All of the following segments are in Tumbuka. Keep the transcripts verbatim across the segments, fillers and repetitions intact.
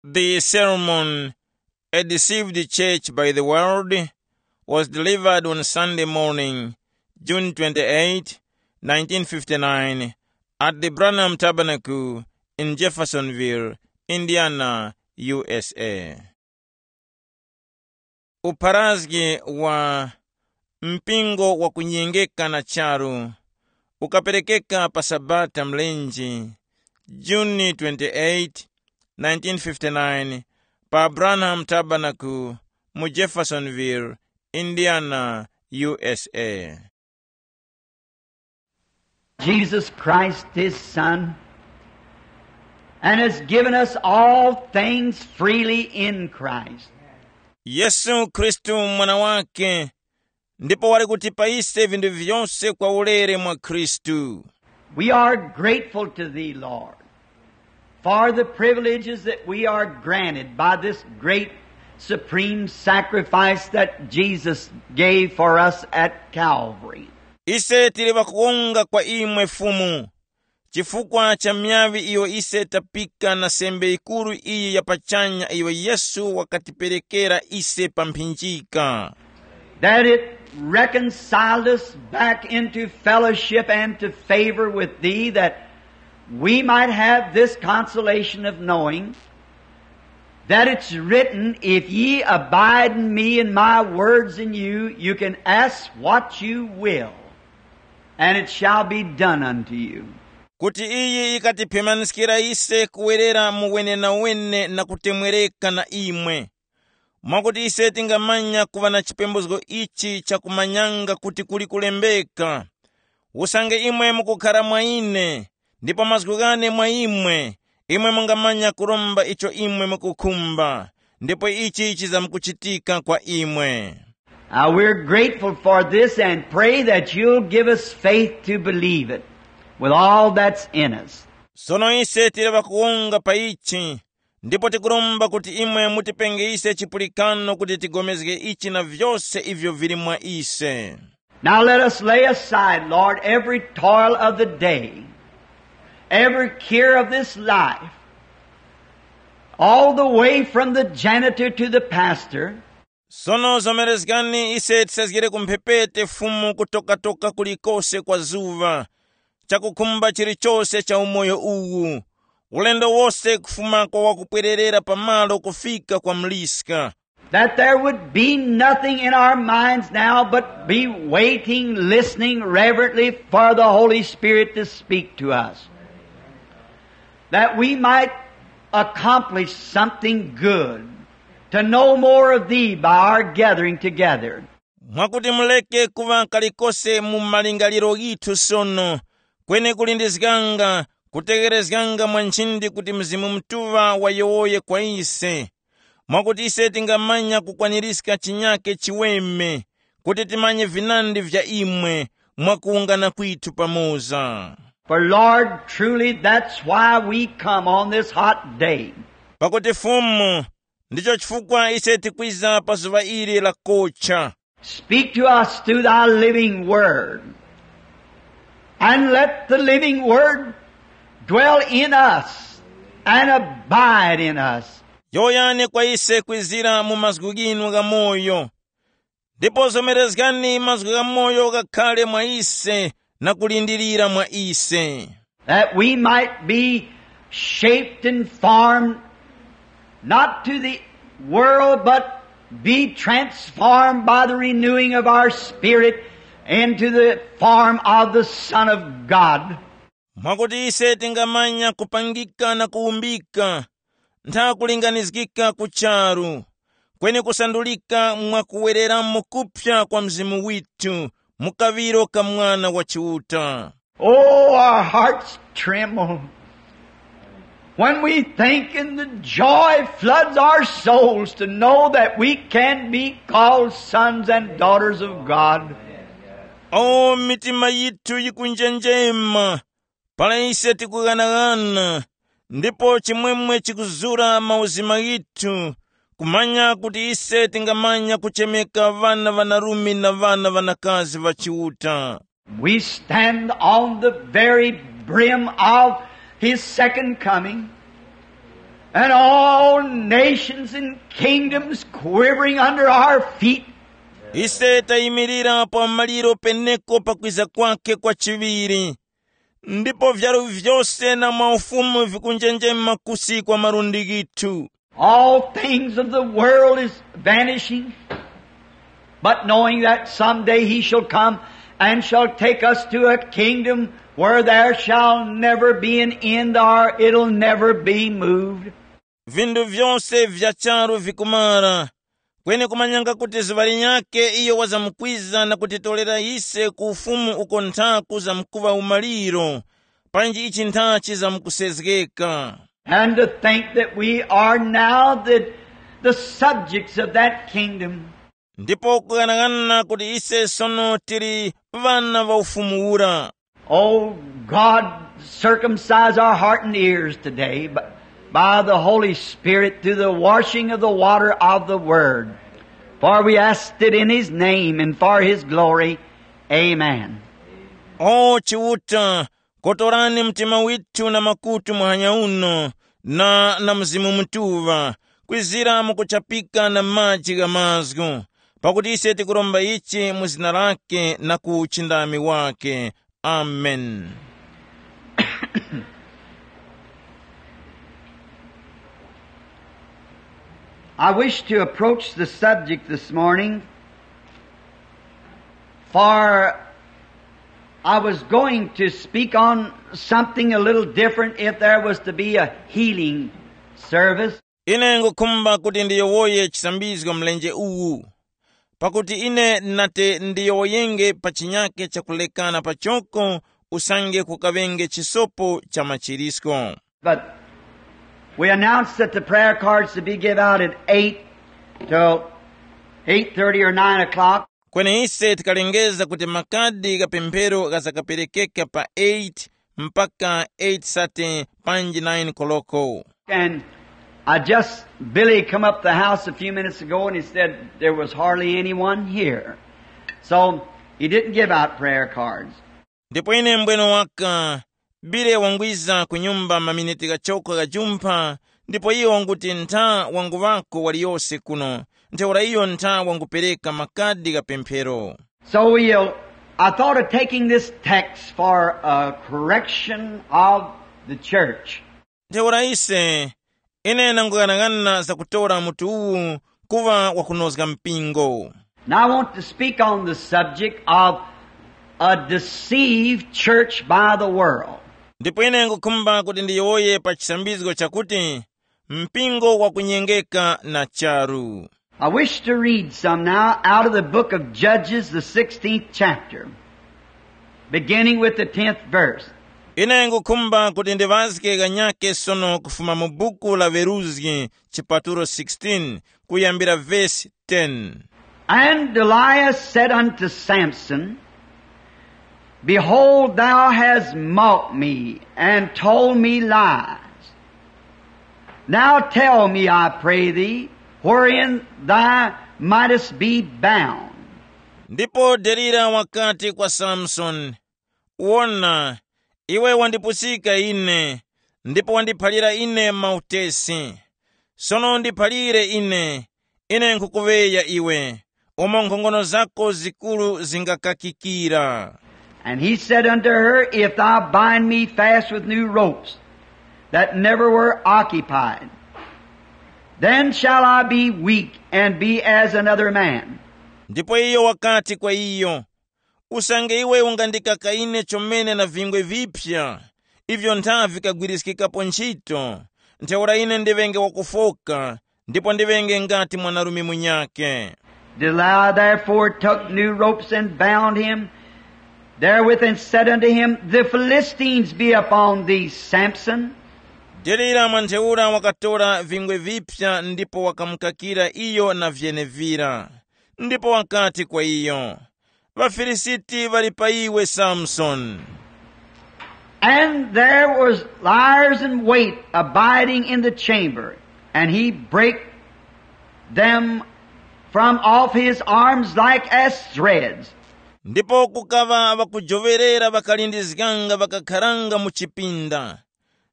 The sermon, A Deceived Church by the World, was delivered on Sunday morning, June twenty-eighth, nineteen fifty-nine, at the Branham Tabernacle in Jeffersonville, Indiana, U S A. Upharazgi wa mpingo wa kunyengeka na charu ukaperekeka pa Sabata mlenje, June twenty-eight, nineteen fifty-nine, pa Branham Tabernacle mu Jeffersonville, Indiana, U S A. Jesus Christ, his Son, and has given us all things freely in Christ. Yesu Khristu mwana wake, ndipo wali kutipa ise vinthu vyose kwa ulere mwa Khristu. We are grateful to thee, Lord, for the privileges that we are granted by this great supreme sacrifice that Jesus gave for us at Calvary. Ise tili ŵakuwonga kwa imwe Fumu, chifukwa cha myavi iyo ise tapika na sembe yikuru iyi ya pachanya iyo Yesu wakatiperekera ise pa mphinjika. That it reconciled us back into fellowship and to favor with thee, that we might have this consolation of knowing that it's written, "If ye abide in me and my words in you, you can ask what you will, and it shall be done unto you." Kuti iyi ikatiphemaniskira ise kuwerera mu wenenawene na kutemwereka na imwe, mwakuti ise tingamanya kuŵa na chipembozgo ichi chakumanyanga kuti kuli kulembeka, usange imwe mukukhara mwa ine, ndipo mazgu ghane mwa imwe, imwe mungamanya kuromba icho imwe mukukhumba, ndipo ichi chizamkuchitika kwa imwe. Now we're grateful for this and pray that you'll give us faith to believe it with all that's in us. Sono ise tili ŵakuwonga pa ichi, ndipo tikuromba kuti imwe mutipenge ise chipulikano kuti tigomezge ichi na vyose ivyo vili mwa ise. Now let us lay aside, Lord, every toil of the day, every care of this life, all the way from the janitor to the pastor. Sono zomerezgani ise tisazgire ku mphepete Fumu kutokatoka kulikose kwa zuŵa, chakukhumba chilichose cha umoyo uwu, ulendo wose kufuma kwa wakupwererera pamalo kufika kwa muliska. That there would be nothing in our minds now but be waiting, listening reverently for the Holy Spirit to speak to us. That we might accomplish something good, to know more of thee by our gathering together. Mwakuti muleke kuŵa kalikose mu malingaliro ghithu sono, kweni kulindizganga, kutegherezganga mwa nchindi kuti Mzimu Mutuŵa wayowoye kwa ise, mwakuti ise tingamanya kukwanirizga chinyake chiweme, kuti timanye vinandi vya imwe mwa kuwungana kwithu pamoza. For Lord, truly that's why we come on this hot day. Pakuti Fumu, ndicho chifukwa ise tikwiza pa zuŵa ili la kocha. Speak to us through thy living word. And let the living word dwell in us and abide in us. Yowoyani kwa ise kwizira mu mazgu ghinu gha moyo, ndipo zomerezgani mazgu gha moyo ghakhale mwa ise na kulindirira mwa ise. That we might be shaped and formed, not to the world, but be transformed by the renewing of our spirit into the form of the Son of God. Mwakuti ise tingamanya kupangika na kuwumbika, ntha kulinganizgika ku charu, kweni kusandulika mwa kuwereramo kupya kwa mzimu withu mu kaŵiro ka Mwana wa Chiuta. Oh, our hearts tremble when we think in the joy floods our souls to know that we can be called sons and daughters of God. O, mitima yithu yikunjenjema para ise tikughanaghana, ndipo chimwemwe chikuzura mauzima ghithu, kumanya kuti ise tingamanya kuchemeka ŵana ŵanarume na ŵana ŵanakazi ŵa Chiuta. We stand on the very brim of his second coming. And all nations and kingdoms quivering under our feet. Ise tayimirira pa maliro peneko pakwiza kwake kwa chiŵiri, ndipo vyaru vyose na maufumu vikunjenjema kusi kwa malundi ghithu. All things of the world is vanishing, but knowing that someday he shall come and shall take us to a kingdom where there shall never be an end, or it'll never be moved. Vindu vyose vya charu vikumara, kweni kumanyanga kuti zuŵa linyakhe iyo wazamkwiza na kutitorera ise ku ufumu uko nthaku zamkuŵa umaliro, panji ichi ntha chizamkusezgeka. And to think that we are now the, the subjects of that kingdom. Ndipo kughanaghanana kuti ise sono tili ŵana ŵa ufumu ura. Oh God, circumcise our heart and ears today b- by the Holy Spirit through the washing of the water of the Word. For we asked it in His name and for His glory. Amen. O Chiuta, kotorani mtima withu na makutu muhanya uno, na na Mzimu Mutuŵa, kwizira mukuchapika na maji gha mazgu, pakuti ise tikuromba ichi mu zina lake na ku uchindami wake. Amen. I wish to approach the subject this morning, for I was going to speak on something a little different if there was to be a healing service. Ine ngukhumba kuti ndiyowoye chisambizgo mlenje uwu, pakuti ine nati ndiyowoyenge pa chinyake chakulekana pachoko, usange kukaŵenge chisopo cha machirisko. But we announced that the prayer cards to be give out at eight till eight thirty or nine o'clock. Kweni ise tikalengeza kuti makadi gha pemphero ghazakaperekeka pa eight mpaka eight thirty panji nine koloko. And I just, Billy come up the house a few minutes ago and he said there was hardly anyone here. So he didn't give out prayer cards. Ndipo ine mbweno waka, Bile wangwiza ku nyumba maminiti ghachoko ghajumpha, ndipo iyo wanguti ntha wanguŵako waliyose kuno, ntheura iyo ntha wangupereka makadi gha pemphero. So we'll, I thought of taking this text for a correction of the church. Ntheura ise, ine nanguyang'ana zakutora mutu uwu kuŵa wakunozga mpingo. Now I want to speak on the subject of a deceived church by the world. Ndipo ine ngukhumba kuti ndiyowoye pa chisambizgo chakuti mpingo wakunyengeka na charu. I wish to read some now out of the book of Judges, the sixteenth chapter, beginning with the tenth verse. Ine ngukhumba kuti ndiŵazge ghanyake sono kufuma mu buku la Veruzgi chipatulo sixteen kuyambira vesi ten. And Delilah said unto Samson, "Behold, thou hast mocked me and told me lies. Now tell me, I pray thee, wherein thou mightest be bound." Ndipo Delila wakati kwa Samsoni, "Wona, iwe wandipusika ine, ndipo wandiphalira ine mautesi. Sono ndiphalire ine, ine nkhukuŵeya iwe, umo nkhongono zako zikuru zingakakikira." And he said unto her, "If thou bind me fast with new ropes that never were occupied, then shall I be weak and be as another man." Ndipo iyo wakati kwa iyo, "Usange iwe ungandikaka ine chomene na vingwe viphya, ivyo ntha vikagwiriskikapo nchito, ntheura ine ndiŵenge wakufoka, ndipo ndiŵenge ngati mwanarume munyakhe." Delilah therefore took new ropes and bound him therewith, and said unto him, "The Philistines be upon thee, Samson." Delila mwa ntheura wakatora vingwe viphya ndipo wakamukakira iyo na vyenevira. Ndipo wakati kwa iyo, "ۊaFilisiti ŵali pa iwe, Samsoni." And there was liers in wait abiding in the chamber, and he brake them from off his arms like as threads. Ndipo kukaŵa ŵakujoŵerera ŵakalindizganga ŵakakharanga mu chipinda,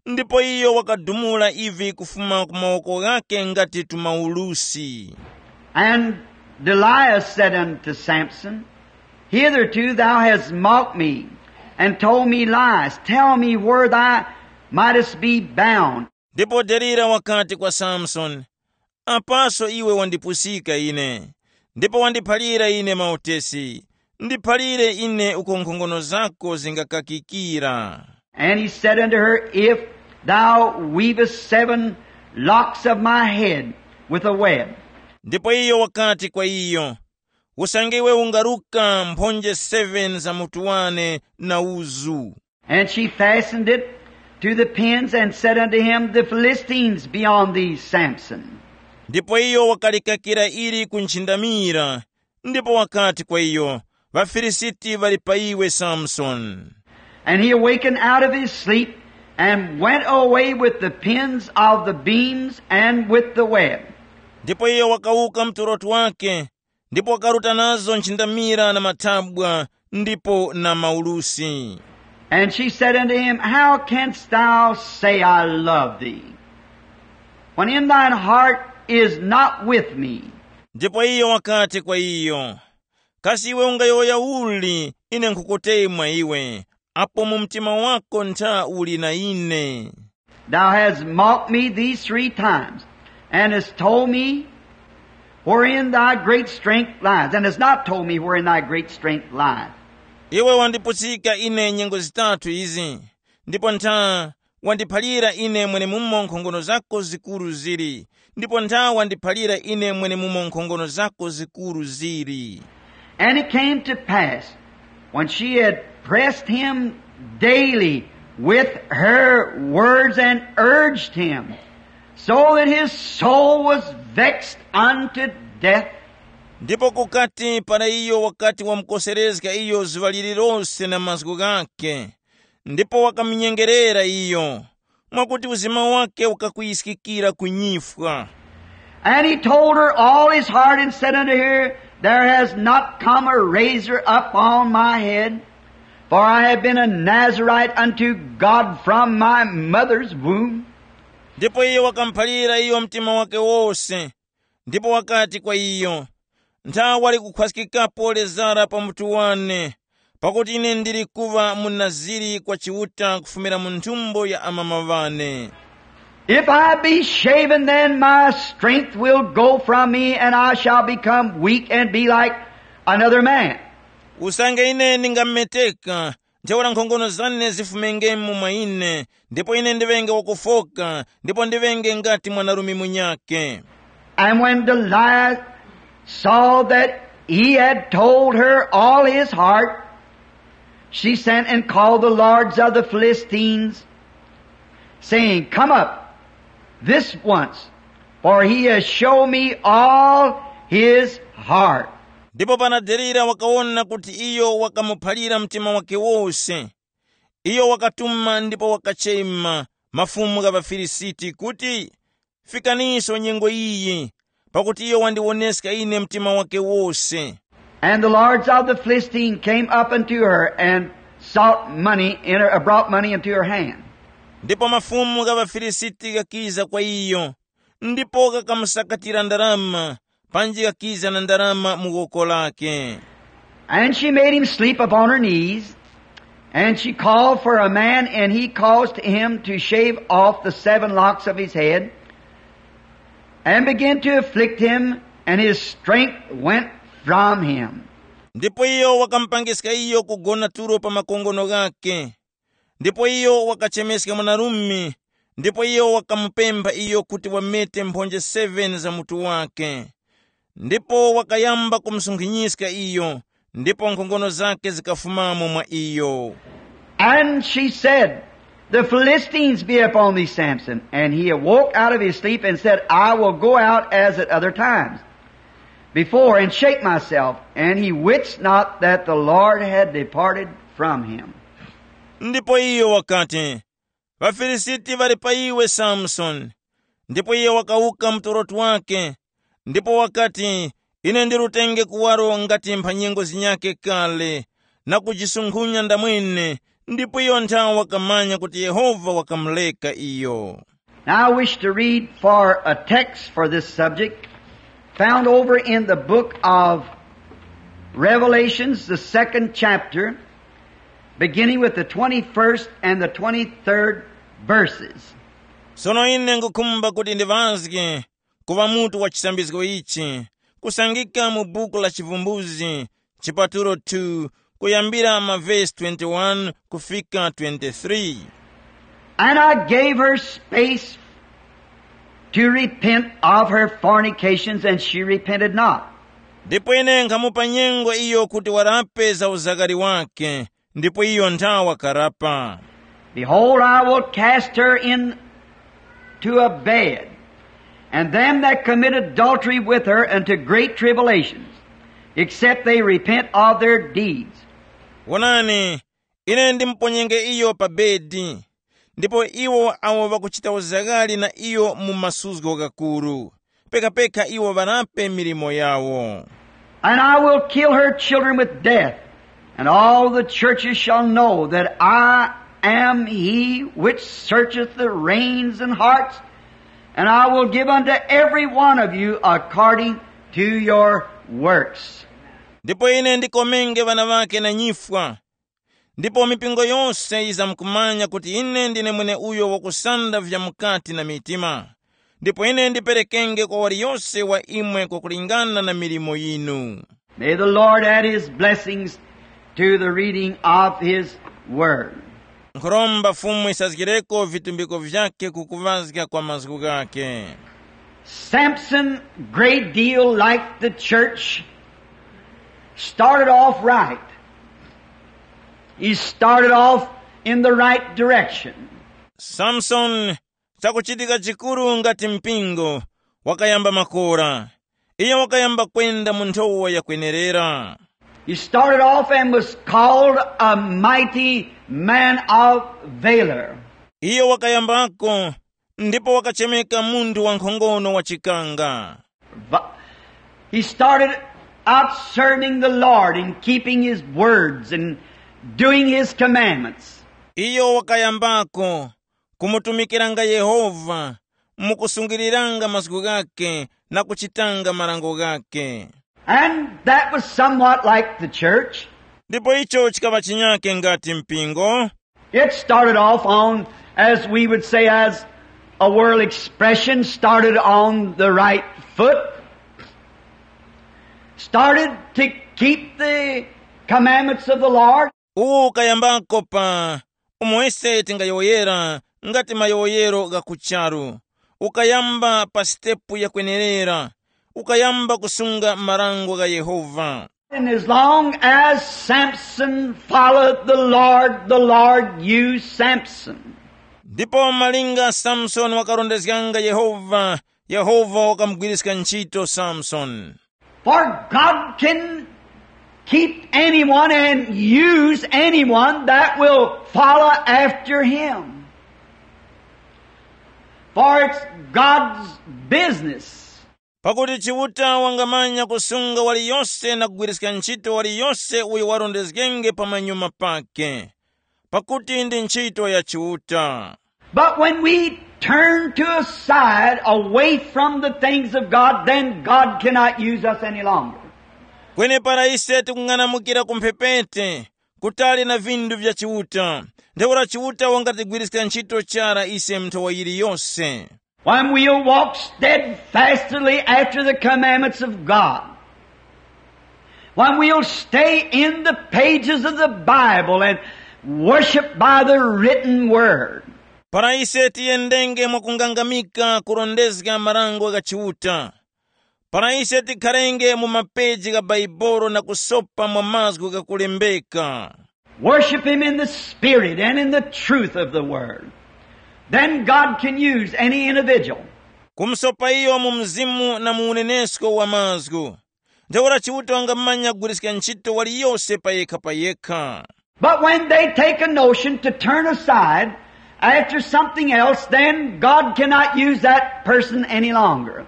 Ndipo iyo wakadumula ivi kufuma ku mawoko ghakhe ngati tumaulusi. And Delilah said unto Samson, "Hitherto thou hast mocked me, and told me lies. Tell me where thou mightest be bound." Ndipo Delila wakati kwa Samsoni, "Apaso iwe wandipusika ine, ndipo wandiphalira ine mautesi. Ndiphalire ine uko nkhongono zako zingakakikira." And he said unto her, "If thou weavest seven locks of my head with a web." Ndipo iyo wakati kwa iyo, "Usange iwe ungaruka mphonje seven za mutu wane na uzu." And she fastened it to the pins and said unto him, "The Philistines be on thee, Samson." Ndipo iyo wakalikakira ili ku nchindamira, ndipo wakati kwa iyo, "Ŵafilisiti ŵali pa iwe, Samsoni." And he awakened out of his sleep and went away with the pins of the beams and with the web. Ndipo iyo wakawuka mtuloto wake, ndipo wakaruta nazo nchindamira na mathabwa, ndipo na maulusi. And she said unto him, "How canst thou say, 'I love thee,' when in thine heart is not with me?" Ndipo iyo wakati kwa iyo, "Kasi iwe ungayowoya uli, ine nkhukutemwa iwe, apo mu mtima wako ntha uli na ine?" "Thou hast mocked me these three times, and hast told me wherein thy great strength lies, and hast not told me wherein thy great strength lieth." Iwe wandipusika ine nyengo zitatu izi, ndipo ntha wandiphalira ine mwenemumo nkhongono zako zikuru zili, ndipo ntha wandiphalira ine mwenemumo nkhongono zako zikuru zili. And it came to pass, when she had pressed him daily with her words and urged him, so that his soul was vexed unto death. Ndipo kukati para iyo wakati wamukoserezga iyo zuŵa lililose na mazgu ghakhe, ndipo wakamunyengerera iyo, mwakuti uzima wake ukakwiyiskikira ku nyifwa. And he told her all his heart and said unto her, "There has not come a razor up on my head, for I have been a Nazarite unto God from my mother's womb." Ndipo iyo wakamuphalira iyo mtima wake wose, ndipo wakati kwa iyo, "Ntha wali kukhwaskikapo lezara pa mutu wane, pakuti ine ndili kuŵa munaziri kwa Chiuta kufumira mu nthumbo ya amama ŵane. If I be shaven, then my strength will go from me, and I shall become weak and be like another man." Usange ine ndingameteka, ntheura nkhongono zane zifumengemo mwa ine, ndipo ine ndiŵenge wakufoka, ndipo ndiŵenge ngati mwanarume munyakhe. And when Delilah saw that he had told her all his heart, she sent and called the lords of the Philistines, saying, "Come up this once, for he has shown me all his heart." Ndipo para Delila wakawona kuti iyo wakamuphalira mtima wake wose, iyo wakatuma ndipo wakachema mafumu gha ŵaFilisiti kuti, "Fikaninso nyengo iyi, pakuti iyo wandiwoneska ine mtima wake wose." And the lords of the Philistine came up unto her and sought money in her, brought money into her hand. Ndipo mafumu gha ŵaFilisiti ghakiza kwa iyo, ndipo ghakamusakatira ndarama, panji ghakiza na ndarama mu woko lake. And she made him sleep upon her knees, and she called for a man, and he caused him to shave off the seven locks of his head, and began to afflict him, and his strength went from him. Ndipo iyo wakamupangiska iyo kugona tulo pa makongono ghake. Ndipo iyo wakachemeska mwanarume, ndipo iyo wakamupempha iyo kuti wamete mphonje seven za mutu wake. Ndipo wakayamba kumusunkhinyiska iyo, ndipo nkhongono zake zikafumamo mwa iyo. And she said, "The Philistines be upon thee, Samson." And he awoke out of his sleep and said, "I will go out as at other times before and shake myself." And he wist not that the Lord had departed from him. Ndipo iyo wakati, "Ŵafilisiti ŵali pa iwe, Samsoni." Ndipo iyo wakawuka mtoroto wake, ndipo wakati, "Ine ndirutenge kuwaro ngati mphanyengo zinyakhe kale, na kujisunkhunya ndamwene, ndipo iyo nthawe wakamanya kuti Yehova wakamureka iyo. Now I wish to read for a text for this subject, found over in the book of Revelations, the second chapter, beginning with the twenty-first and the twenty-third verses. Sono ine ngukhumba kuti ndiŵazge kuŵa mutu wa chisambizgo ichi, kusangika mu buku la Chivumbuzgi, chipatulo two, kuyambira ma vesi twenty-one kufika twenty-three. And I gave her space to repent of her fornications, and she repented not. Ndipo ine nkhamupa nyengo iyo kuti warape za uzakari wake, ndipo iyo nthawa karapa. Behold, I will cast her into a bed, and them that commit adultery with her unto great tribulations, except they repent of their deeds. Wonani, ine ndimuponyenge iyo pa bedi, ndipo iwo awo ŵakuchita uzakari na iyo mu masuzgo ghakuru, pekapeka iwo ŵarape milimo yawo. And I will kill her children with death, and all the churches shall know that I am he which searcheth the reins and hearts, and I will give unto every one of you according to your works. Ndipo ine ndikomenge ŵana ŵake na nyifwa, ndipo mipingo yose yizamkumanya kuti ine ndine mweneuyo wakusanda vya mukati na mitima, ndipo ine ndiperekenge kwa waliyose wa imwe kwakulingana na milimo yinu. May the Lord add his blessings to the reading of his word. Nkhuromba Fumu isazgireko vitumbiko vyake kukuŵazga kwa mazgu ghake. Samson, great deal like the church, started off right. He started off in the right direction. Samson, chakuchitika chikuru ngati mpingo, wakayamba makora. Iyo wakayamba kwenda mu nthowa yakwenerera. He started off and was called a mighty man of valor. Iyo wakayambako, ndipo wakachemeka munthu wankhongono wa chikanga. Va-, he started out serving the Lord and keeping his words and doing his commandments. Iyo wakayambako kumutumikiranga Yehova, mukusungiriranga mazgu ghake na kuchitanga marango ghake. And that was somewhat like the church. Ndipo icho chikaŵa chinyake ngati mpingo. It started off on, as we would say, as a world expression, started on the right foot, started to keep the commandments of the Lord. Uwo ukayambako pa umo ise tingayowoyera ngati mayowoyero gha ku charu, ukayamba pa sitepu yakwenerera, ukayamba kusunga marango gha Yehova. And as long as Samson followed the Lord, the Lord used Samson. Ndipo malinga Samsoni wakarondezganga Yehova, Yehova wakamugwiriska ntchito Samsoni. For God can keep anyone and use anyone that will follow after him. For it's God's business. Pakuti Chiuta wangamanya kusunga waliyose na kugwiriska ntchito waliyose uyo warondezgenge pamanyuma pake, pakuti ndi ntchito ya Chiuta. But when we turn to a side away from the things of God, then God cannot use us any longer. Kweni para ise tikung'anamukira ku mphepete, kutali na vinthu vya Chiuta, ntheura Chiuta wangatigwiriska ntchito chara ise mu nthowa yiliyose. When we'll walk steadfastly after the commandments of God, when we'll stay in the pages of the Bible and worship by the written word. Para ise tiyendenge mwakungangamika kurondezga marango gha Chiuta, para ise tikharenge mu mapeji gha Baibolo na kusopa mwa mazgu ghakulembeka. Worship him in the spirit and in the truth of the word. Then God can use any individual. Kumusopa iyo mu mzimu na mu unenesko wa mazgu. Ntheura Chiuta wangamanya kugwiriska ntchito waliyose payekha payekha. But when they take a notion to turn aside after something else, then God cannot use that person any longer.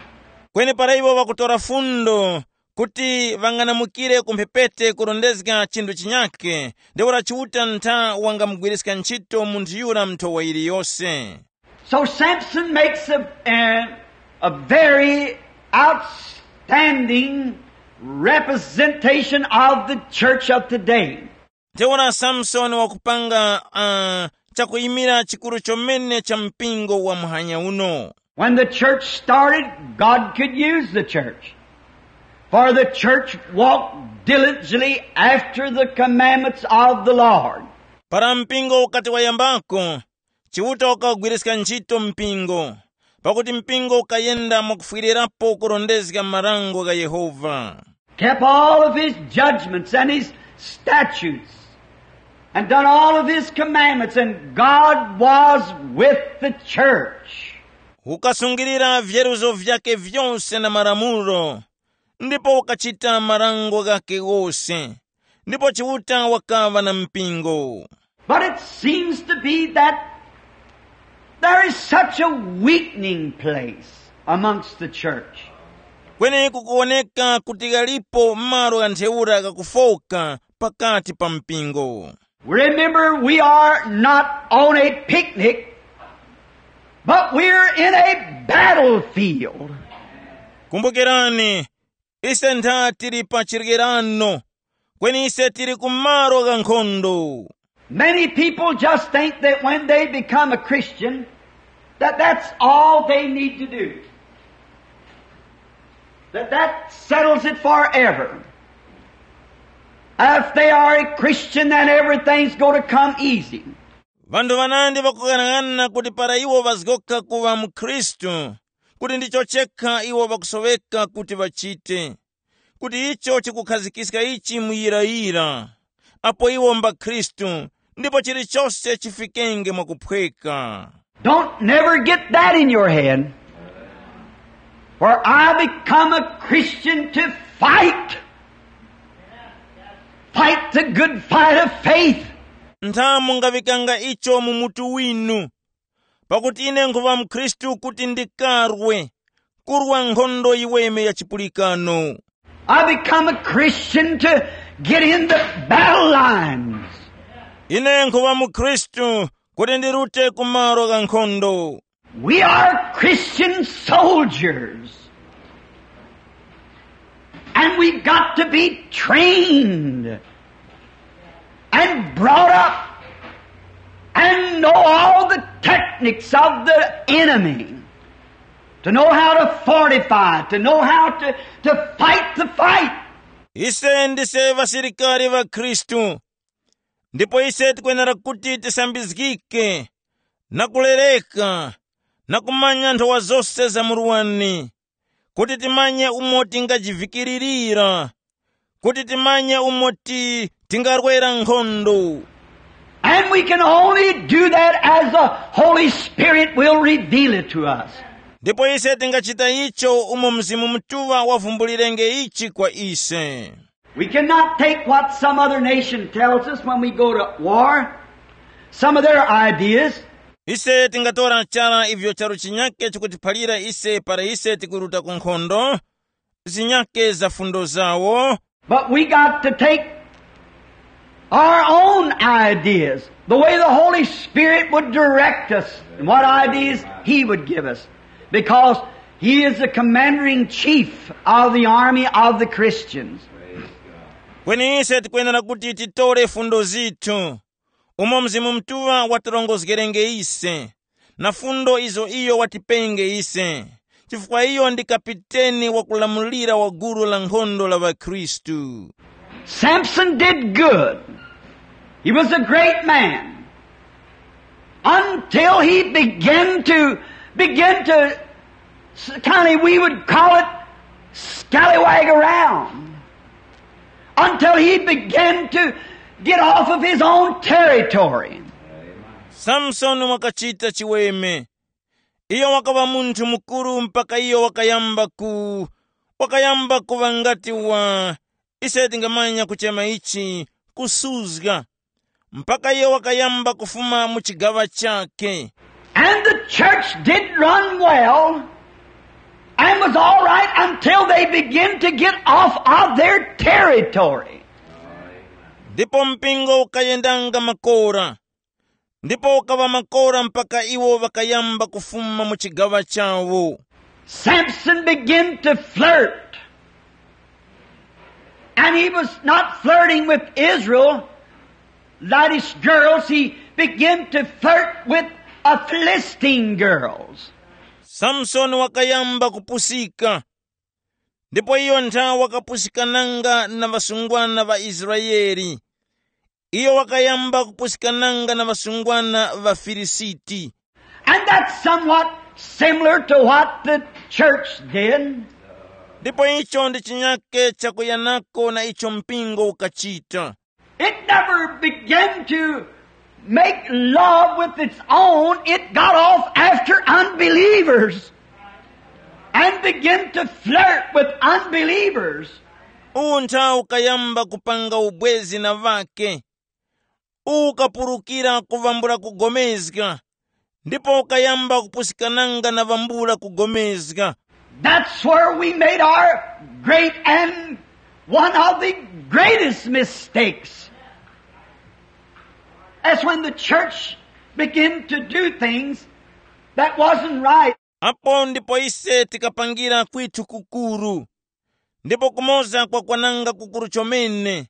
Kweni para iwo ŵakutora fundo kuti ŵang'anamukire ku mphepete kurondezga chinthu chinyakhe, ntheura Chiuta ntha wangamugwiriska ntchito munthu yura nthowa yiliyose. So Samson makes a, a, a very outstanding representation of the church of today. Ntheura Samsoni wakupanga uh, chakuyimira chikuru chomene cha mpingo wa muhanya uno. When the church started, God could use the church. For the church walked diligently after the commandments of the Lord. Para mpingo ukati wayambako, Chiuta wakagwiriska ntchito mpingo, pakuti mpingo ukayenda mwakufwirirapo kurondezga marango gha Yehova. Kept all of his judgments and his statutes, and done all of his commandments, and God was with the church. Ukasungilira vyeruzo vyake vyose na malamulo, ndipo ukachita marango ghake ghose, ndipo Chiuta wakaŵa na mpingo. But it seems to be that there is such a weakening place amongst the church. Kweni kukuwoneka kuti ghalipo malo gha ntheura ghakufoka pakati pa mpingo. Remember, we are not on a picnic, but we're in a battlefield. Kumbukirani, ise ntha tili pa chirikirano, kweni ise tili ku malo gha nkhondo. Many people just think that when they become a Christian, that that's all they need to do. That that settles it forever. If they are a Christian, then everything's going to come easy. Vanthu vanandi vakughanaghanana kuti para iwo ŵazgoka kuŵa mukhristu, kuti ndicho chekha iwo ŵakusoweka kuti ŵachite, kuti icho chikukhazikiska ichi muyirayira, apo iwo mbakhristu, ndipo chilichose chifikenge mwakuphweka. Don't never get that in your head. For I become a Christian to fight. Fight the good fight of faith. Ntha mungaŵikanga icho mu mutu winu, pakuti ine nkhuŵa mkhristu kuti ndikarwe, kurwa nkhondo yiweme ya chipulikano. I become a Christian to get in the battle lines. Ine nkhuŵa mukhristu kuti ndirute ku malo gha nkhondo. We are Christian soldiers. And we got to be trained and brought up and know all the techniques of the enemy, to know how to fortify, to know how to, to fight the fight. Ise ndise ŵasilikari ŵa Khristu, ndipo ise tikwenera kuti tisambizgike na kulereka na kumanya nthowa zose za murwani, kuti timanye umo tingajivikiririra, kuti timanye umo ti tingarwera nkhondo. And we can only do that as the Holy Spirit will reveal it to us. Ndipo ise tingachita icho umo Mzimu Mutuŵa wavumbulirenge ichi kwa ise. We cannot take what some other nation tells us when we go to war, some of their ideas. Ise tingatora chara ivyo charu chinyake chikutiphalira ise para ise tikuruta ku nkhondo, zinyake za fundo zawo. But we got to take our own ideas, the way the Holy Spirit would direct us, and what ideas He would give us, because He is the commander in chief of the army of the Christians. Kweni ise tikwenera kuti titore fundo zithu, umo Mzimu Mutuŵa watirongozgerenge ise, na fundo izo iyo watipenge ise, chifukwa iyo ndi kapiteni wakulamulira wa gulu la nkhondo la ŵakhristu. Samson did good. He was a great man until he began to, began to, kind of, we would call it, scallywag around, until he began to get off of his own territory. Samsoni wakachita chiweme. Iyo wakaŵa munthu mukuru mpaka iyo wakayamba ku wakayamba kuŵa ngati wa, ise tingamanya kuchema ichi, kusuzga, mpaka iyo wakayamba kufuma mu chigaŵa chakhe. And the church did run well, and It was all right until they begin to get off of their territory. Ndipo mpingo ukayendanga makora, ndipo ukaŵa makora mpaka iwo ŵakayamba kufuma mu chigaŵa chawo. Samson began to flirt. And he was not flirting with Israel, that is girls, he began to flirt with a Philistine girls. Samsoni wakayamba kupusika, ndipo iyo nthawe wakapusikananga na ŵasungwana ŵa Israele. Iyo wakayamba kupusikananga na ŵasungwana ŵa Filisiti. And that's somewhat similar to what the church did. Ndipo icho ndi chinyake chakuyanako na icho mpingo ukachita. It never began to make love with its own. It got off after unbelievers and began to flirt with unbelievers. Uwu nthawe ukayamba kupanga ubwezi na ŵake. Uwu ukapulukira kuvambula kugomezga, ndipo ukayamba kupusikananga na vambula kugomezga. That's where we made our great and one of the greatest mistakes. That's when the church began to do things that wasn't right. Apo ndipo ise tikapangira kwithu kukuru, ndipo kumoza kwakwananga kukuru chomene.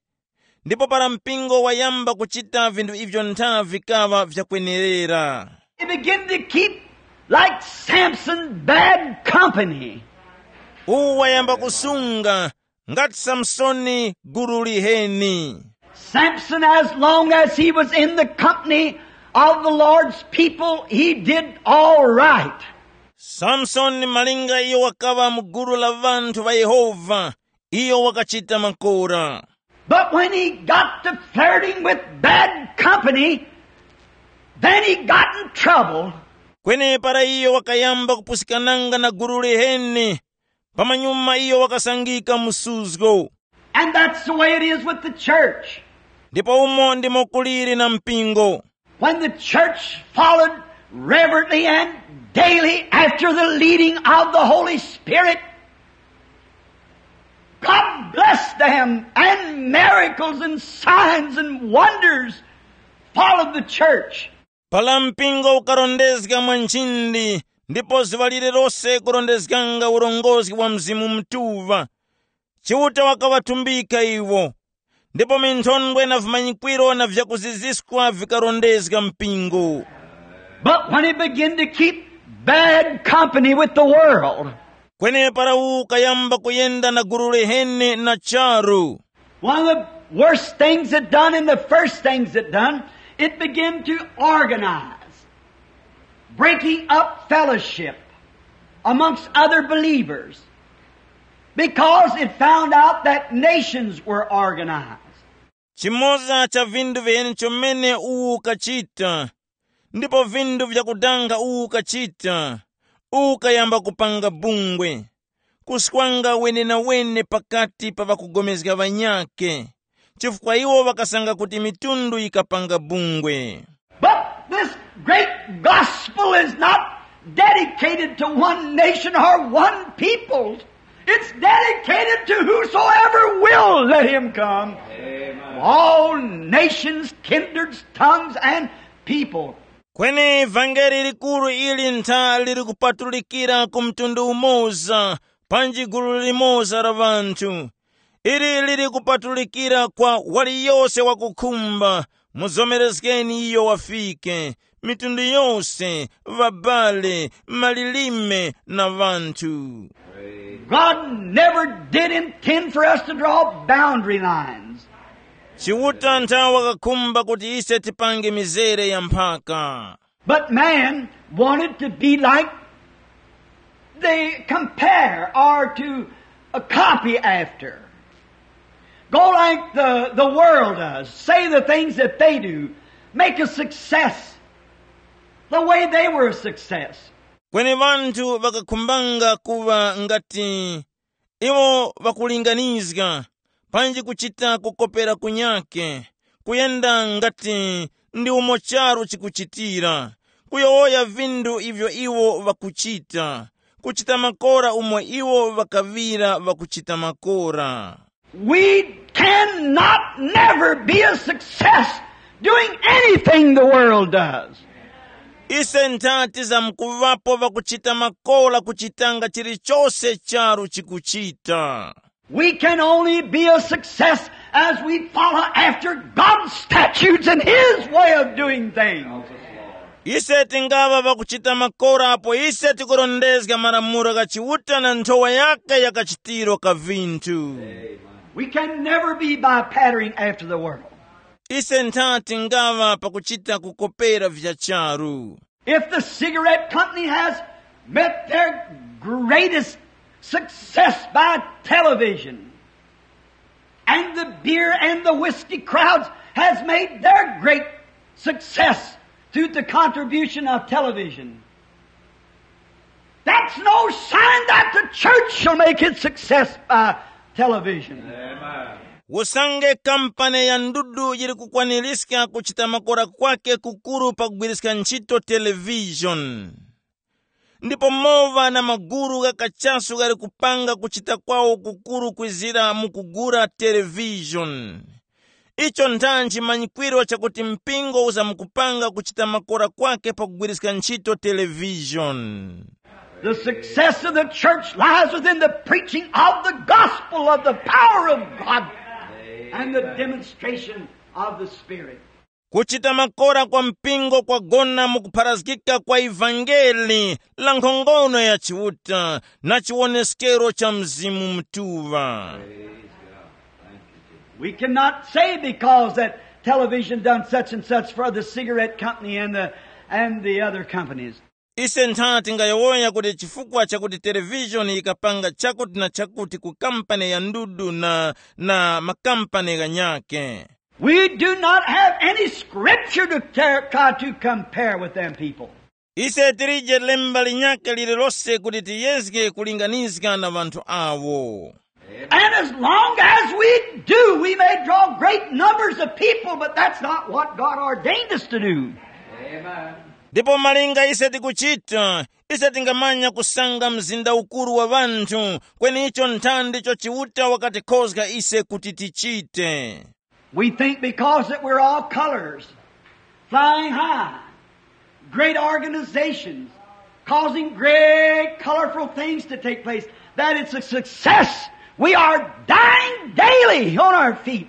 Ndipo para mpingo wayamba kuchita vinthu ivyo ntha vikaŵa vyakwenerera. He began to keep, like Samson, bad company. Uwu wayamba kusunga ngati Samsoni gulu liheni. Samson, as long as he was in the company of the Lord's people, he did all right. Samsoni malinga iyo wakaŵa mu gulu la ŵanthu ŵa Yehova, iyo wakachita makora. But when he got to flirting with bad company, then he got in trouble. Kweni para iyo wakayamba kupusikananga na gulu liheni, pamanyuma iyo wakasangika msuzgo. And that's the way it is with the church. Ndipo umo ndimo kuliri na mpingo. When the church followed reverently and daily after the leading of the Holy Spirit, God blessed them, and miracles and signs and wonders followed the church. Para mpingo ukarondezga mwa nchindi, ndipo zuŵa lililose kurondezganga urongozgi wa Mzimu Mutuŵa, Chiuta wakaŵatumbika iwo, ndipo minthondwe na vimanyikwiro na vyakuziziskwa vikarondezga mpingo. But when he began to keep bad company with the world, kwenepara uwu ukayamba kuyenda na gulu liheni na charu. One of the worst things it done and the first things it done, it began to organize, breaking up fellowship amongst other believers, because it found out that nations were organized. Chimoza cha vindu viheni chomene uwu ukachita, ndipo vindu vyakudanga uwu ukachita, uwu ukayamba kupanga bungwe, kuswanga wenenawene pakati pa ŵakugomezga ŵanyakhe, chifukwa iwo ŵakasanga kuti mitundu yikapanga bungwe. But this great gospel is not dedicated to one nation or one people. It's dedicated to whosoever will let him come. Amen. All nations, kindreds, tongues, and people. Kweni vangeli likuru ili ntha lili kupatulikira ku mtundu umoza, panji gulu limoza la ŵanthu. Ili lili kupatulikira kwa waliyose wakukhumba, muzomerezgeni iyo wafike, mitundu yose, ŵabale, malilime na ŵanthu. God never did intend for us to draw boundary lines. Chiuta nthawe wakakhumba kuti ise tipange mizere ya mphaka. But man wanted to be like they compare or to uh, copy after. Go like the, the world does, say the things that they do, make a success the way they were a success. Kweni ŵanthu ŵakakhumbanga kuŵa ngati iwo ŵakulinganizga, panji kuchita kukopera kunyakhe, kuyenda ngati ndi umo charu chikuchitira, kuyowoya vindu ivyo iwo ŵakuchita, kuchita makora umo iwo ŵakaŵira ŵakuchita makora. We cannot never be a success doing anything the world does. Ise ntha tizamkuŵapo ŵakuchita makora kuchitanga chilichose charu chikuchita. We can only be a success as we follow after God's statutes and His way of doing things. Ise tingaŵa ŵakuchita makora apo ise tikurondezga malamulo gha Chiuta na nthowa yake ya kachitiro ka vinthu. We can never be by patterning after the world. Ise ntha tingaŵa pakuchita kukopera vya charu. If the cigarette company has met their greatest success by television, and the beer and the whiskey crowds has made their great success through the contribution of television, that's no sign that the church shall make its success by television. Usange kampani ya ndudu yili kukwaniska kuchita makora kwake kukuru pakugwiriska ntchito televishoni, ndipo mowa na maguru gha kachasu ghali kupanga kuchita kwawo kukuru kwizira mu kugula televishoni, icho nthanji manyikwiro chakuti mpingo uzamkupanga kuchita makora kwake pakugwiriska ntchito televishoni. The success of the church lies within the preaching of the gospel of the power of God and the demonstration of the Spirit. Kuchita makora kwa mpingo kwagona mu kupharazgika kwa ivangeli la nkhongono ya Chiuta na chiwoneskero cha Mzimu Mutuŵa. We cannot say because that television done such and such for the cigarette company and the, and the other companies. Ise ntha tingayowoya kuti chifukwa chakuti televishoni yikapanga chakuti na chakuti ku kampani ya ndudu na, na makampani ghanyakhe. We do not have any scripture to ter- try to compare with them people. Ise tilije lemba linyakhe lililose kuti tiyezge kulinganizga na ŵanthu awo. And as long as we do, we may draw great numbers of people, but that's not what God ordained us to do. Ndipo malinga ise tikuchita, ise tingamanya kusanga mzinda ukuru wa ŵanthu, kweni icho nthandi icho Chiuta wakatikhozga ise kuti tichite. We think because that we're all colors, flying high, great organizations, causing great colorful things to take place, that it's a success. We are dying daily on our feet,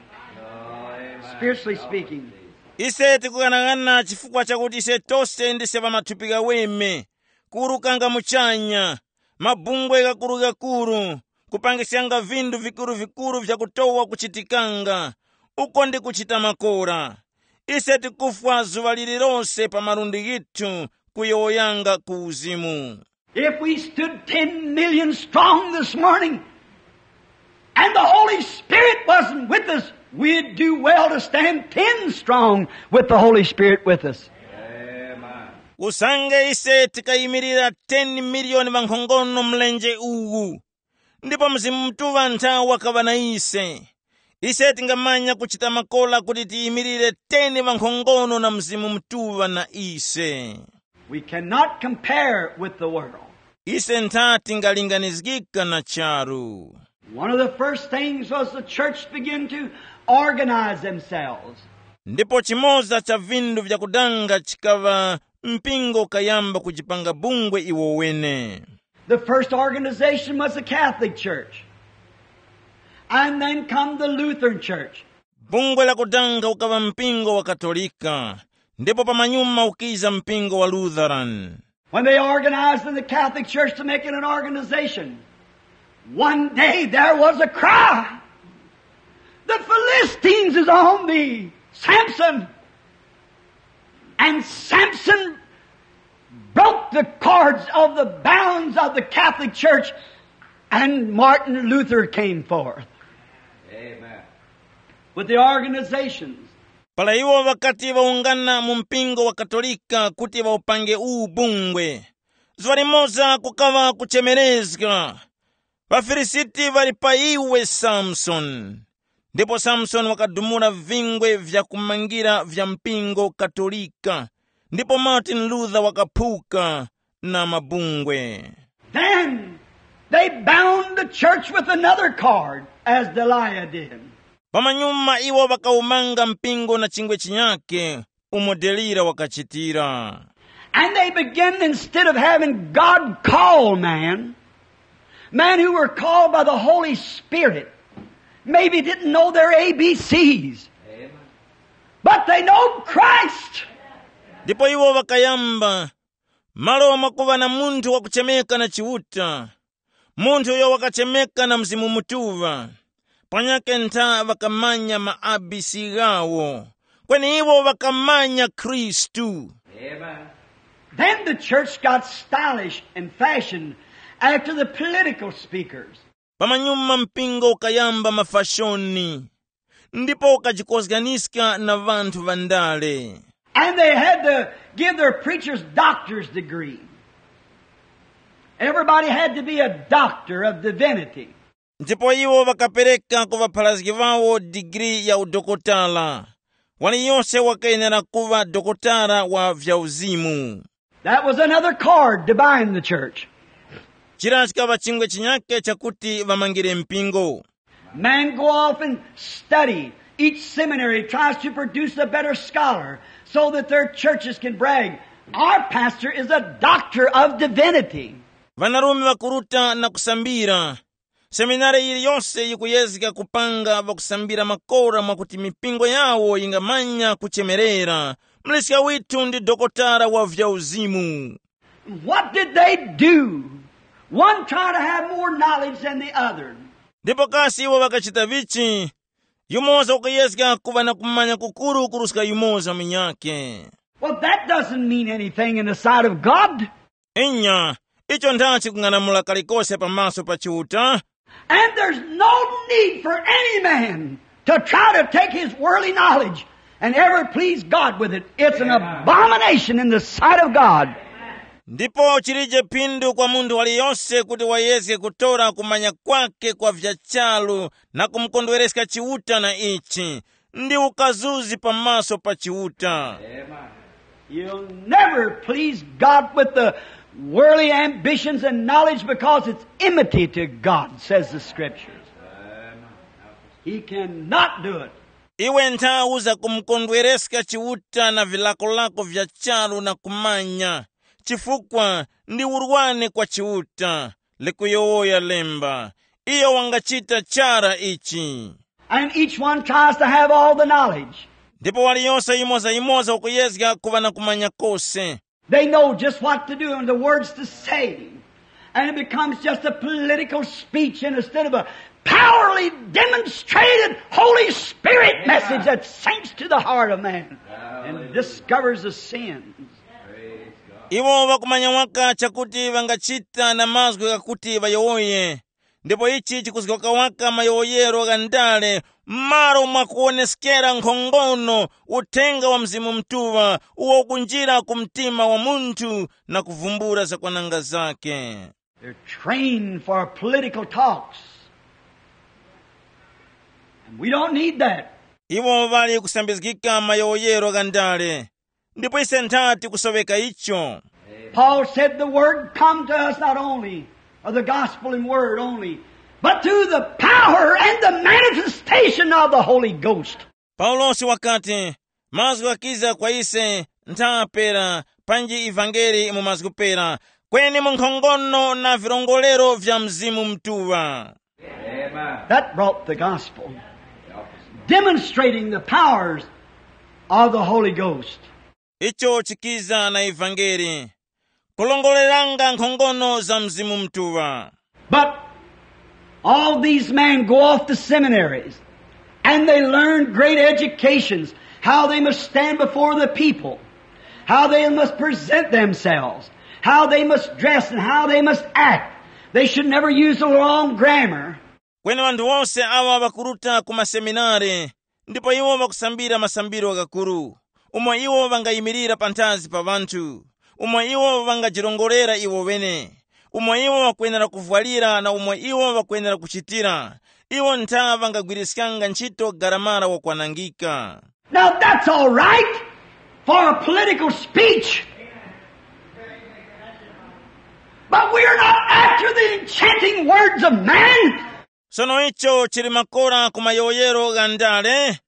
spiritually speaking. Ise tikughanaghananga chifukwa chakuti ise tose ndise ŵamathupi ghaweme, kuwurukanga muchanya, mabungwe ghakurughakuru, kupangiskanga vinthu vikuruvikuru vyakutowa kuchitikanga, uko ndi kuchita makora. Ise tikufwa zuŵa lililose pa malundi ghithu kuyowoyanga ku uzimu. If we stood ten million strong this morning, and the Holy Spirit wasn't with us, we'd do well to stand ten strong with the Holy Spirit with us. Usange ise tikayimirira ten miliyoni ŵankhongono mlenje uwu, ndipo Mzimu Mutuŵa ntha wakaŵa na ise, ise tingamanya kuchita makora kuti tiyimirire ten ŵankhongono na Mzimu Mutuŵa na ise. We cannot compare with the world. Ise ntha tingalinganizgika na charu. One of the first things was the church began to organize themselves. Ndipo chimoza cha vinthu vyakudanga chikaŵa mpingo kayamba kujipanga bungwe iwo wene. The first organization was the Catholic Church. And then come the Lutheran Church. Bungwe lakudanga ukaŵa mpingo wa Katolika, ndipo pamanyuma ukiza mpingo wa Lutheran. When they organized in the Catholic Church to make it an organization, one day there was a cry, "The Philistines is on thee, Samson." And Samson broke the cords of the bounds of the Catholic Church, and Martin Luther came forth. Amen. With the organizations. Para iwo ŵakati ŵawungana mu mpingo wa Katolika kuti ŵawupange uwu bungwe, zuŵa limoza kukaŵa kuchemerezga, "ޣaFilisiti ŵali pa iwe, Samsoni!" Ndipo Samsoni wakadumula vingwe vyakumangira vya mpingo Katolika, ndipo Martin Luther wakaphuka na mabungwe. Then they bound the church with another cord, as Delilah did. Pamanyuma iwo ŵakawumanga mpingo na chingwe chinyake, umo Delila wakachitira. And they began, instead of having God call man, men who were called by the Holy Spirit, maybe didn't know their A B Cs, but they know Christ. Ndipo iwo ŵakayamba, malo mwakuŵa na munthu wakuchemeka na Chiuta, munthu uyo wakachemeka na Mzimu Mutuŵa, panyakhe ntha ŵakamanya ma A B C ghawo, kweni iwo ŵakamanya Khristu. Then the church got stylish and fashioned after the political speakers. Pamanyuma mpingo ukayamba mafashoni, ndipo ukajikozganiska na ŵanthu ŵandale. And they had to give their preachers doctor's degree. Everybody had to be a doctor of divinity. Ndipo iwo ŵakapereka ku ŵapharazgi ŵawo digiri ya udokotala. Waliyose wakayenera kuŵa dokotala wa vyauzimu. That was another cord to bind the church. Chira chikaŵa chingwe chinyake chakuti ŵamangire mpingo. Men go off and study. Each seminary tries to produce a better scholar so that their churches can brag, "Our pastor is a doctor of divinity." Vanarume vakuruta na kusambira. Seminari yiliyose yikuyezga kupanga ŵakusambira makora mwakuti mipingo yawo yingamanya kuchemerera. Mliska withu ndi dokotala wa vyauzimu. What did they do? One tried to have more knowledge than the other. Ndipo kasi iwo ŵakachita vichi? Yumoza wakuyezga kuŵa na kumanya kukuru kuruska yumoza munyakhe. Well, that doesn't mean anything in the sight of God. Inya, icho ndachi kung'anamula kalikose pamaso pa Chiuta. And there's no need for any man to try to take his worldly knowledge and ever please God with it. It's an abomination in the sight of God. Ndipo chilije phindu kwa munthu waliyose kuti wayezge kutora kumanya kwake kwa vya charu na kumukondwereska Chiuta na ichi, ndi ukazuzi pamaso pa Chiuta. You'll never please God with the worldly ambitions and knowledge because it's enmity to God, says the Scriptures. He cannot do it. Iwe nthawu za kumukondwereska Chiuta na vilakolako vya charu na kumanya, chifukwa ndi urwane kwa Chiuta, likuyowoya lemba. Iyo wangachita chara ichi. And each one tries to have all the knowledge. Ndipo waliyose yimoza-yimoza ukuyezga kuŵa na kumanya kose. They know just what to do and the words to say. And it becomes just a political speech instead of a powerfully demonstrated Holy Spirit message that sinks to the heart of man and discovers the sins. Iwo ŵakumanya waka chakuti ŵangachita na mazgu ghakuti ŵayowoye. Ndipo ichi chikuzgoka waka mayowoyero gha ndale, m'malo mwa kuwoneskera nkhongono uthenga wa Mzimu Mutuŵa uwo ukunjira ku mtima wa munthu na kuvumbula zakwananga zake. They're trained for political talks. And we don't need that. Iwo ŵali kusambizgika mayowoyero gha ndale, ndipo ise nthati kusoŵeka icho. Paul said the word come to us not only, or the gospel in word only, but through the power and the manifestation of the Holy Ghost. Paulosi wakati, mazgu ghakiza kwa ise ntha pera, panji ivangeli mu mazgu pera, kweni mu nkhongono na virongorero vya Mzimu Mutuŵa. That brought the gospel, demonstrating the powers of the Holy Ghost. Icho chikiza na ivangeli, kulongoreranga nkhongono za Mzimu Mutuŵa. But all these men go off to seminaries and they learn great educations, how they must stand before the people, how they must present themselves, how they must dress, and how they must act. They should never use a long grammar. Kweni ŵanthu wose awa ŵakuruta ku maseminare, ndipo iwo ŵakusambira masambiro ghakuru, umo iwo ŵangayimirira panthazi pa ŵanthu, umo iwo ŵangajirongorera iwo ŵene, umo iwo ŵakwenera kuvwalira na umo iwo ŵakwenera kuchitira. Iwo ntha ŵangagwiriskanga ntchito garamara wakwanangika. Now that's all right for a political speech. But we are not after the enchanting words of man. Sono icho chili makora ku mayowoyero gha ndale.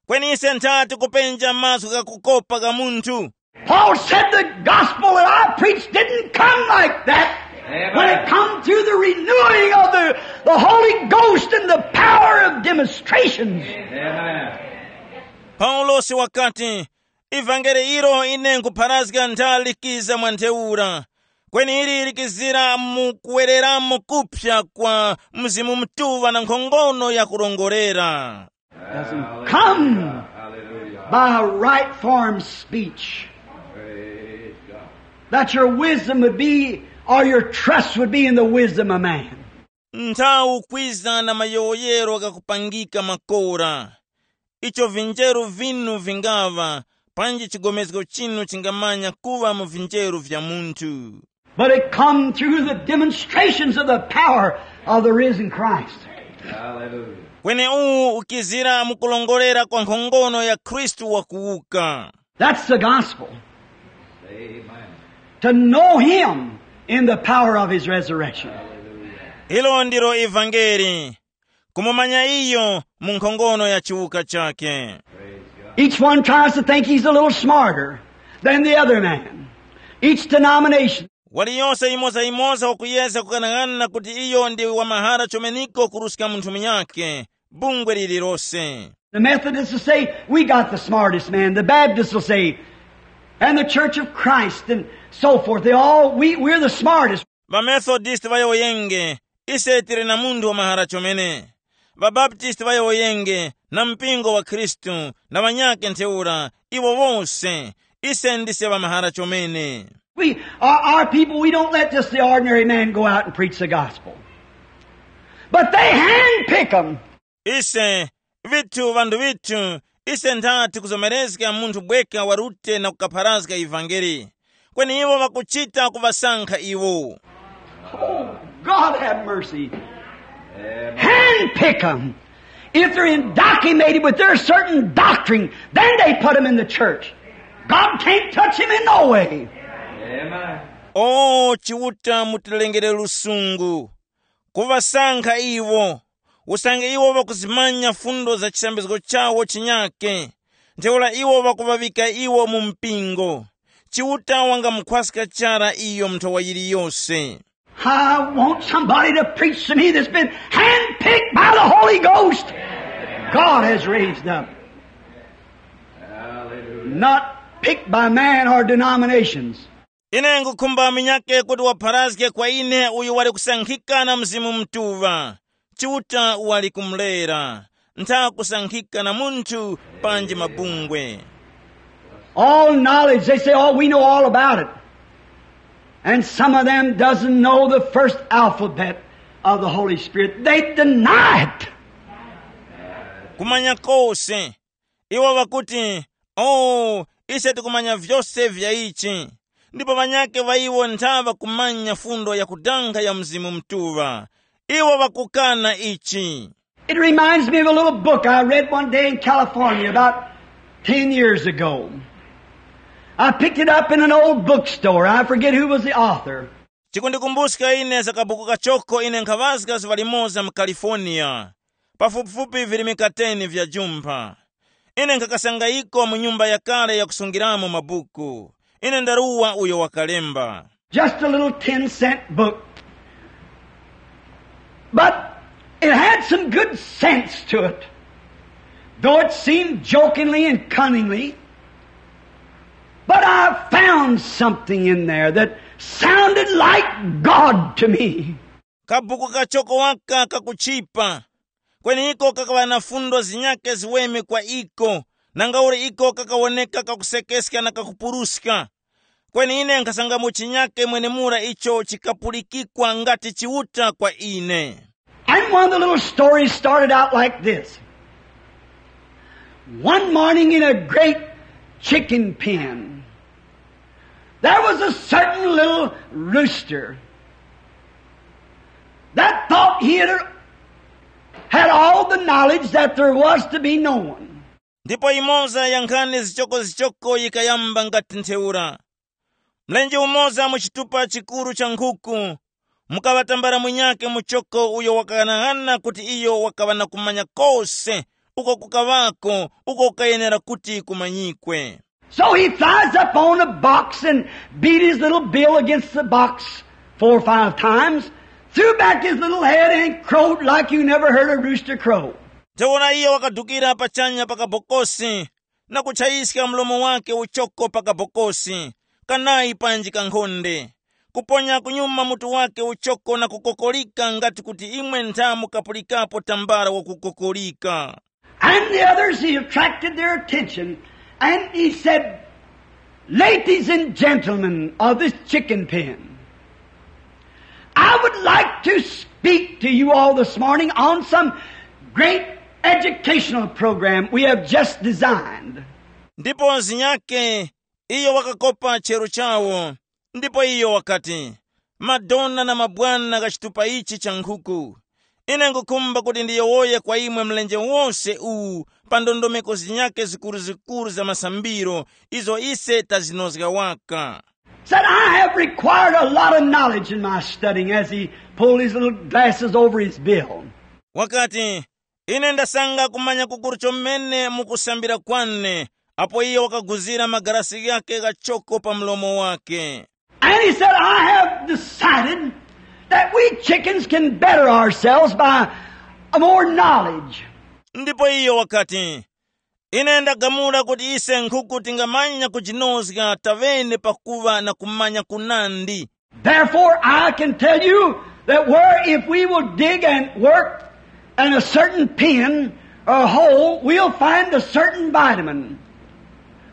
Kweni ise ntha tikupenja mazgu ghakukopa gha munthu. Paul said the gospel that I preached didn't come like that. Amen. When it come through the renewing of the, the Holy Ghost and the power of demonstrations. Amen. Paulosi wakati, ivangeli ilo ine nkupharazga ntha likiza mwa ntheura, kweni ili likizira mu kuwereramo kupsa kwa Mzimu Mutuŵa na nkhongono ya kurongorera. Doesn't come by a right form speech. That your wisdom would be, or your trust would be in the wisdom of man. Nthawu kwiza na mayowoyero ghakupangika makora. Icho vinjeru vinu vingaŵa, panji chigomezgo chinu chingamanya kuŵa mu vinjeru vya munthu. But it come through the demonstrations of the power of the risen Christ. Hallelujah. Kweni uwu ukizira mu kulongolera kwa nkhongono ya Khristu wakuwuka. That's the gospel. Amen. To know him in the power of his resurrection. Ilo ndilo ivangeli, kumumanya iyo mu nkhongono ya chiwuka chakhe. Each one tries to think he's a little smarter than the other man. Each denomination. Waliyose yimoza-yimoza wakuyezga kukanang'ana kuti iyo ndi wamahara chomeniko kuruska munthu munyakhe, bungwe lililose. The Methodists will say, we got the smartest man. The Baptists will say, and the Church of Christ and so forth. They all, we, we're the smartest. Ŵamethodist ŵayowoyenge, ise tili na munthu wamahara chomene. Ŵabaptisti ŵayowoyenge, na mpingo wa Khristu, na ŵanyakhe ntheura, iwo wose, ise ndise ŵamahara chomene. We, our, our people, we don't let just the ordinary man go out and preach the gospel. But they handpick 'em. Ise, vithu vanthu vithu, ise ntha tikuzomerezga munthu bweka warute na kukapharazga ivangeli. Kweni iwo ŵakuchita kuŵasankha iwo. Oh, God have mercy. Handpick them. If they're indoctrinated with their certain doctrine, then they put them in the church. God can't touch him in no way. O Chiuta, mutilengere lusungu. Kuŵasankha iwo, usange iwo ŵakuzimanya fundo za chisambizgo chawo chinyake, ntheura iwo ŵakuŵaŵika iwo mu mpingo. Chiuta wangamukhwaska chara iyo nthowa yiliyose. I want somebody to preach to me that's been handpicked by the Holy Ghost. God has raised up. Not picked by man or denominations. Ine nkhukhumba munyakhe kuti wapharazge kwa ine uyo wali kusankhika na Mzimu Mutuŵa. Chiuta wali kumulera, ntha kusankhika na munthu panji mabungwe. All knowledge, they say, oh, we know all about it. And some of them doesn't know the first alphabet of the Holy Spirit. They deny it. Kumanya kose, iwo ŵakuti, oh, ise tikumanya vyose vya ichi. Ndipo ŵanyakhe ŵa iwo ntha ŵakumanya fundo yakudanga ya Mzimu Mutuŵa. Iwo ŵakukana ichi. It reminds me of a little book I read one day in California about ten years ago. I picked it up in an old bookstore. I forget who was the author. Chikundikumbuska ine za kabuku kachoko ine nkhaŵazga zuŵa limoza mu California, pafupifupi virimika ten vya jumpha. Ine nkhakasanga iko mu nyumba yakale yakusungiramo mabuku. Ine ndaruwa uyo wakalemba. Just a little ten cent book. But it had some good sense to it. Though it seemed jokingly and cunningly, but I found something in there that sounded like God to me. Kabuku kachoko waka kakuchipa, kweni iko kakaŵa na fundo zinyakhe ziweme kwa iko, nangauli iko kakawoneka kakusekeska na kakupuruska. Kweni ine nkhasangamo chinyakhe mwenemura icho chikapulikikwa ngati Chiuta kwa ine. And one of the little stories started out like this. One morning in a great chicken pen, there was a certain little rooster that thought he had, had all the knowledge that there was to be known. Ndipo imoza ya nkhani zichokozichoko yikayamba ngati ntheura. Mlenje umoza mu chitupa chikuru cha nkhuku, mukaŵa tambala munyakhe muchoko uyo wakaghanaghananga kuti iyo wakaŵa na kumanya kose uko kukaŵako uko kukayenera kuti kumanyikwe. So he flies up on a box and beat his little bill against the box four or five times, threw back his little head and crowed like you never heard a rooster crow. Ntheura iyo wakadukira pachanya pa kabokosi na kutchayiska mlomo wake uchoko pa kabokosi kanayi panji kankhonde, kuponya kunyuma mutu wake uchoko na kukokolika ngati kuti imwe ntha mukapulikapo tambala wakukokolika. And the others, he attracted their attention, and he said, "Ladies and gentlemen of this chicken pen, I would like to speak to you all this morning on some great educational program we have just designed." Ndipo zinyake iyo wakakopa chero chawo, ndipo iyo wakati, "Madona na mabwana gha chitupa ichi cha nkhuku, ine ngukhumba kuti ndiyowoye kwa imwe mlenje wose uwu pa ndondomeko zinyakhe zikuru-zikuru za masambiro izo ise tazinozga waka." Said, "I have required a lot of knowledge in my studying," as he pulled his little glasses over his bill. Wakati, "Ine ndasanga kumanya kukuru chomene mu kusambira kwane," apo iyo wakaguzira magarasi ghake ghachoko pa mlomo wake. And he said, "I have decided that we chickens can better ourselves by more knowledge." Ndipo iyo wakati, "Ine ndagamula kuti ise nkhuku tingamanya kujinozga tavene pakuŵa na kumanya kunandi." Therefore, I can tell you that where if we will dig and work in a certain pen or hole, we'll find a certain vitamin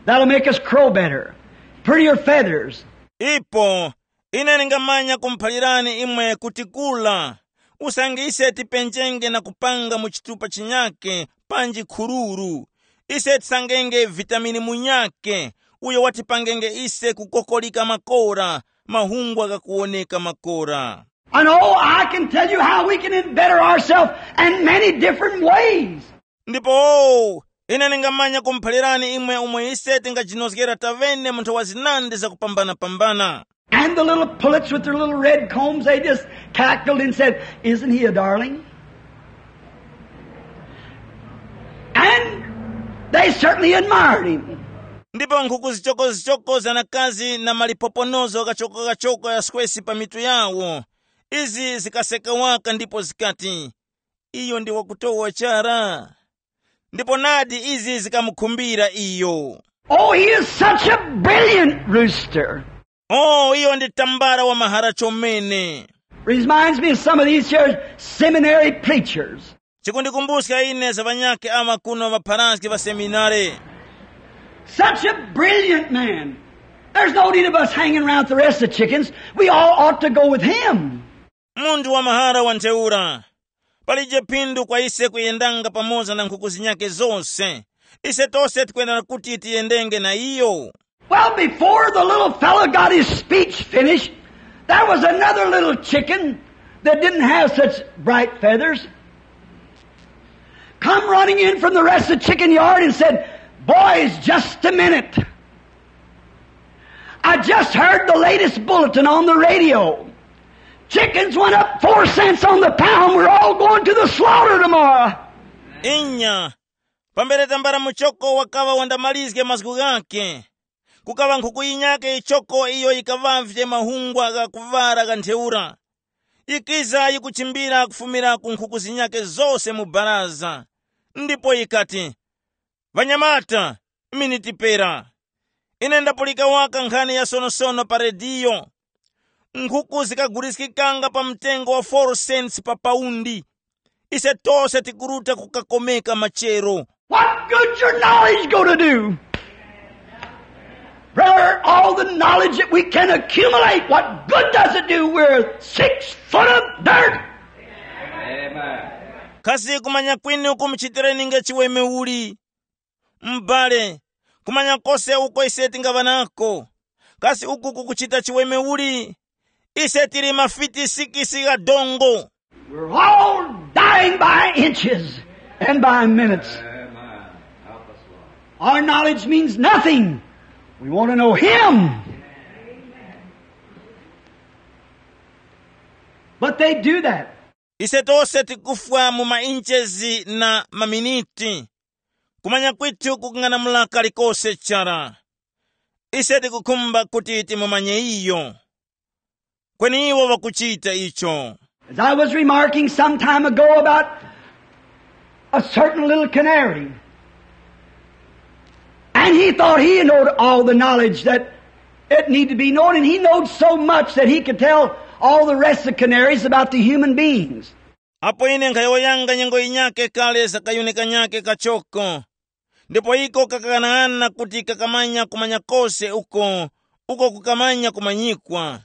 that'll make us crow better, prettier feathers. Ipo ine ndingamanya kumuphalirani imwe kuti kula, usange ise tipenjenge na kupanga mu chitupa chinyake panji khururu, ise tisangenge vitamini munyake uyo watipangenge ise kukokolika makora, mahungwa ghakuwoneka makora. And oh, I can tell you how we can better ourselves in many different ways. Ndipo ine ndingamanya kumuphalirani imwe umo ise tingajinozgera tavene mu nthawa zinandi zakupambana-pambana. And the little pullets with their little red combs, they just cackled and said, "Isn't he a darling?" And they certainly admired him. Ndipo nkhuku zichoko-zichoko za nakazi na malipoponozo ghachoko-ghachoko ya skwesi pa mitu yawo, izi zikaseka waka ndipo zikati, "Iyo ndi wakutowa chara." Ndipo nadi izi zikamukhumbira iyo. Oh, he is such a brilliant rooster. Oh, iyo ndi tambala wa mahara chomene. Reminds me of some of these here seminary preachers. Chikundikumbuska ine za ŵanyakhe awa kuno ŵapharazgi ŵa seminare. Such a brilliant man. There's no need of us hanging around with the rest of the chickens. We all ought to go with him. Munthu wa mahara wa ntheura. Palije phindu kwa ise kuyendanga pamoza na nkhuku zinyakhe zose. Ise tose tikwenera kuti tiyendenge na iyo. Well, before the little fellow got his speech finished, there was another little chicken that didn't have such bright feathers come running in from the rest of the chicken yard and said, "Boys, just a minute. I just heard the latest bulletin on the radio. Chickens went up four cents on the pound. We're all going to the slaughter tomorrow." Inya, pambere tambala muchoko wakaŵa wandamalizge mazgu ghake, kukaŵa nkhuku yinyakhe yichoko iyo yikaŵavye mahungwa gha kuŵala gha ntheura. Yikiza yikuchimbira kufumira ku nkhuku zinyakhe zose mu baraza, ndipo yikati, "Ŵanyamata, minitipera. Ine ndapulika waka nkhani ya sonosono pa rediyo. Nkhuku zikaguliskikanga pa mtengo wa four cents pa paundi. Ise tose tikuruta kukakomeka machero." What good's your knowledge going to do? Brother, all the knowledge that we can accumulate, what good does it do? We're six foot of dirt. Amen. Kasi kumanya kwinu kumuchitireni nge chiweme uli? M'bale, kumanya kose uko ise tingaŵa nako, kasi uku kukuchita chiweme uli? Ise tili mafiti sikisi gha dongo. We're all dying by inches and by minutes. Our knowledge means nothing. We want to know Him. They do that. Ise tose tikufwa mu mainchezi na maminiti. Kumanya kwithu kukung'anamula kalikose chara. Ise tikukhumba kuti timumanye iyo. Kweni iwo ŵakuchita icho. As I was remarking some time ago about a certain little canary, and he thought he knowed all the knowledge that it need to be known, and he knowed so much that he could tell all the rest of the canaries about the human beings. Apo ine nkhayowoyanga nyengo yinyakhe kale za kayuni kanyakhe kachoko, ndipo iko kakaghanaghananga kuti kakamanya kumanya kose uko, uko kukamanya kumanyikwa,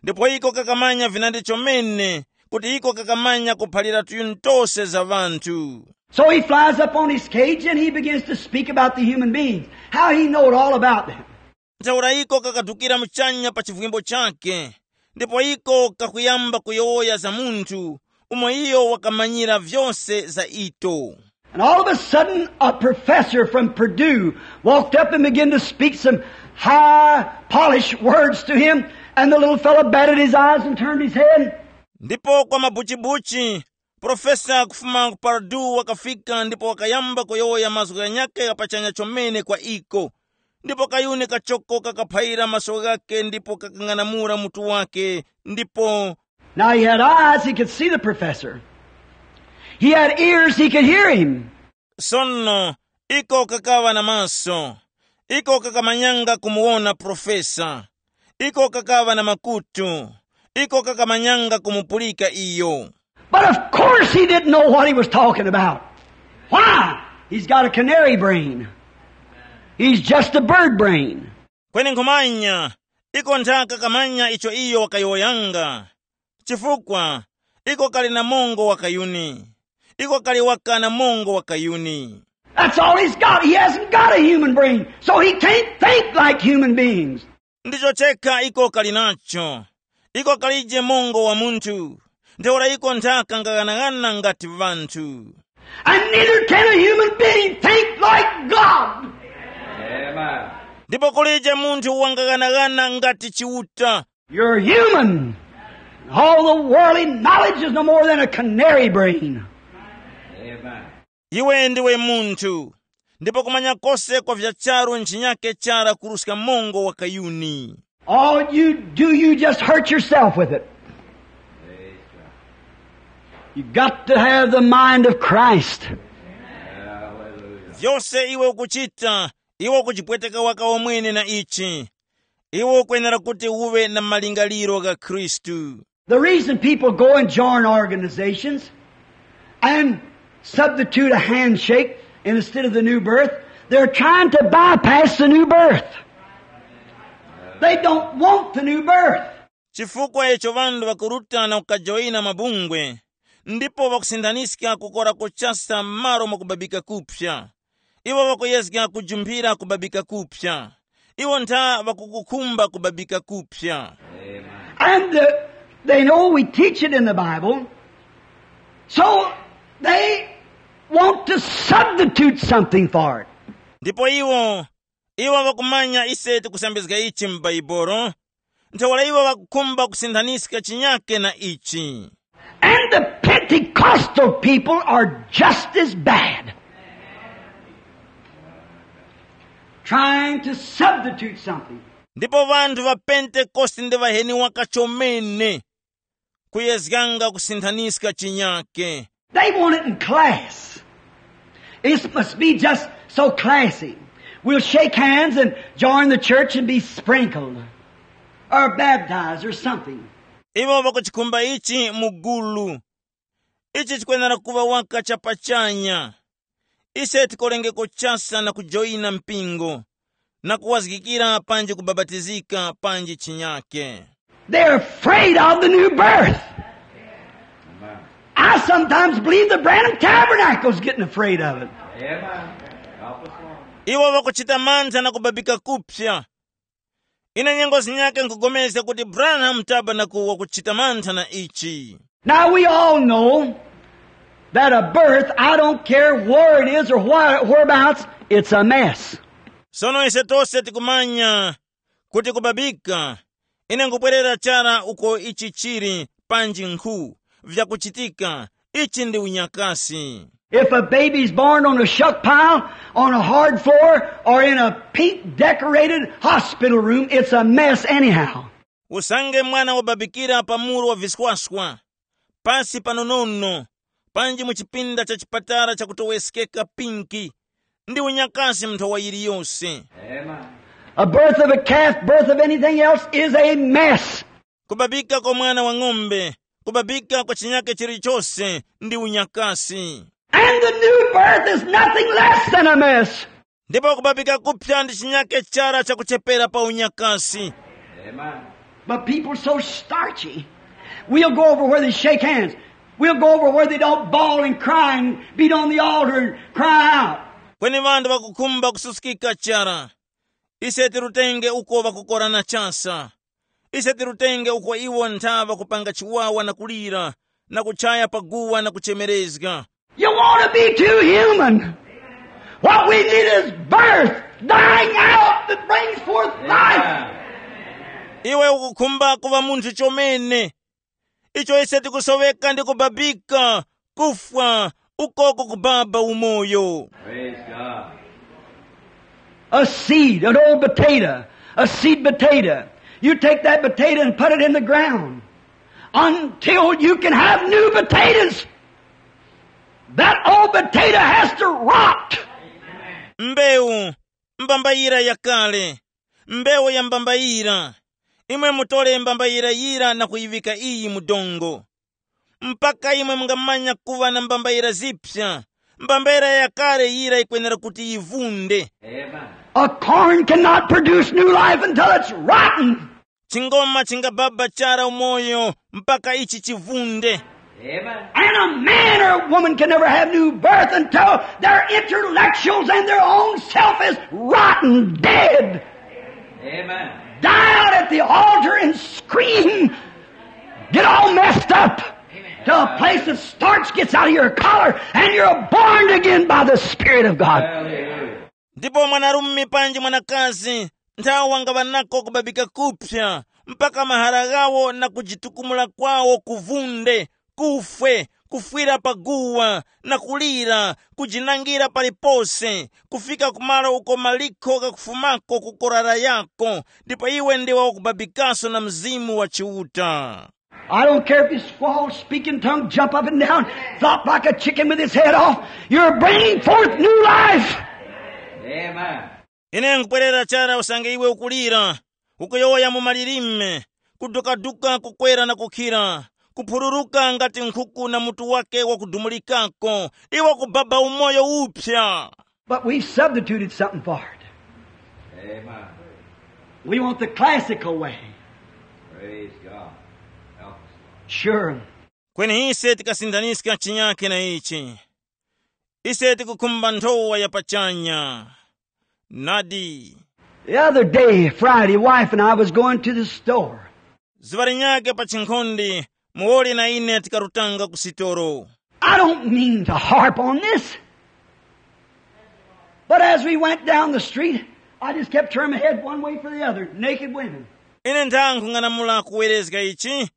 ndipo iko kakamanya vinandi chomene kuti iko kakamanya kuphalira tuyuni tose za ŵanthu. So he flies up on his cage and he begins to speak about the human beings, how he knowed all about them. Ntheura iko kakadukira muchanya pa chivwimbo chakhe, ndipo iko kakuyamba kuyowoya za munthu umo iyo wakamanyira vyose za ito. And all of a sudden, a professor from Purdue walked up and began to speak some high, polished words to him, and the little fellow batted his eyes and turned his head. Ndipo kwa mabuchibuchi, profesa kufuma ku Purdue wakafika ndipo wakayamba kuyowoya mazgu ghanyakhe gha pachanya chomene kwa iko. Ndipo kayuni kachoko kakaphaira maso ghakhe ndipo kakang'anamula mutu wake, ndipo Now he had eyes, he could see the professor. He had ears, he could hear him. Sono iko kakaŵa na maso, iko kakamanyanga kumuwona profesa, iko kakaŵa na makutu, iko kakamanyanga kumupulika iyo. But of course he didn't know what he was talking about. Why? He's got a canary brain. He's just a bird brain. Kweni nkhumanya, iko nthaka kamanya icho iyo wakayowoyanga, chifukwa iko kali na mongo wa kayuni. Iko kali waka na mongo wa kayuni. That's all he's got. He hasn't got a human brain, so he can't think like human beings. Ndicho chekha iko kali nacho. Iko kalije mongo wa munthu, ntheura iko nthaka ngaghanaghananga ngati vanthu. And neither can a human being think like God. Amen. Ndipo kulije munthu wangaghanaghananga ngati Chiuta. You're human. All the worldly knowledge is no more than a canary brain. Amen. Iwe ndiwe munthu, ndipo kumanya kose kwa vya charu nchinyi chara kuruska mongo wa kayuni. All you do, you just hurt yourself with it. You got to have the mind of Christ. Vyose iwe ukuchita, iwe ukujipweteka waka wamwene na ichi. Iwe ukwenera kuti uwe na malingaliro gha Khristu. The reason people go and join organizations and substitute a handshake instead of the new birth, they're trying to bypass the new birth. They don't want the new birth. Chifukwa icho ŵanthu ŵakuruta na kukajoyina mabungwe, ndipo ŵakusinthaniska kukora kuchasa m'malo mwa kubabika kuphya. Iwo ŵakuyezga kujumphira kubabika kuphya. Iwo ntha ŵakukukhumba kubabika kuphya. And uh, they know we teach it in the Bible, so they want to substitute something for it. Ndipo iwo, iwo ŵakumanya ise tikusambizga ichi m'Baibulo, ntheura iwo ŵakukhumba kusinthaniska chinyake na ichi. And the Pentecostal people are just as bad, trying to substitute something. Ndipo ŵanthu ŵa Pentekoste ndi ŵaheni waka chomene, kuyezganga kusinthaniska chinyake. They want it in class. It must be just so classy. We'll shake hands and join the church and be sprinkled or baptized or something. Iwo ŵakuchikhumba ichi mu gulu. Ichi chikwenera kuŵa waka chapachanya. Ise tikolengeko chasa na kujoyina mpingo, na kuwazgikira panji kubapatizika panji chinyake. They're afraid of the new birth. I sometimes believe the Branham Tabernacle is getting afraid of it. Iwo ŵakuchita mantha na kubabika kuphya. Ine nyengo zinyake nkugomezga kuti Branham Tabernacle wakuchita mantha na ichi. Now we all know that a birth, I don't care where it is or where, whereabouts, it's a mess. Sono ise tose tikumanya kuti kubabika, ine nkupwerera chara uko ichi chili, panji nkhu vyakuchitika. Ichi ndi unyakasi. If a baby's born on a shuck pile, on a hard floor, or in a pink decorated hospital room, it's a mess anyhow. Usange mwana wababikira pa muru wa viswaswa, pasi panonono, panji mu chipinda cha chipatala chakutoweskeka pinki, ndi unyakasi mu nthowa yiliyose. A birth of a calf, birth of anything else is a mess. Kubabika kwa mwana wa ng'ombe, kubabika kwa chinyake chilichose ndi unyakasi. And the new birth is nothing less than a mess. Ndipo kubabika kupya ndi chinyake chara chakuchepera pa unyakasi. But people so starchy. We'll go over where they shake hands. We'll go over where they don't bawl and cry and beat on the altar and cry out. Kweni ŵanthu ŵakukhumba kususkika chara. Ise tirutenge uko ŵakukorana chasa. Ise tirutenge uko iwo ntha ŵakupanga chiwawa na kulira, na kuchaya paguwa na kuchemerezga. You want to be too human. What we need is birth, dying out that brings forth life. Iwe ukukhumba kuva munthu chomene. Icho ise tikusoweka ndi kubabika, kufwa, ukoko kubaba umoyo. A seed, an old potato, a seed potato. You take that potato and put it in the ground. Until you can have new potatoes, that old potato has to rot. Mbewu, mbambayira yakale, mbewu ya mbambayira. Imwe mutole mbambayira yira na kuyiŵika iyi mu dongo. Mpaka imwe mungamanya kuŵa na mbambayira zipsa, mbambayira yakale yira yikwenera kuti yivunde. A corn cannot produce new life until it's rotten. Chingoma chingababa chara umoyo mpaka ichi chivunde. And a man or a woman can never have new birth until their intellectuals and their own self is rotten, dead. Die out at the altar and scream. Get all messed up. To a place that starch gets out of your collar and you're born again by the Spirit of God. Ndipo mwanarume panji mwanakazi nthawi wangaŵa nako kubabika kupsa, mpaka mahara ghawo na kujitukumula kwawo kuvunde, kufwe, kufwira pa guwa, na kulira, kujinangira palipose, kufika kumalo uko malikho ghakufumako ku korara yako, ndipo iwe ndiwe wakubabikaso na Mzimu wa Chiuta. I don't care if you squall, speak in tongues, jump up and down, flop like a chicken with his head off. You're bringing forth new life. Ine nkupwerera chara usange iwe ukulira, ukuyowoya mu malilime, kudukaduka kukwera na kukhira, kuphururuka ngati nkhuku na mutu wake wakudumulikako, iwe kubaba umoyo uphya. But we substituted something for it. We want the classical way. Sure. Kweni ise tikasindaniska chinyake na ichi. Ise tikukhumba nthowa ya pachanya. Nadi. The other day, Friday, wife and I was going to the store. Zuŵa linyake pa chinkhonde, muwoli na ine tikarutanga ku sitolo. I don't mean to harp on this. But as we went down the street, I just kept turning my head one way for the other. Naked women. Ine ndang'ung'anamula kuwerezga ichi.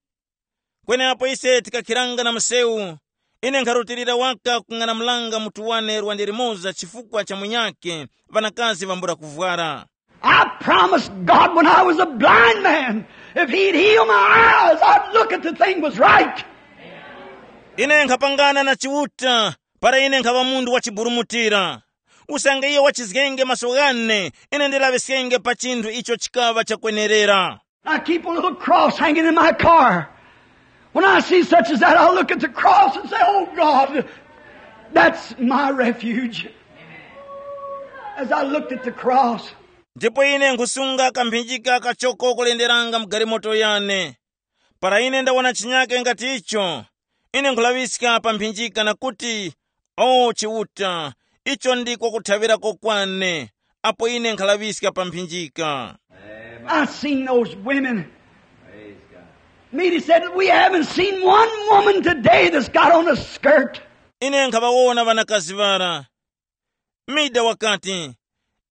Kweneapo ise tikakhiranga na msewu, ine nkharutilira waka kung'anamulanga mutu wane lwande limoza chifukwa cha munyakhe, ŵanakazi ŵambula kuvwara. I promised God when I was a blind man, if he'd heal my eyes, I'd look at the thing was right. Ine nkhapangana na Chiuta, para ine nkhaŵa munthu wachiburumutira. Usange iyo wachizgenge maso ghane, ine ndilaŵiskenge pa chinthu icho chikaŵa chakwenerera. I keep a little cross hanging in my car. When I see such as that, I'll look at the cross and say, "Oh God, that's my refuge." As I looked at the cross, Ndipo ine nkhusunga kamphinjika kachoko kulenderanga mu galimoto yane. Para ine ndawona chinyake ngati icho, ine nkhulaŵiska pa mphinjika na kuti, "O Chiuta, icho ndiko kuthaŵirako kwane," apo ine nkhalaŵiska pa mphinjika. I seen those women. Mealy said, "We haven't seen one woman today that's got on a skirt." Ine nkhaŵawona ŵanakazi ŵara. Mida wakati,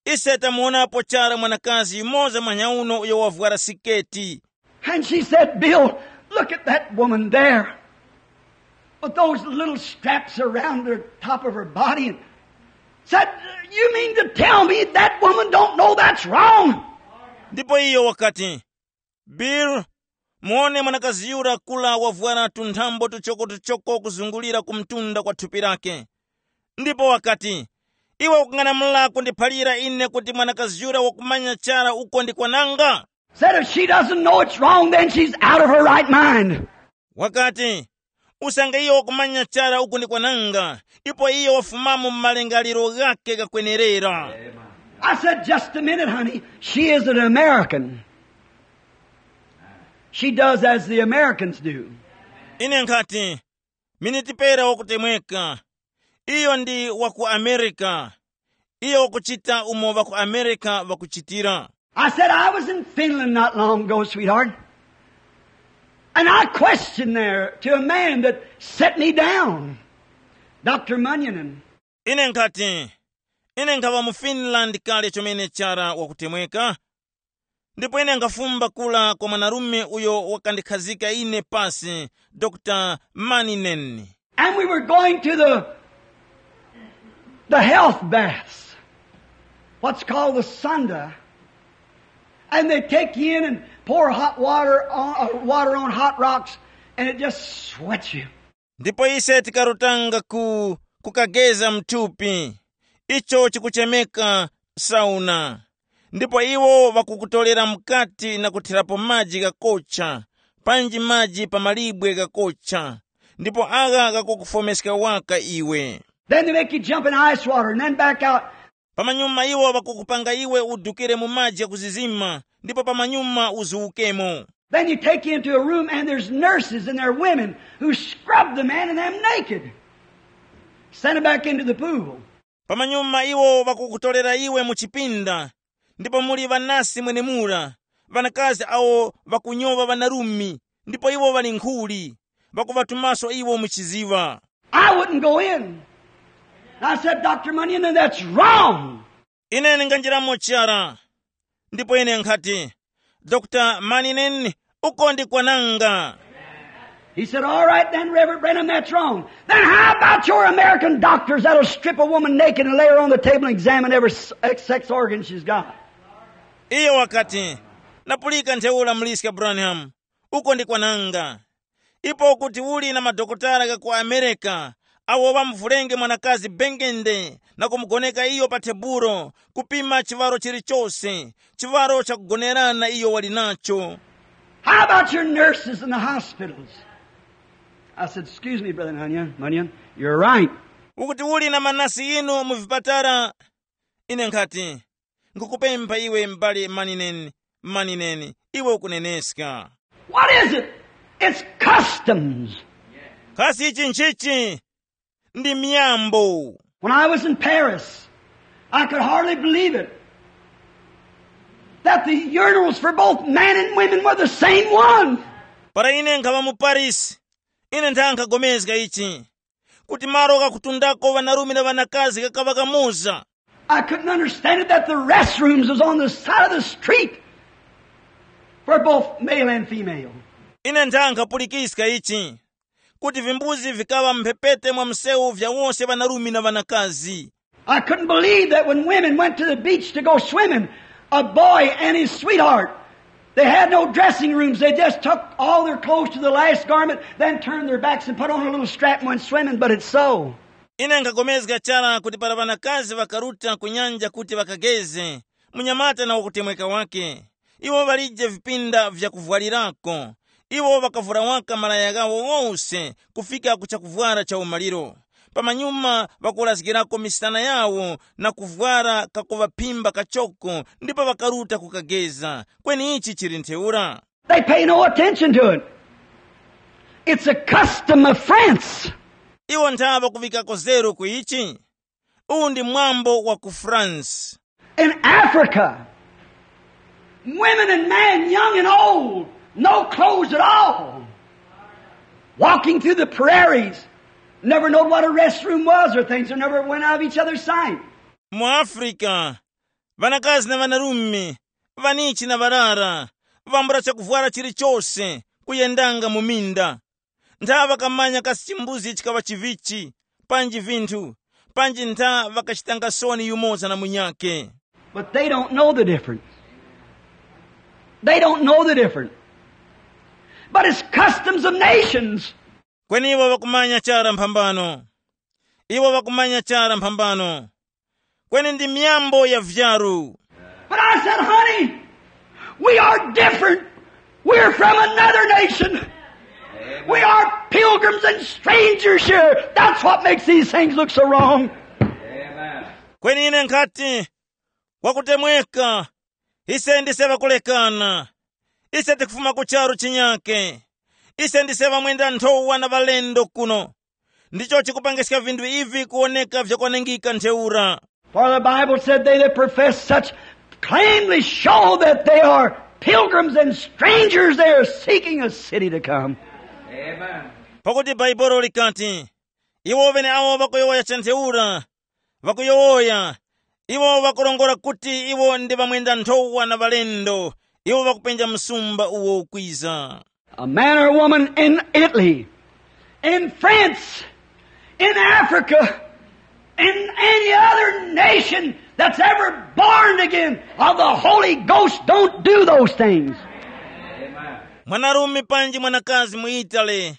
"Ise tamuwonapo chara mwanakazi yumoza mwanyauno uyo wavwara siketi." And she said, "Bill, Look at that woman there with those little straps around the top of her body and said, "You mean to tell me that woman don't know that's wrong?" Ndipo iyo wakati, "Bill, muone mwanakazi yura kula wavwara tunthambo tuchokotuchoko kuzungulira ku mtunda kwa thupi lake." Ndipo wakati, "Iwe ukung'anamula kundiphalira ine kuti mwanakazi yura wakumanya chara uko ndikwananga?" Said if she doesn't know it's wrong, then she's out of her right mind. Wakati, "Usange iyo wakumanya chara uku ndi kwananga, ipo iyo wafumamo mu malingaliro ghake ghakwenerera." I said, "Just a minute, honey. She is an American. She does as the Americans do." Ine nkhati, "Miniti pera wakutemweka. Iyo ndi wa ku Amerika. Iyo wakuchita umo ŵa ku Amerika ŵakuchitira." I said, "I was in Finland not long ago, sweetheart. And I questioned there to a man that set me down, Doctor Munyanen." Ine nkhati, "Ine nkhaŵa mu Finland kale chomene chara wakutemweka, ndipo ine nkhafumba kula kwa mwanarume uyo wakandikhazika ine pasi, Dr Maninen." And we were going to the, the health baths, what's called the sauna. And they take you in and pour hot water on, uh, water on hot rocks, and it just sweats you. Ndipo ise tikarutanga ku kukageza mthupi, icho chikuchemeka sauna. Ndipo iwo ŵakukutolera mukati na kuthirapo maji ghakocha, panji maji pa malibwe ghakocha, ndipo agha ghakukufomeska waka iwe. Then they make you jump in ice water and then back out. Pamanyuma iwo ŵakukupanga iwe udukire mu maji ghakuzizima, ndipo pamanyuma uzuwukemo. Then you take you into a room and there's nurses and they're women who scrub the man and them naked. Send him back into the pool. Pamanyuma iwo ŵakukutolera iwe mu chipinda, ndipo muli ŵanasi mwenemura, ŵanakazi awo ŵakunyowa ŵanarume, ndipo iwo ŵali nkhuli, ŵakuŵatumaso iwo mu chiziŵa. I wouldn't go in. And I said, "Doctor Munyon, that's wrong." Ine ndinganjiramo chara, ndipo ine nkhati, "Dr Maninen, uko ndi kwananga." He said, "All right then, Reverend Branham, that's wrong. Then how about your American doctors that'll strip a woman naked and lay her on the table and examine every s- sex organ she's got?" Iyo wakati, "Napulika ntheura, muliska Branham, uko ndi kwananga. Ipo kuti uli na madokotala gha ku Amerika awo ŵamuvulenge mwanakazi bengende na kumugoneka iyo pa tebulo, kupima chiŵaro chilichose, chiŵaro chakugonerana iyo wali nacho. How about your nurses in the hospitals?" I said, "Excuse me, Brother Munyon, Munyon, you're right." Ukuti uli na manasi inu mu vipatala? Ine nkhati, nkukupempha iwe m'bale Maninen, Maninen, iwe ukuneneska. What is it? It's customs. Kasi ichi nchichi? Ndi miyambo. When I was in Paris, I could hardly believe it that the urinals for both men and women were the same one. Para ine nkhaŵa mu Paris, ine nthankhapulikana ichi, kuti malo ghakutundako ŵanarume na ŵanakazi ghakaŵa kamoza. I couldn't understand it that the restrooms was on the side of the street for both male and female. Ine nthankhapulikiska ichi, kuti vimbuzi vikaŵa mphepete mwa msewu vya wose ŵanarume na ŵanakazi. I couldn't believe that when women went to the beach to go swimming, a boy and his sweetheart, they had no dressing rooms. They just took all their clothes to the last garment, then turned their backs and put on a little strap and went swimming, but it's so. Ine nkhapulikana chara kuti para ŵanakazi ŵakaruta ku nyanja kuti ŵakageze, munyamata na wakutemweka wake, iwo ŵalije vipinda vyakuvwalirako. Iwo ŵakavura waka malaya ghawo ghose kufika ku chakuvwara cha umaliro. Pamanyuma ŵakulazgirako misana yawo na kuvwara kakuŵaphimba kachoko ndipo ŵakaruta kukageza. Kweni ichi chili ntheura. They pay no attention to it. It's a custom of France. Iwo ntha ŵakuŵikako zeru ku ichi. Uwu ndi mwambo wa ku France. In Africa, women and men, young and old, no clothes at all. Walking through the prairies, never knowed what a restroom was or things, or never went out of each other's sight. Mu Afrika, ŵanakazi na ŵanarume, ŵanichi na ŵarara, vambula chakuvwara chilichose, kuyendanga mu minda. Ntha ŵakamanya kasi chimbuzi chikaŵa chivichi, panji vinthu, panji ntha ŵakachitanga soni yumoza na munyakhe. But they don't know the difference. They don't know the difference. But it's customs of nations. Kweni iwo ŵakumanya chara mphambano. Iwo ŵakumanya chara mphambano. Kweni ndi myambo ya vyaru. But I said, honey, we are different. We're from another nation. We are pilgrims and strangers here. That's what makes these things look so wrong. Kweni ine nkhati, wakutemweka, ise ndise ŵakulekana. Ise tikufuma ku charu chinyake. Ise ndise ŵamwenda nthowa na ŵalendo kuno. Ndicho chikupangiska vinthu ivi kuwoneka vyakwanengika ntheura. For the Bible said, they that profess such claimly show that they are pilgrims and strangers. They are seeking a city to come. Pakuti bhaibolo likati, iwo ŵeneawo ŵakuyowoya cha ntheura, ŵakuyowoya, iwo ŵakurongora kuti iwo ndi ŵamwenda nthowa na ŵalendo, iwo ŵakupenja msumba uwo ukwiza. A man or woman in Italy, in France, in Africa, in any other nation that's ever born again of the Holy Ghost don't do those things. Mwanarume panji mwanakazi mu Italy,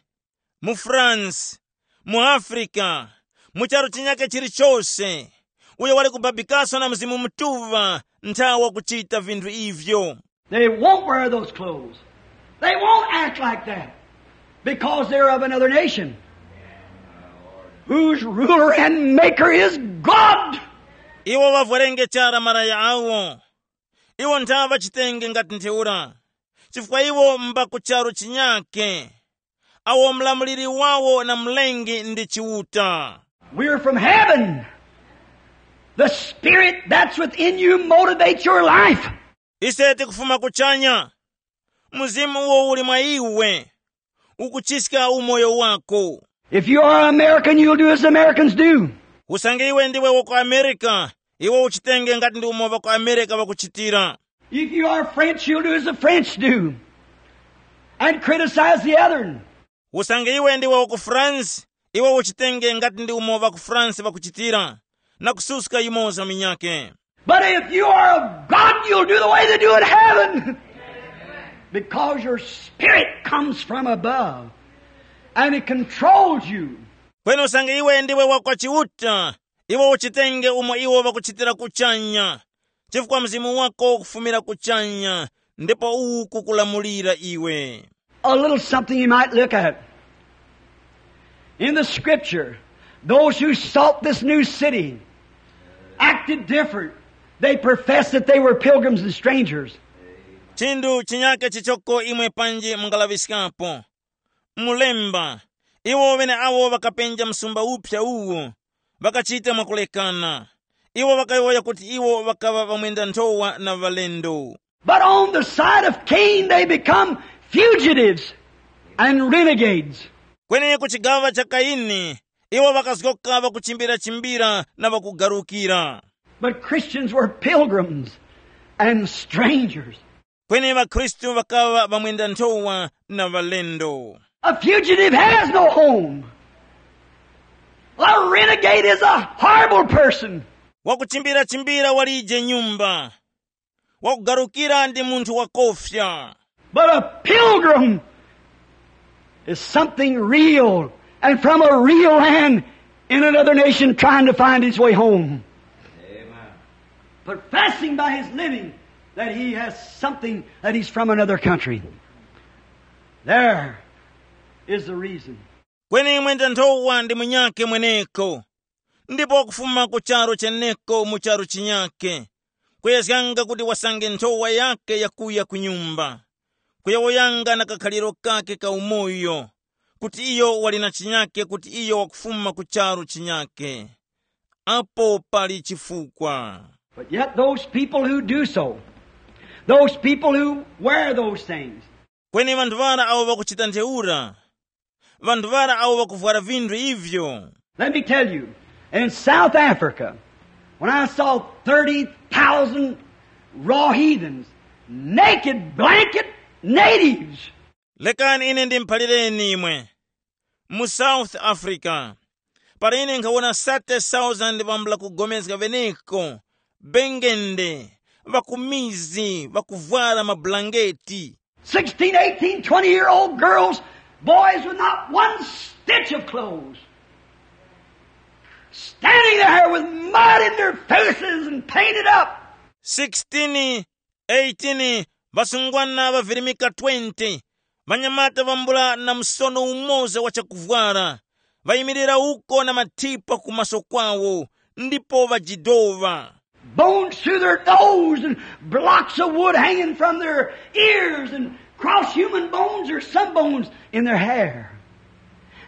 mu France, mu Africa, mu charu chinyake chilichose, uyo wali kubabikaso na Mzimu Mutuŵa nthawa kuchita vinthu ivyo. They won't wear those clothes. They won't act like that because they're of another nation whose ruler and maker is God. Iwo ŵavwerenge chara malaya awo. Iwo ntha ŵachitenge ngati ntheura, chifukwa iwo mba ku charu chinyake, awo mlamuliri wawo na mlengi ndi Chiuta. We're from heaven. The spirit that's within you motivates your life. Ise tikufuma kuchanya. Mzimu uwo uli mwa iwe ukuchiska umoyo wako. If you are American, you'll do as Americans do. Usange iwe ndiwe wa ku America, iwe uchitenge ngati ndi umo ŵa ku America ŵakuchitira. If you are French, you'll do as the French do and criticize the other. Usange iwe ndiwe wa ku France, iwe uchitenge ngati ndi umo ŵa ku France ŵakuchitira, na kususka yumoza munyakhe. But if you are of God, you'll do the way they do in heaven. Because your spirit comes from above and it controls you. Kweni usange iwe ndiwe wa kwa Chiuta, iwe uchitenge umo iwo ŵakuchitira kuchanya, chifukwa mzimu wako ukufumira kuchanya, ndipo uwu kukulamulira iwe. A little something you might look at. In the scripture, those who sought this new city acted different. They professed that they were pilgrims and strangers. Chinthu chinyake chichoko imwe panji mungalaŵiskapo. Mulemba, iwo ŵeneawo ŵakapenja msumba uphya uwu, ŵakachita mwakulekana. Iwo ŵakayowoya kuti iwo ŵakaŵa ŵamwenda nthowa na ŵalendo. But on the side of Cain, they become fugitives and renegades. Kweni ku chigaŵa cha Kaini, iwo ŵakazgoka ŵakuchimbira-chimbira na ŵakugarukira. But Christians were pilgrims and strangers. Kweni ŵakhristu ŵakaŵa ŵamwenda nthowa na ŵalendo. A fugitive has no home. A renegade is a horrible person. Wakuchimbira-chimbira walije nyumba. Wakugarukira ndi munthu wakofya. But a pilgrim is something real and from a real land in another nation trying to find his way home. Professing by his living that he has something, that he's from another country. There is the reason. Kweni mwenda nthowa ndi munyakhe mweneko, ndipo wakufuma ku charu cheneko mu charu chinyakhe, kuyezganga kuti wasange nthowa yakhe yakuya ku nyumba, kuyowoyanga na kakhaliro kakhe ka umoyo, kuti iyo wali na chinyakhe, kuti iyo wakufuma ku charu chinyakhe. Apo pali chifukwa. But yet those people who do so, those people who wear those things, Kweni ŵanthu ŵara awo ŵakuchita ntheura, ŵanthu ŵara awo ŵakuvwara vinthu ivyo. Let me tell you, in South Africa, when I saw thirty thousand raw heathens, naked, blanket natives. Lekani ine ndimuphalireni imwe. Mu South Africa, para ine nkhawona thirty thousand ŵambula kugomezga ŵeneko, bengende, ŵakumizi, ŵakuvwara mabulangeti, sixteen, eighteen, twenty year old girls, boys with not one stitch of clothes, standing there with mud in their faces and painted up. Sixteen, eighteen, ŵasungwana ŵavirimika twenty, ŵanyamata ŵambula na msono umoza wa chakuvwara, ŵayimirira uko na mathipa ku maso kwawo, ndipo ŵajidova. Bones through their nose and blocks of wood hanging from their ears and cross human bones or some bones in their hair.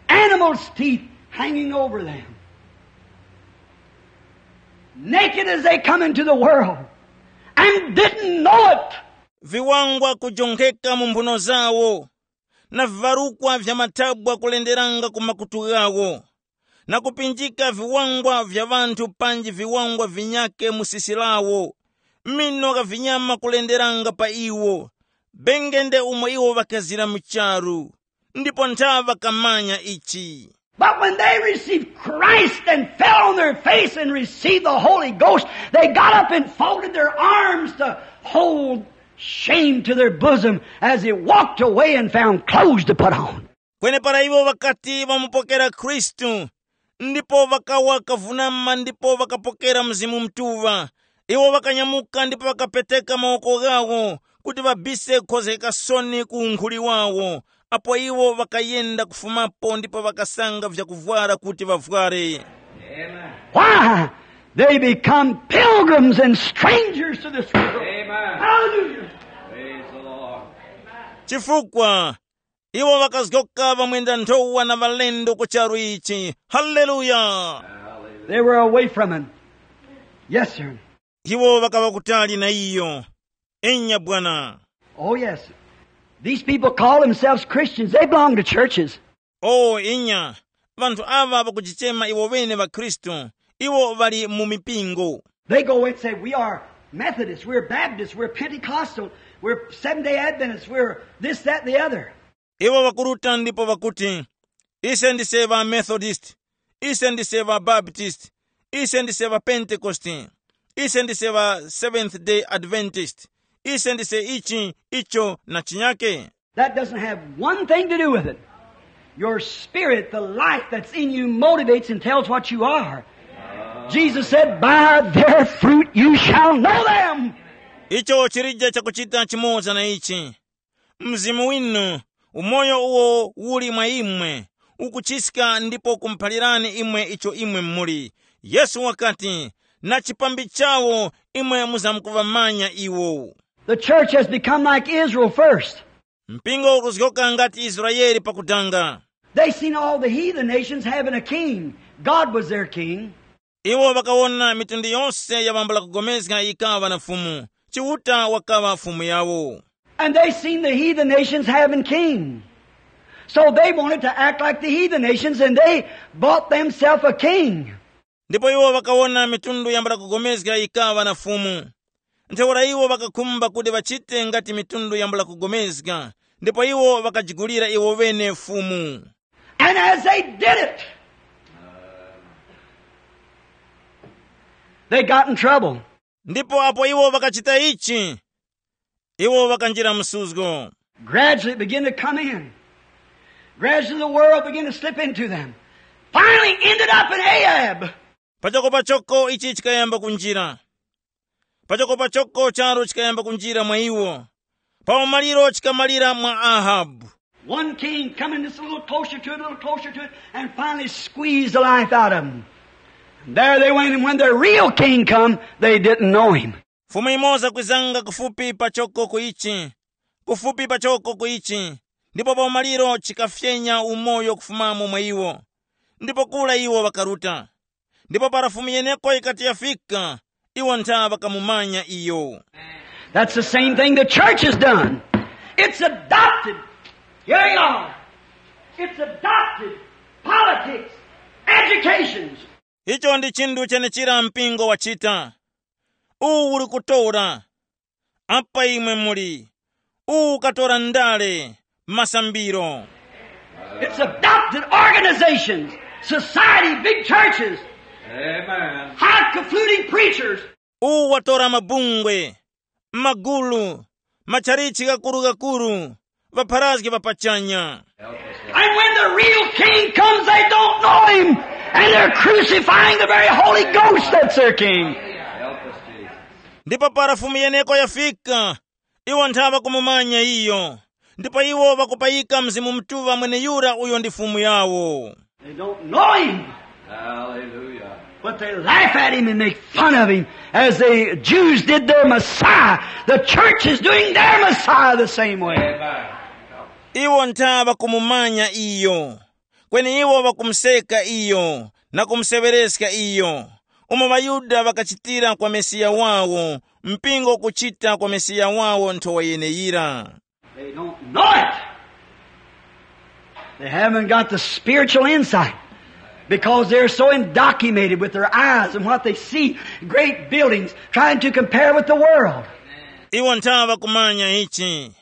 Animals' teeth hanging over them. Naked as they come into the world and didn't know it. Viwangwa kujonkheka mu mphuno zawo, na vivarukwa vya mathabwa kulenderanga ku makutu ghawo, na kupinjika viwangwa vya ŵanthu panji viwangwa vinyake mu sisi lawo, mino gha vinyama kulenderanga pa iwo, bengende umo iwo ŵakazira mu charu, ndipo ntha ŵakamanya ichi. But when they received Christ and fell on their face and received the Holy Ghost, they got up and folded their arms to hold shame to their bosom as he walked away and found clothes to put on. Kwenepara iwo ŵakati ŵamupokera Khristu, ndipo ŵakawa kavunama ndipo ŵakapokera Mzimu Mutuŵa, iwo ŵakanyamuka ndipo ŵakapeteka mawoko ghawo kuti ŵabise kukhozgeka soni ku unkhuli wawo, apo iwo ŵakayenda kufumapo ndipo ŵakasanga vyakuvwara kuti ŵavware. Why? They become pilgrims and strangers to this world. Amen. Hallelujah. Praise the Lord. Chifukwa iwo ŵakazgoka ŵamwenda nthowa na ŵalendo ku charu ichi. Haleluya. They were away from him. Yes, sir. Iwo ŵakaŵa kutali na iyo. Inya bwana. Oh, yes. These people call themselves Christians. They belong to churches. O inya, ŵanthu aŵa ŵakujichema iwo ŵene ŵakhristu. Iwo ŵali mu mipingo. They go and say, "We are Methodists, we're Baptists, we're Pentecostal, we're Seventh-day Adventists, we're this, that, and the other." Iwo ŵakuruta ndipo ŵakuti, ise ndise ŵa Methodist, ise ndise ŵa Baptist, ise ndise ŵa Pentekoste, ise ndise ŵa Seventh Day Adventist, ise ndise ichi, icho na chinyake. That doesn't have one thing to do with it. Your spirit, the life that's in you, motivates and tells what you are. Jesus said, "By their fruit you shall know them." Icho chilije chakuchita chimoza na ichi. Mzimu winu, umoyo uwo uli mwa imwe, ukuchiska ndipo kumuphalirani imwe icho imwe muli. Yesu wakati, na chipambi chawo imwe muzamkuŵamanya iwo. The church has become like Israel first. Mpingo ukuzgoka ngati Israeli pakudanga. They seen all the heathen nations having a king. God was their king. Iwo ŵakawona mitundu yonse ya ŵambula kugomezga yikaŵa na Fumu. Chiuta wakaŵa Fumu yawo. And they seen the heathen nations having king. So they wanted to act like the heathen nations and they bought themselves a king. Ndipo iwo ŵakawona mitundu yambula kugomezga yikaŵa na Fumu. Ntheura iwo ŵakakhumba kuti ŵachite ngati mitundu yambula kugomezga, ndipo iwo ŵakajigulira iwo ŵene Fumu. And as they did it, they got in trouble. Ndipo apo iwo ŵakachita ichi, iwo ŵakanjira msuzgo. Gradually it began to come in. Gradually the world began to slip into them. Finally ended up in Ahab. Pachoko pachoko ichi chikayamba kunjira. Pachoko pachoko charu chikayamba kunjira mwa iwo. Pa umaliro chikamalira mwa Ahabu. One king coming just a little closer to it, a little closer to it, and finally squeezed the life out of him. And there they went, and when the real king come, they didn't know him. Fumu imoza kwizanga kufupi pachoko ku ichi, kufupi pachoko ku ichi, ndipo pa umaliro chikafyenya umoyo kufumamo mwa iwo. Ndipo kura iwo ŵakaruta. Ndipo para Fumu yeneko yikati yafika, iwo ntha ŵakamumanya iyo. That's the same thing the church has done. It's adopted. Here you are. It's adopted politics, educations. Icho ndi chinthu chenechira mpingo wachita. Uwu uli kutora. Apa imwe muli. Uwu ukatora ndale, masambiro. It's adopted organizations, society, big churches, Amen. High confluting preachers. Uwu watora mabungwe, magulu, matchalichi ghakuru-ghakuru, ŵapharazgi ŵa pachanya. And when the real king comes, they don't know him. And they're crucifying the very Holy Ghost that's their king. Ndipo para Fumu yeneko yafika, iwo ntha ŵakumumanya iyo, ndipo iwo ŵakupayika Mzimu Mutuŵa mweneyura uyo ndi Fumu yawo. They don't know him. Hallelujah. But they laugh at him and make fun of him as the Jews did their Messiah. The church is doing their Messiah the same way. Amen. Iwo ntha ŵakumumanya iyo, kweni iwo ŵakumuseka iyo na kumuseŵereska iyo, umo ŵaYuda ŵakachitira kwa Mesiya wawo, mpingo ukuchita kwa Mesiya wawo nthowa yeneyira. They don't know it. They haven't got the spiritual insight because they're so indoctrinated with their eyes and what they see, great buildings, trying to compare with the world. Iwo ntha ŵakumanya ichi.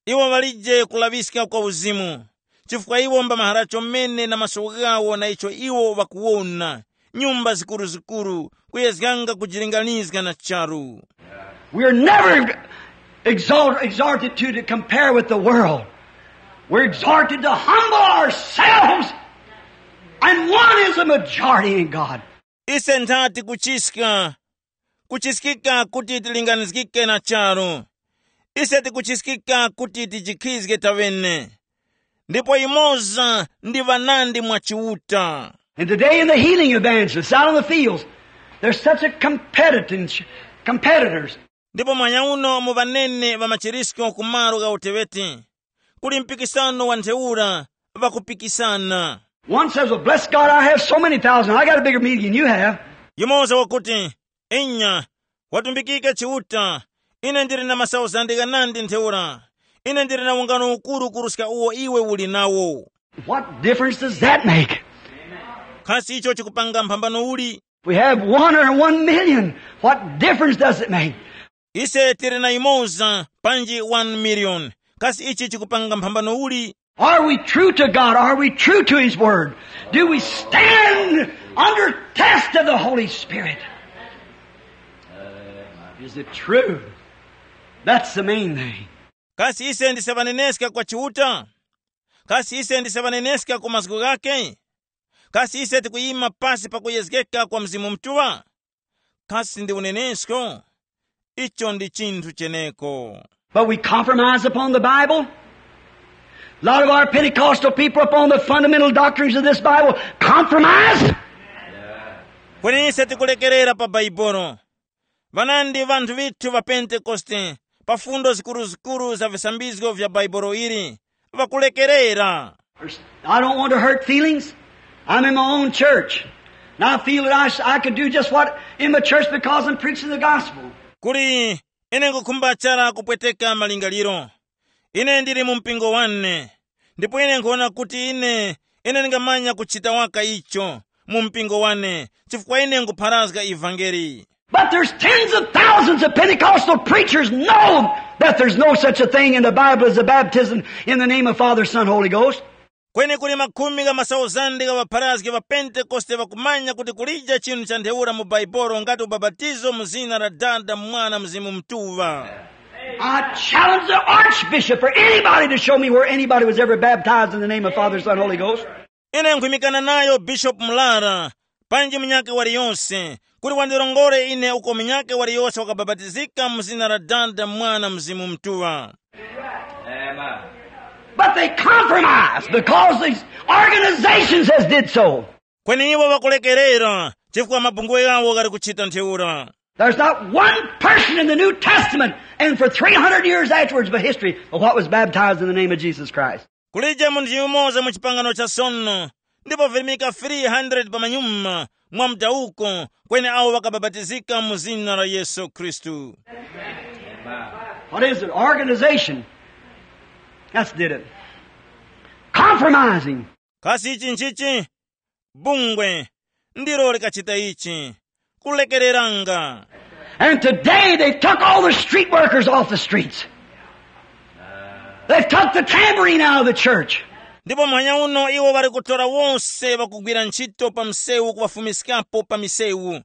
Iwo ŵalije kulaŵiska kwa uzimu, chifukwa iwo mbamahara chomene na maso ghawo na icho iwo ŵakuwona, nyumba zikuruzikuru, kuyezganga kujilinganizga na charu. We are never exalt, exalted to, to compare with the world. We're exalted to humble ourselves, and one is a majority in God. Ise nthati kuchiska, kuchiskika kuti tilinganizgike na charu. Ise tikuchiskika kuti tijikhizge taŵene. Ndipo imoza ndi ŵanandi mwa Chiuta. And today in the healing evangelists out on the fields, there's such a competitors, competitors. Ndipo mwanyauno mu ŵanene ŵa machirisko ku malo gha uteŵeti, kuli mpikisano wa ntheura, ŵakupikisana. One says, "Well, bless God, I have so many thousand. I got a bigger meeting than you have." Yumoza wakuti, "Inya, watumbikike Chiuta, ine ndili na masauzande ghanandi ntheura. Ine ndili na ungano ukuru kuruska uwo iwe uli nawo." What difference does that make? Kasi icho chikupanga mphambano uli? We have one or one million. What difference does it make? Ise tili na imoza panji one million. Kasi ichi chikupanga mphambano uli? Are we true to God? Are we true to His Word? Do we stand under test of the Holy Spirit? Is it true? That's the main thing. Kasi ise ndise ŵaneneska kwa Chiuta? Kasi ise ndise ŵaneneska ku mazgu ghakhe? Kasi ise tikuyima pasi pa kuyezgeka kwa Mzimu Mutuŵa? Kasi ndi unenesko? Icho ndi chinthu cheneko. But we compromise upon the Bible. A lot of our Pentecostal people upon the fundamental doctrines of this Bible compromise. Kweni ise tikulekerera pa Bhaibuli. Ŵanandi ŵanthu ŵithu ŵa Pentekoste pa fundo zikuruzikuru za visambizgo vya Bhaibuli ili ŵakulekerera. I don't want to hurt feelings. I'm in my own church. And I feel that I, sh- I could do just what in my church because I'm preaching the gospel. Kuli ine ngukhumba chara kupweteka malingaliro. Ine ndili mu mpingo wane, ndipo ine nkhuwona kuti ine, ine ndingamanya kuchita waka icho mu mpingo wane, chifukwa ine ngupharazga ivangeli. But there's tens of thousands of Pentecostal preachers know that there's no such a thing in the Bible as a baptism in the name of Father, Son, Holy Ghost. Kweni kuli makhumi gha masauzande gha ŵapharazgi ŵa Pentekoste ŵakumanya kuti kulije chinthu cha ntheura mu Bhaibuli ngati ubapatizo mu zina la Dada, Mwana, Mzimu Mutuŵa. I challenge the archbishop or anybody to show me where anybody was ever baptized in the name of Father, Son, Holy Ghost. Ine nkhwimikana nayo Bishop Mlara, panji munyakhe waliyose, kuti wandirongore ine uko munyakhe waliyose wakabapatizika mu zina la Dada, Mwana, Mzimu Mutuŵa. Amen. But they compromise because these organizations has did so. Kweni iwo ŵakulekerera chifukwa mabungwe ghawo ghali kuchita ntheura. There's not one person in the New Testament and for three hundred years afterwards by history of what was baptized in the name of Jesus Christ. Kulije munthu yumoza mu chipangano cha sono, ndipo virimika three hundred pamanyuma mwa mdawuko kweni awo ŵakabapatizika mu zina la Yesu Khristu. What is it? Organization. That's did it. Compromising. Kasi ichi nchichi? Bungwe ndilo likachita ichi. Kulekereranga. And today they took all the street workers off the streets. They've took the tambourine out of the church. Ndipo muhanya uno iwo ŵali kutora wose ŵakugwira ntchito pa msewu kuŵafumiskapo pa misewu.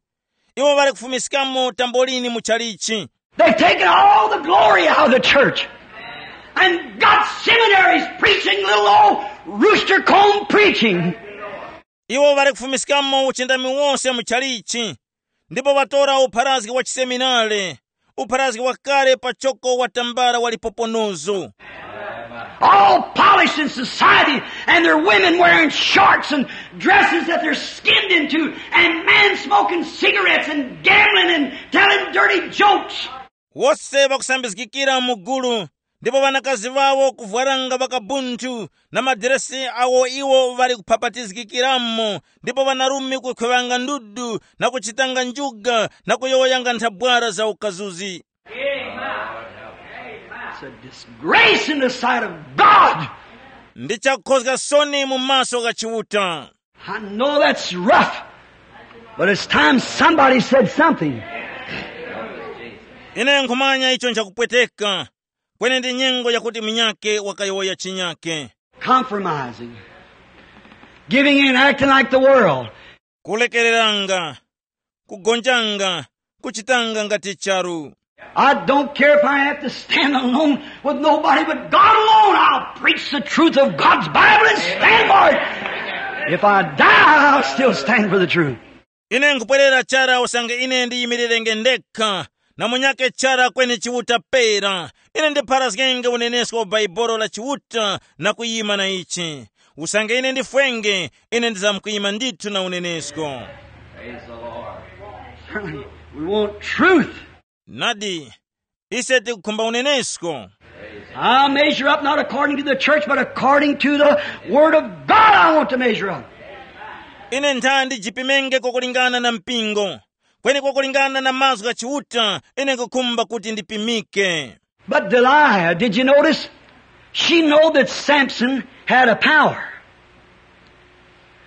Iwo ŵali kufumiskamo tambolini mu chalichi. They've taken all the glory out of the church and got seminaries preaching little old rooster comb preaching. Iwo ŵali kufumiskamo uchindami wose mu chalichi, ndipo ŵatora upharazgi wa chiseminare, upharazgi wakale pachoko wa tambala wa lipoponozo. All polished in society, and their women wearing shorts and dresses that they're skinned into, and men smoking cigarettes and gambling and telling dirty jokes. Wose ŵakusambizgikira mu gulu, ndipo ŵanakazi ŵawo kuvwaranga ŵakabunthu na madiresi awo iwo ŵali kuphapatizgikiramo, ndipo ŵanarume kukhweŵanga ndudu na kuchitanga njuga na kuyowoyanga nthabwara za ukazuzi. It's a disgrace in the sight of God. Ndi chakukhozga soni mu maso gha Chiuta. I know that's rough, but it's time somebody said something. Ine nkhumanya icho nchakupweteka, kweni ndi nyengo yakuti munyake wakayowoya chinyake. Compromising, giving in, acting like the world. Kulekereranga, kugonjanga, kuchitanga ngati charu. I don't care if I have to stand alone with nobody but God alone. I'll preach the truth of God's Bible and stand for it. If I die, I'll still stand for the truth. Ine nkupwerera chara usange ine ndiyimirirenge ndekha, na munyake chara kweni Chiuta pera. Ine ndipharazgenge unenesko wa Bhaibuli la Chiuta na kuyima na ichi. Usange ine ndifwenge, ine ndizamkuyima ndithu na unenesko. Praise the Lord. We want truth. Nadi, ise tikukhumba unenesko. I'll measure up not according to the church, but according to the Word of God, I want to measure up. Ine ntha ndijipimenge kwakulingana na mpingo, kweni kwakulingana na mazgu gha Chiuta, ine nkukhumba kuti ndipimike. But Delilah, did you notice? She know that Samson had a power.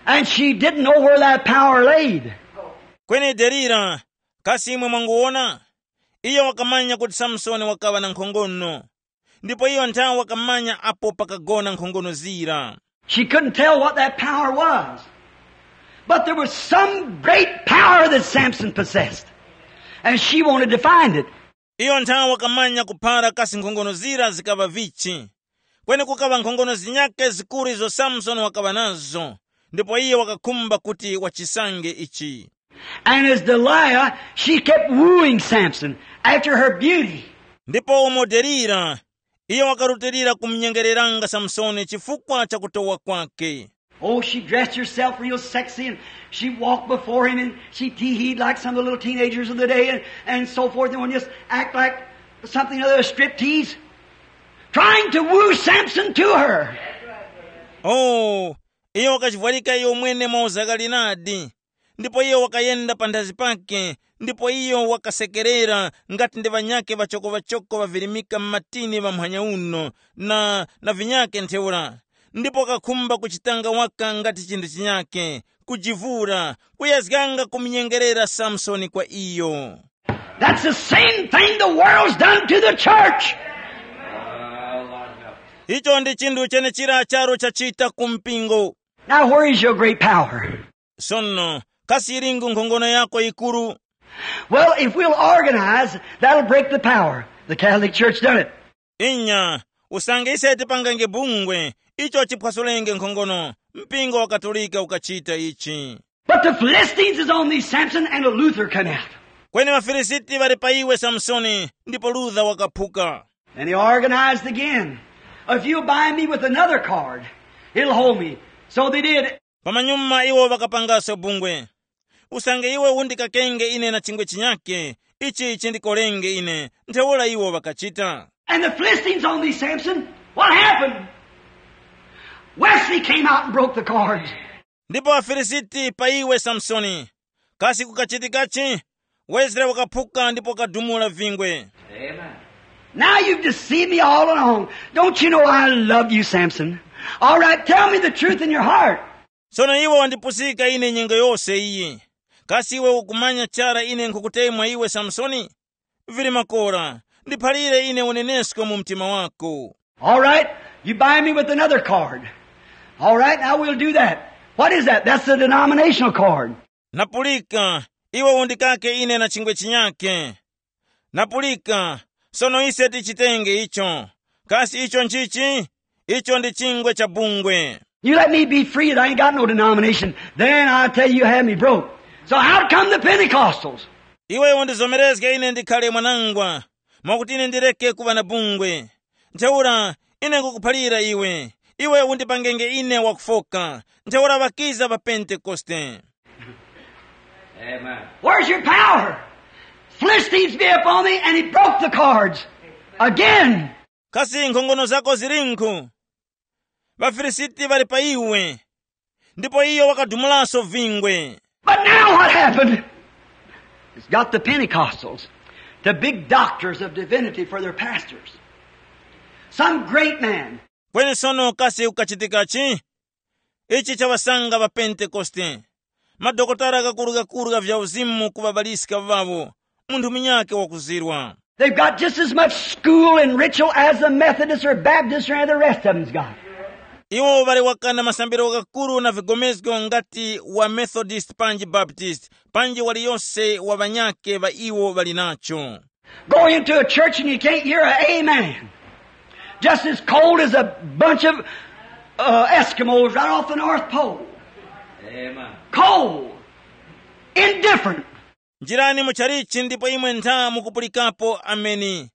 And she didn't know where that power laid. Kweni Delila, kasi imwe mwanguwona? Iyo wakamanya kuti Samsoni wakaŵa na nkhongono, ndipo iyo nthawe wakamanya apo pakagona nkhongono zira. She couldn't tell what that power was. But there was some great power that Samson possessed. And she wanted to find it. Iyo nthawe wakamanya kuphara kasi nkhongono zira zikaŵa vichi. Kweni kukaŵa nkhongono zinyake zikuru izo Samsoni wakaŵa nazo, ndipo iyo wakakhumba kuti wachisange ichi. And as Delilah, she kept wooing Samson after her beauty. Ndipo umo Delila, iyo wakarutilira kumunyengereranga Samsoni chifukwa cha kutowa kwake. Oh, she dressed herself real sexy and she walked before him and she tee-heed like some of the little teenagers of the day and, and so forth and just act like something other a strip tease, trying to woo Samson to her. Oh, iyo wakachivwarika iyo mwene mwauzakali nadi. Ndipo iyo wakayenda panthazi pake, ndipo iyo wakasekerera ngati ndi ŵanyakhe ŵachokoŵachoko ŵavirimika m'matini ŵamphanya uno na, na vinyakhe ntheura. Ndipo wakakhumba kuchitanga waka ngati chinthu chinyakhe, kujivura, kuyezganga kumunyengerera Samsoni kwa iyo. That's the same thing the world's done to the church. Icho ndi chinthu chenechira charo chachita ku mpingo. Now, where is your great power? Sono, kasi yilingu nkhongono yako yikuru? Well, if we'll organize, that'll break the power. The Catholic Church done it. Inya, usange ise tipangange bungwe, icho chiphwasulenge nkhongono, mpingo wa Katolika ukachita ichi. But the Philistines is on these, Samson, and a Luther come out. Kweni ŵaFilisiti ŵali pa iwe Samsoni, ndipo Luther wakaphuka. And he organized again. If you'll bind me with another cord, it'll hold me. So they did. Pamanyuma iwo ŵakapangaso bungwe. Usange iwe undikakenge ine na chingwe chinyake, ichi chindikolenge ine, ntheura iwo ŵakachita. And the Philistines on thee, Samson, what happened? Wesley came out and broke the cords. Ndipo aFilisiti pa iwe Samsoni, kasi kukachitikachi? Wesley wakaphuka ndipo wakadumula vingwe. Amen. Now you've deceived me all along. Don't you know I love you, Samson? All right, tell me the truth in your heart. Sono iwe wandipusika ine nyengo yose iyi. Kasi iwe ukumanya chara ine nkhukutemwa iwe Samsoni? Vili makora, ndiphalire ine unenesko mu mtima wako. All right, you bind me with another card. All right, now we'll do that. What is that? That's the denominational card. Napulika, iwe undikake ine na chingwe chinyake. Napulika, sono ise tichitenge icho. Kasi icho nchichi? Icho ndi chingwe cha bungwe. You let me be free, and I ain't got no denomination. Then I tell you, you have me broke. So out come the Pentecostals. Iwe undizomerezge ine ndikhale mwanangwa, mwakuti ine ndireke kuŵa na bungwe. Ntheura ine ngukuphalira iwe, iwe undipangenge ine wakufoka. Ntheura ŵakiza pa Pentekoste. Amen. Where's your power? Philistines be upon me, and he broke the cords. Again. Kasi nkhongono zako zilinkhu? Ŵafilisiti ŵali pa iwe, ndipo iyo wakadumulaso vingwe. But now what happened? It's got the Pentecostals, the big doctors of divinity for their pastors. Some great man. Kweni sono kasi kukachitikachi? Ichi chawasanga ŵa Pentekoste, madokotala ghakurughakurugha vya uzimu ku ŵabaliska ŵawo, munthu munyakhe wakuzirwa. They've got just as much school and ritual as the Methodists or Baptists or any of the rest of them's got. Iwo ŵali wakana masambiro ghakuru na vigomezgo ngati wa Methodist panji Baptist, panji waliyose wa ŵanyakhe ŵa iwo ŵali nacho. Go into a church and you can't hear a amen. Just as cold as a bunch of uh, Eskimos right off the North Pole. Amen. Cold. Indifferent. Njirani mu chalichi ndipo imwe ntha mukupulikapo ameni.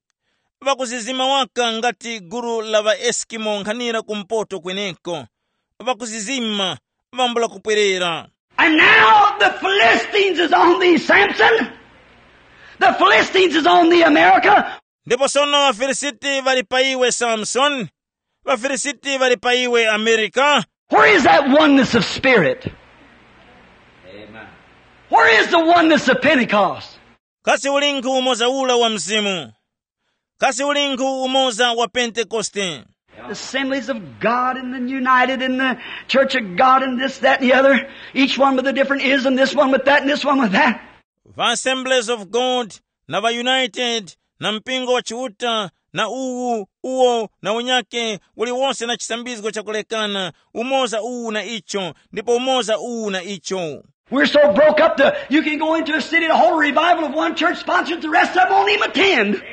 Ŵakuzizima waka ngati gulu la ŵaeskimo nkhanira kumpoto kweneko. Ŵakuzizima, ŵambula kupwerera. And now the Philistines is on thee, Samson. The Philistines is on thee, America. Ndipo sono ŵafilisiti ŵali pa iwe Samsoni. Ŵafilisiti ŵali pa iwe Amerika. Where is that oneness of spirit? Amen. Where is the oneness of Pentecost? Kasi ulinkhu umoza ula wa mzimu? Kasi ulinkhu umoza wa Pentekoste? Assemblies of God and then united in the church of God and this, that, and the other. Each one with a different ism, this one with that, and this one with that. Va Assemblies of God na va United na mpingo wa Chiuta na uwu uwo na unyake uliwonse na chisambizgo chakulekana, umoza uwu na icho, ndipo umoza uwu na icho. We're so broke up that you can go into a city to hold a revival of one church sponsored, the rest of them won't even attend.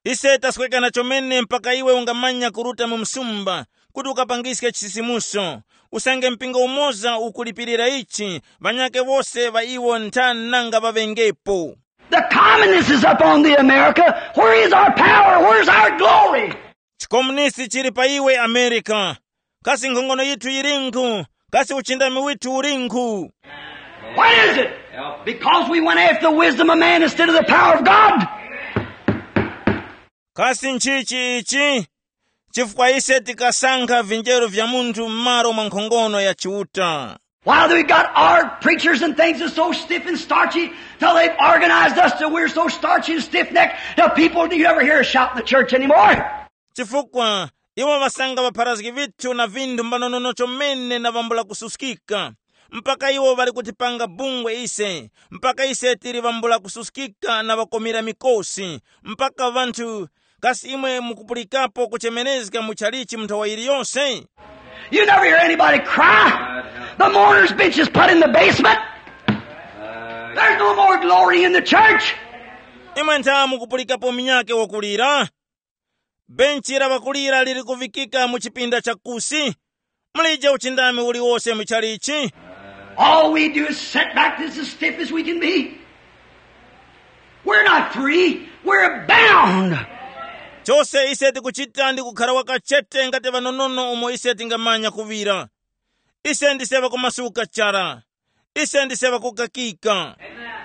Ise taswekana chomene mpaka iwe ungamanya kuruta mu msumba kuti ukapangiske chisisimuso. Usange mpingo umoza ukulipirira ichi, ŵanyakhe wose ŵa iwo ntha nanga ŵaŵengepo. The communists is up on the America. Where is our power? Where's our glory? Chikomunisti chili pa iwe Amerika. Kasi nkhongono yithu yilinkhu? Kasi uchindami withu ulinkhu? What is it? Because we went after the wisdom of man instead of the power of God. Kasi nchichi ichi? Chifukwa ise tikasankha vinjeru vya munthu m'malo mwa nkhongono ya Chiuta. While we got our preachers and things is so stiff and starchy, till they've organized us till we're so starchy and stiff-necked, till people, do you ever hear a shout in the church anymore? Chifukwa iwo ŵasanga ŵapharazgi vithu na vinthu mbanonono chomene na vambula kususkika, mpaka iwo ŵali kutipanga bungwe ise, mpaka ise tili vambula kususkika na ŵakomera mikosi, mpaka ŵanthu. Kasi imwe mukupulikapo kuchemerezga mu chalichi mu nthawa yiliyose? You never hear anybody cry. The mourner's bench is put in the basement. There's no more glory in the church. Imwe ntha mukupulikapo minyake wakulira? Benchi la ŵakulira lili kuvikika mu chipinda cha kusi. Mulije uchindami uliwose mu chalichi. All we do is sit back as stiff as we can be. We're not free. We're bound. Chose ise tikuchita ndi kukhala wakachete ngati vanonono umo ise tingamanya kuŵira. Ise ndise ŵakumasuka chara. Ise ndise ŵakukakika.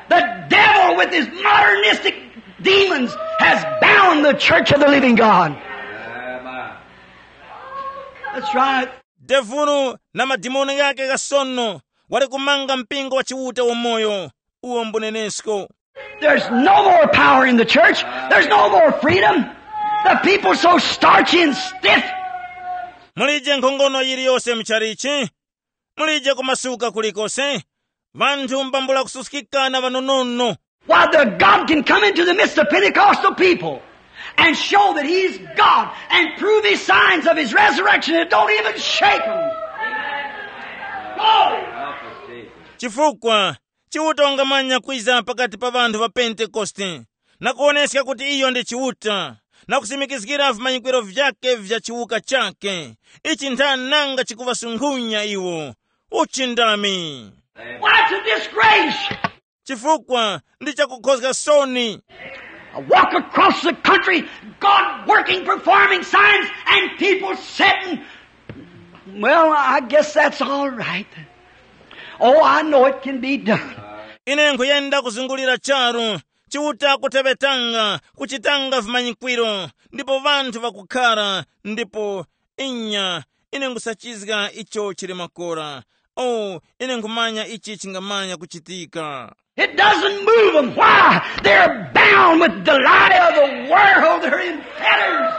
The devil with his modernistic demons has bound the church of the living God. That's right. Devulu na madimoni ghake ghasono wali kumanga mpingo wa Chiuta wamoyo. Uwo mbunenesko. There's no more power in the church. There's no more freedom. The people so starchy and stiff. Mulije nkhongono yiliyose mchalichi. Mulije kumasuka kulikose. Vanthu mbambula kususkika na vanonono. Why, the God can come into the midst of Pentecostal people and show that he's God and prove his signs of his resurrection. It don't even shake him. Glory. Chifukwa Chiuta wangamanya kwiza pakati pa anthu ŵa Pentekoste, na kuwoneska kuti iyo ndi Chiuta, na kusimikizgira vimanyikwiro vyakhe vya chiwuka chakhe. Ichi ntha nanga chikuŵasunkhunya iwo. Uchindami. Why, it's a disgrace. Chifukwa ndi chakukhozga soni. I walk across the country, God working, performing signs, and people sitting. Well, I guess that's all right. Oh, I know it can be done. Ine nkuyenda kuzungulira charu, Chiuta kuteŵetanga, kuchitanga vimanyikwiro, ndipo ŵanthu ŵakukhara, ndipo inya, ine nkusachizga icho chili makora. Oh, ine nkhumanya ichi chingamanya kuchitika. It doesn't move them. Why? They're bound with the lie of the world. They're in fetters.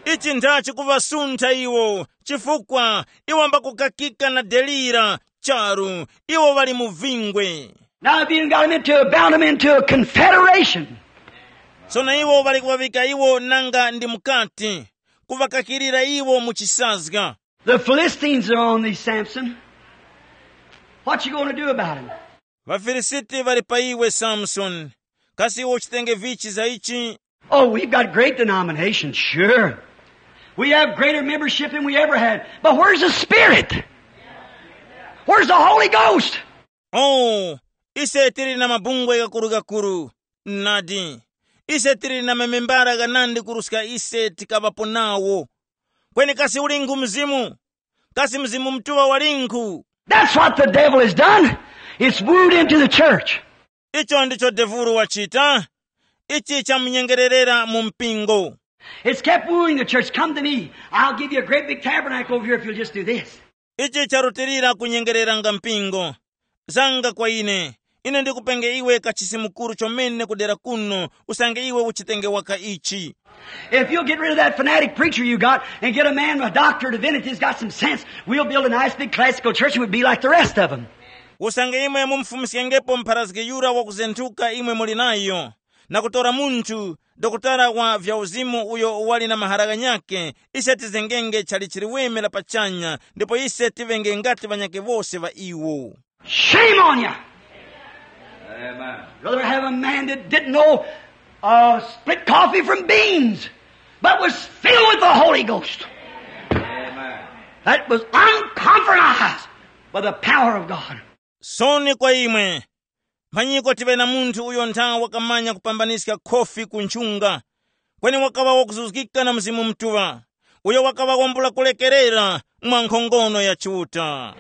Ichi ntha chikuŵasuntha iwo, chifukwa iwo mbakukakika na delira charu, iwo ŵali mu vingwe. Now, if you got them into, bound them into a confederation. Sono iwo ŵali kuŵavika iwo nanga ndi mukati, kuŵakakirira iwo mu chisazga. The Philistines are on thee, Samson. What you gonna do about 'em? ВaFilisiti ŵali pa iwe, Samsoni. Kasi iwe uchitenge vichi za ichi? Oh, we've got great denominations, sure. We have greater membership than we ever had. But where's the Spirit? Where's the Holy Ghost? Oh, ise tili na mabungwe gakuru-gakuru. Nadi, ise tili na mamembara ghanandi kuruska ise tikaŵapo nawo. Kweni kasi ulinkhu Mzimu? Kasi Mzimu Mutuŵa walinkhu? That's what the devil has done. It's wooed into the church. Icho ndicho devulu wachita. Ichi chamunyengererera mu mpingo. It's kept wooing the church. Come to me. I'll give you a great big tabernacle over here if you'll just do this. Ichi charutilira kunyengereranga mpingo. Zanga kwa ine. Ine ndikupenge iwe kachisi mukuru chomene kudera kuno, usange iwe uchitenge waka ichi. If you'll get rid of that fanatic preacher you got and get a man, a doctor of divinity, has got some sense, we'll build a nice big classical church and we'll be like the rest of them. Usange imwe mumufumskengepo mpharazgi yura wakuzenthuka imwe muli nayo, na kutora munthu dokotala wa vyauzimu uyo wali na mahara ghanyakhe, ise tizengenge chali chiliweme la pachanya, ndipo ise tivenge ngati ŵanyakhe wose ŵa iwo. Shame on you. Amen. Rather have a man that didn't know uh, split coffee from beans, but was filled with the Holy Ghost. Amen. That was uncompromised by the power of God. Soni kwa imwe. Mphanyiko tiŵe na munthu uyo ntha wakamanya kupambaniska khofi ku nchunga, kweni wakaŵa wakuzuzgika na Mzimu Mutuŵa, uyo wakaŵa wambula kulekerera mwa nkhongono ya Chiuta.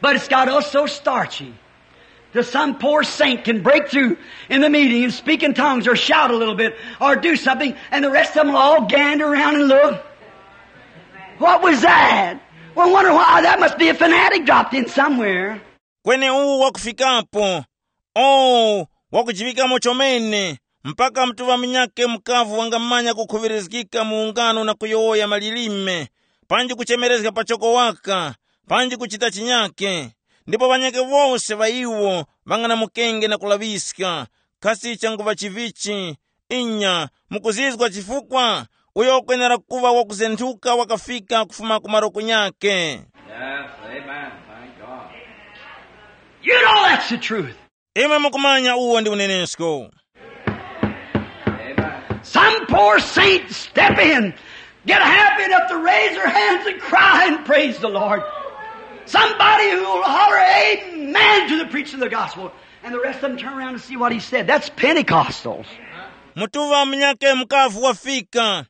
But it's got us so starchy that some poor saint can break through in the meeting and speak in tongues or shout a little bit or do something, and the rest of them will all gander around and look. What was that? Well, wonder why. That must be a fanatic dropped in somewhere. Kweni uwu wakufikapo, oh, wakujiŵikamo chomene, mpaka mutuŵa munyakhe mukavu wangamanya kukhuŵirizgika mu ungano na kuyowoya malilime, panji kuchemerezga pachoko waka, panji kuchita chinyakhe. Ndipo ŵanyakhe wose ŵa iwo ŵang'anamukenge na kulaŵiska. Kasi changuŵa chivichi? Inya, mukuzizwa chifukwa? Uyo wakwenera kuŵa wakuzenthuka wakafika kufuma ku maroko nyakhe. Yes, amen. Thank God. You know that's the truth. Imwe mukumanya uwo ndi unenesko. Amen. Some poor saint step in, get happy enough to raise their hands and cry and praise the Lord. Somebody who will holler amen to the preaching of the gospel. And the rest of them turn around and see what he said. That's Pentecostals. Mutuŵa munyakhe mukavu wafika.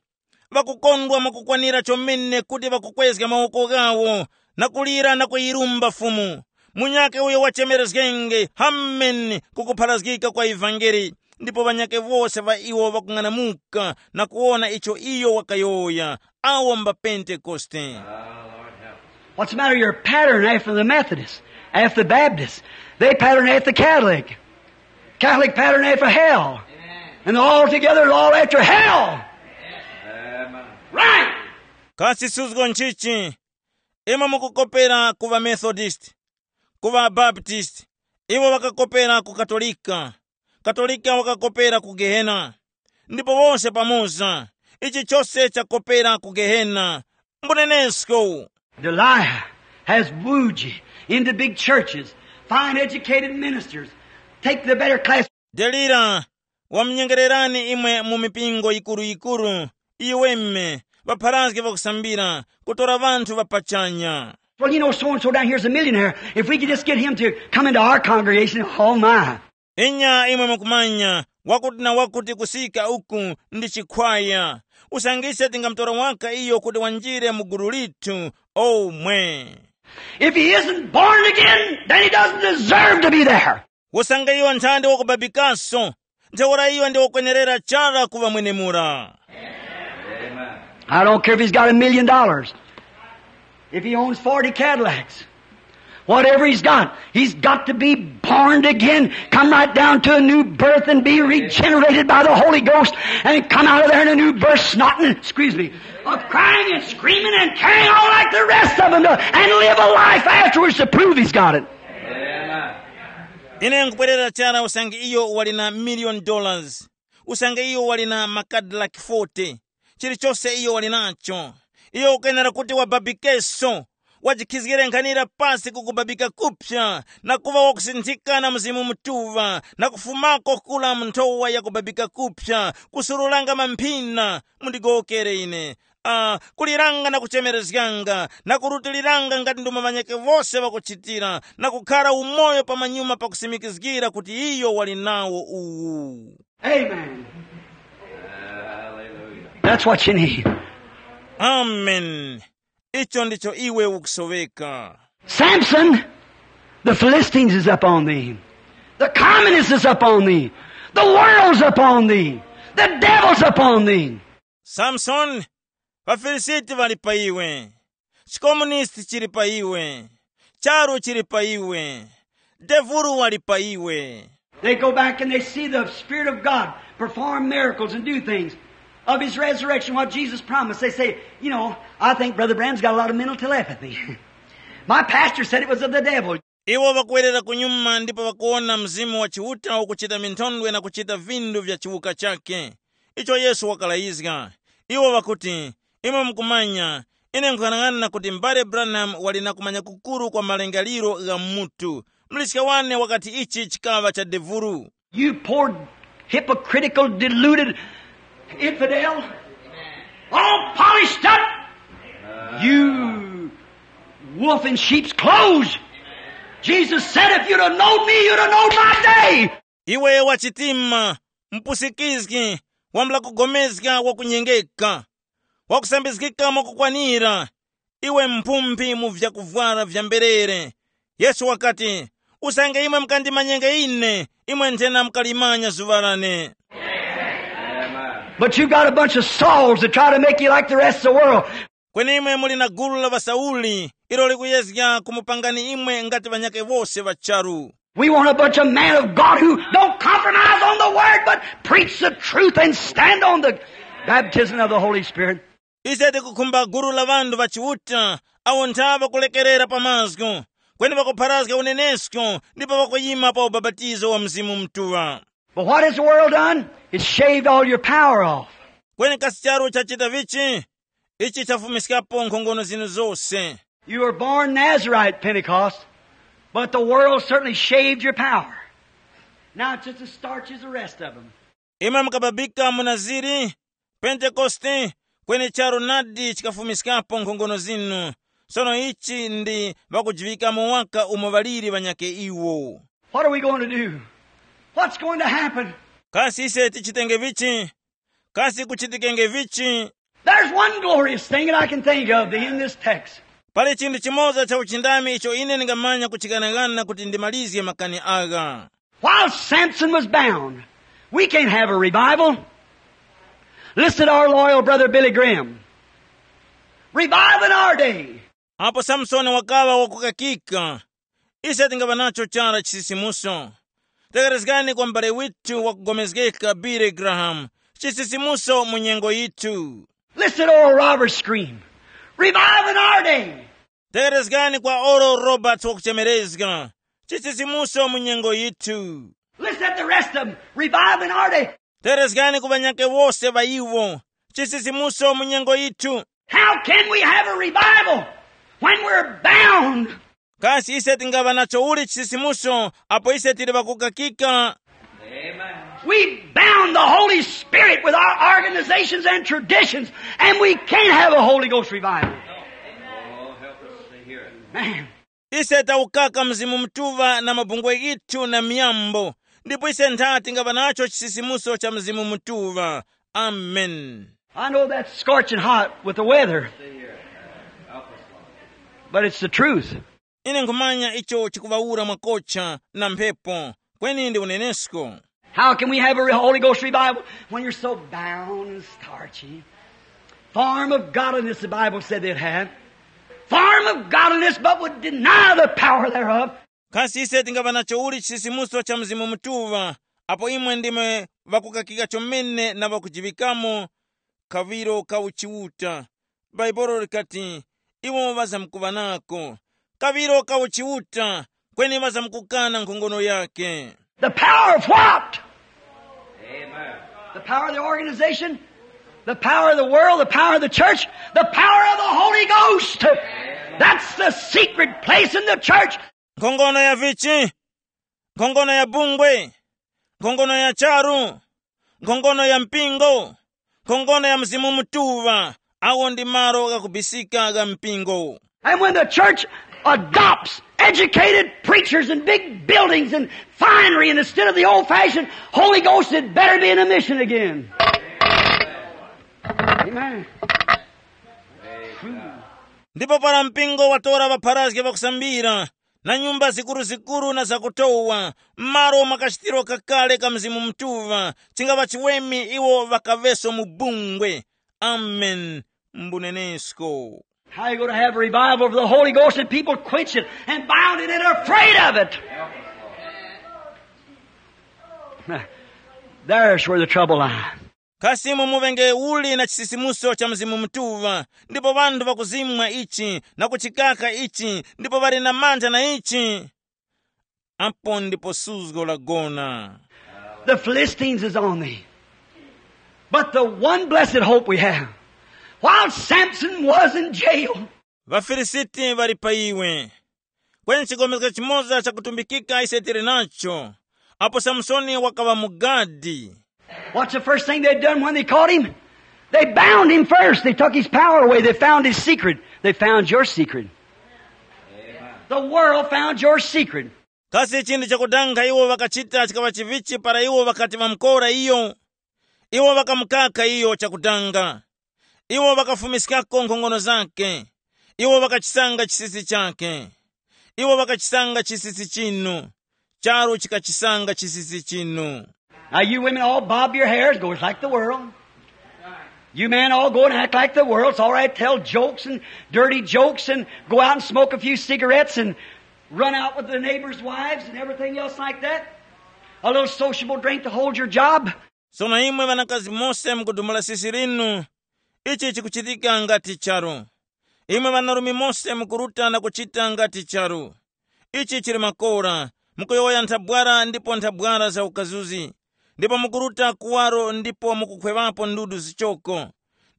Ŵakukondwa mwakukwanira chomene kuti ŵakukwezga mawoko ghawo na kulira na kuyirumba Fumu. Munyakhe uyo wachemerezgenge, hameni, kukupharazgika kwa ivangeli. Ndipo ŵanyakhe wose ŵa iwo ŵakung'anamuka na kuwona icho iyo wakayowoya. Awo mba Pentekoste. What's the matter? You're a pattern after the Methodists, after the Baptists. They pattern after the Catholic. Catholic pattern after hell. And all together, all after hell. Right. Kasi suzgo nchichi? Imwe mukukopera ku ŵaMethodisti, ku ŵaBaptisti, iwo ŵakakopera ku Katolika. Katolika wakakopera ku Gehena, ndipo wose pamoza, ichi chose chakopera ku Gehena. Mbunenesko. Delilah has wooed you into big churches, fine educated ministers, take the better class. Delila wamunyengererani imwe mu mipingo yikuru-yikuru, iweme, ŵapharazge ŵakusambira, kutora ŵanthu ŵa pachanya. Well, you know, so and so down here is a millionaire. If we could just get him to come into our congregation, oh my. Inya imwe mukumanya, wakuti na wakuti kusika uku ndi chikhwaya. Usange ise tingamutora waka iyo kuti wanjire mu gulu lithu, omwe. If he isn't born again, then he doesn't deserve to be there. Usange iyo nthandi wakubabikaso, ntheura iyo ndi wakwenerera chara kuŵa mwenemura. I don't care if he's got a million dollars, if he owns forty Cadillacs, whatever he's got, he's got to be born again. Come right down to a new birth and be regenerated by the Holy Ghost and come out of there in a new birth, snotting, excuse me, of crying and screaming and carrying on like the rest of them do, and live a life afterwards to prove he's got it. Ine nkupwerera chara usange iyo wali na million dollars, usange iyo wali na makadilaki forty, chilichose iyo wali nacho, iyo ukwenera kuti wababikeso, wajikhizgire nkhanira pasi kukubabika kupya na kuŵa wakusinthika na Mzimu Mutuŵa na kufumako kula mu nthowa ya kubabika kupya, kusurulanga mamphina. Mundigowokere ine, uh, kuliranga na kuchemerezganga na kurutiliranga ngati ndumo ŵanyakhe wose ŵakuchitira, na kukhara umoyo pamanyuma pakusimikizgira kuti iyo wali nawo uwu. Amen. That's what you need. Amen. Icho ndicho iwe ukusoveka. Samson, the Philistines is up on thee. The communists is up on thee. The world's up on thee. The devil's up on thee. Samsoni, ŵaFilisiti ŵali pa iwe, chikomunisti chili pa iwe, charu chili pa iwe, devulu wali pa iwe. They go back and they see the Spirit of God perform miracles and do things of his resurrection, what Jesus promised. They say, you know, I think Brother Branham's got a lot of mental telepathy. My pastor said it was of the devil. Iwo ŵakuwerera kunyuma ndipo ŵakuwona Mzimu wa Chiuta ukuchita minthondwe na kuchita vindu vya chiwuka chakhe, icho Yesu wakalayizga. Iwo ŵakuti, imwe mukumanya, ine nkhung'anang'ana kuti m'bale Branham wali na kumanya kukuru kwa malingaliro gha mutu. Muliska wane wakati ichi chikaŵa cha devulu. You poor, hypocritical, deluded infidel, all polished up. You wolf in sheep's clothes. Jesus said, if you'd have known me, you'd have known my day. Iwe wachitima, mpusikizgi, wambula kugomezga wakunyengeka, wakusambizgika mwakukwanira, iwe mphumphi mu vyakuvwara vya mberere. Yesu wakati, usange imwe mukandimanyenge ine, imwe nthena mukalimanya zuŵa lane. But you got a bunch of Sauls that try to make you like the rest of the world. Kweni imwe muli na gulu la ŵaSauli, ilo likuyezga kumupangani imwe ngati ŵanyakhe wose ŵa charu. We want a bunch of men of God who don't compromise on the word but preach the truth and stand on the baptism of the Holy Spirit. Ise tikukhumba gulu la ŵanthu ŵa Chiuta, awo nthaŵa kulekerera pa mazgu, kweni ŵakupharazga unenesko ndipo ŵakuyima pa ubapatizo wa Mzimu Mutuŵa. But what has the world done? It's shaved all your power off. Kweni kasi charu chachita vichi? Ichi chafumiskapo nkhongono zinu zose. You were born Nazarite Pentecost, but the world certainly shaved your power. Now it's just as starchy as the rest of them. Imwe mukababika mu Naziri, Pentekoste, kweni charu nadi chikafumiskapo nkhongono zinu. Sono ichi ndi ŵakujiŵikamo waka umo ŵaliri ŵanyakhe iwo. What are we going to do? What's going to happen? Kasi ise tichitenge vichi? Kasi kuchitikenge vichi? There's one glorious thing that I can think of in this text. Pali chinthu chimoza cha uchindami icho ine ndingamanya kuchighanaghana kuti ndimalizge makani agha. While Samson was bound, we can't have a revival. Listen to our loyal brother Billy Graham. Revival in our day. Apo Samsoni wakaŵa wakukakika, ise tingaŵa nacho chara chisisimuso. Tekerezgani kwa m'bale withu wakugomezgeka Billy Graham, chisisimuso mu nyengo yithu. Listen to Oral Roberts scream, revive in our day. Tekerezgani kwa Oral Roberts wakuchemerezga, chisisimuso mu nyengo yithu. Listen Said the rest of them, revival in our day. Terezgani ku ŵanyakhe wose ŵa iwo, chisisimuso mu nyengo yithu. How can we have a revival when we're bound? Kasi ise tingaŵa nacho uli chisisimuso apo ise tili ŵakukakika? We bound the Holy Spirit with our organizations and traditions, and we can't have a Holy Ghost revival. Man. Ise tawukaka Mzimu Mutuŵa na mabungwe ghithu na miyambo, ndipo ise ntha tingaŵa nacho chisisimuso cha Mzimu Mutuŵa. Amen. I know that's scorching hot with the weather, but it's the truth. Ine nkhumanya icho chikuŵawura mwakocha na mphepo, kweni ndi unenesko. How can we have a re- Holy Ghost revival when you're so bound and starchy? Form of godliness, the Bible said they'd have. Form of godliness, but would deny the power thereof. Kasi ise tingaŵa nacho uli chisisimuso cha Mzimu Mutuŵa, apo imwe ndimwe ŵakukakika chomene na ŵakujiŵikamo kaŵiro ka uchiuta? Bhaibuli likati, iwo ŵazamkuŵa nako kaŵiro ka uchiuta, kweni ŵazamkukana nkhongono yake. The power of what? The power of the organization, the power of the world, the power of the church, the power of the Holy Ghost. That's the secret place in the church. Nkhongono ya vichi? Nkhongono ya bungwe? Nkhongono ya charu? Nkhongono ya mpingo? Nkhongono ya Mzimu Mutuŵa. Awo ndi malo ghakubisika gha mpingo. And when the church adopts educated preachers and big buildings and finery, and instead of the old fashioned Holy Ghost, it better be in a mission again. Amen. Ndipo para mpingo watora ŵapharazge ŵakusambira na nyumba zikuruzikuru na zakutowa, m'malo mwa kachitiro kakale ka Mzimu Mutuŵa, chingaŵa chiweme iwo ŵakaŵeso mu bungwe. Amen. Mbunenesko. How you going to have a revival of the Holy Ghost and people quench it and bound it and are afraid of it? There's where the trouble lies. Kasi imwe muvenge uli na chisisimuso cha Mzimu Mutuŵa, ndipo ŵanthu ŵakuzimwa ichi na kuchikaka ichi, ndipo ŵali na mantha na ichi? Apo ndipo suzgo lagona. The Philistines is on thee. But the one blessed hope we have, while Samson was in jail, ŵafilisiti ŵali pa iwe. Kweni chigomezgo chimoza chakutumbikika ise tili nacho, apo Samsoni wakaŵa mugadi. What's the first thing they done when they caught him? They bound him first. They took his power away. They found his secret. They found your secret. The world found your secret. Kasi chinthu chakudanga iwo ŵakachita chikaŵa chivichi para iwo ŵakati ŵamukora iyo? Iwo ŵakamukaka iyo chakudanga. Iwo ŵakafumiskako nkhongono zake. Iwo ŵakachisanga chisisi chake. Iwo ŵakachisanga chisisi chinu. Charu chikachisanga chisisi chinu. Now, you women all bob your hairs, goes like the world. You men all go and act like the world. It's all right, tell jokes and dirty jokes and go out and smoke a few cigarettes and run out with the neighbors' wives and everything else like that. A little sociable drink to hold your job. Sono imwe ŵanakazi mose mukudumula sisi linu, ichi chikuchitika ngati charu. Imwe ŵanarume mose mukuruta na kuchita ngati charu. Ichi chili makora, mukuyowoya nthabwara ndipo nthabwara za ukazuzi, ndipo mukuruta kuwaro ndipo mukukhweŵapo ndudu zichoko,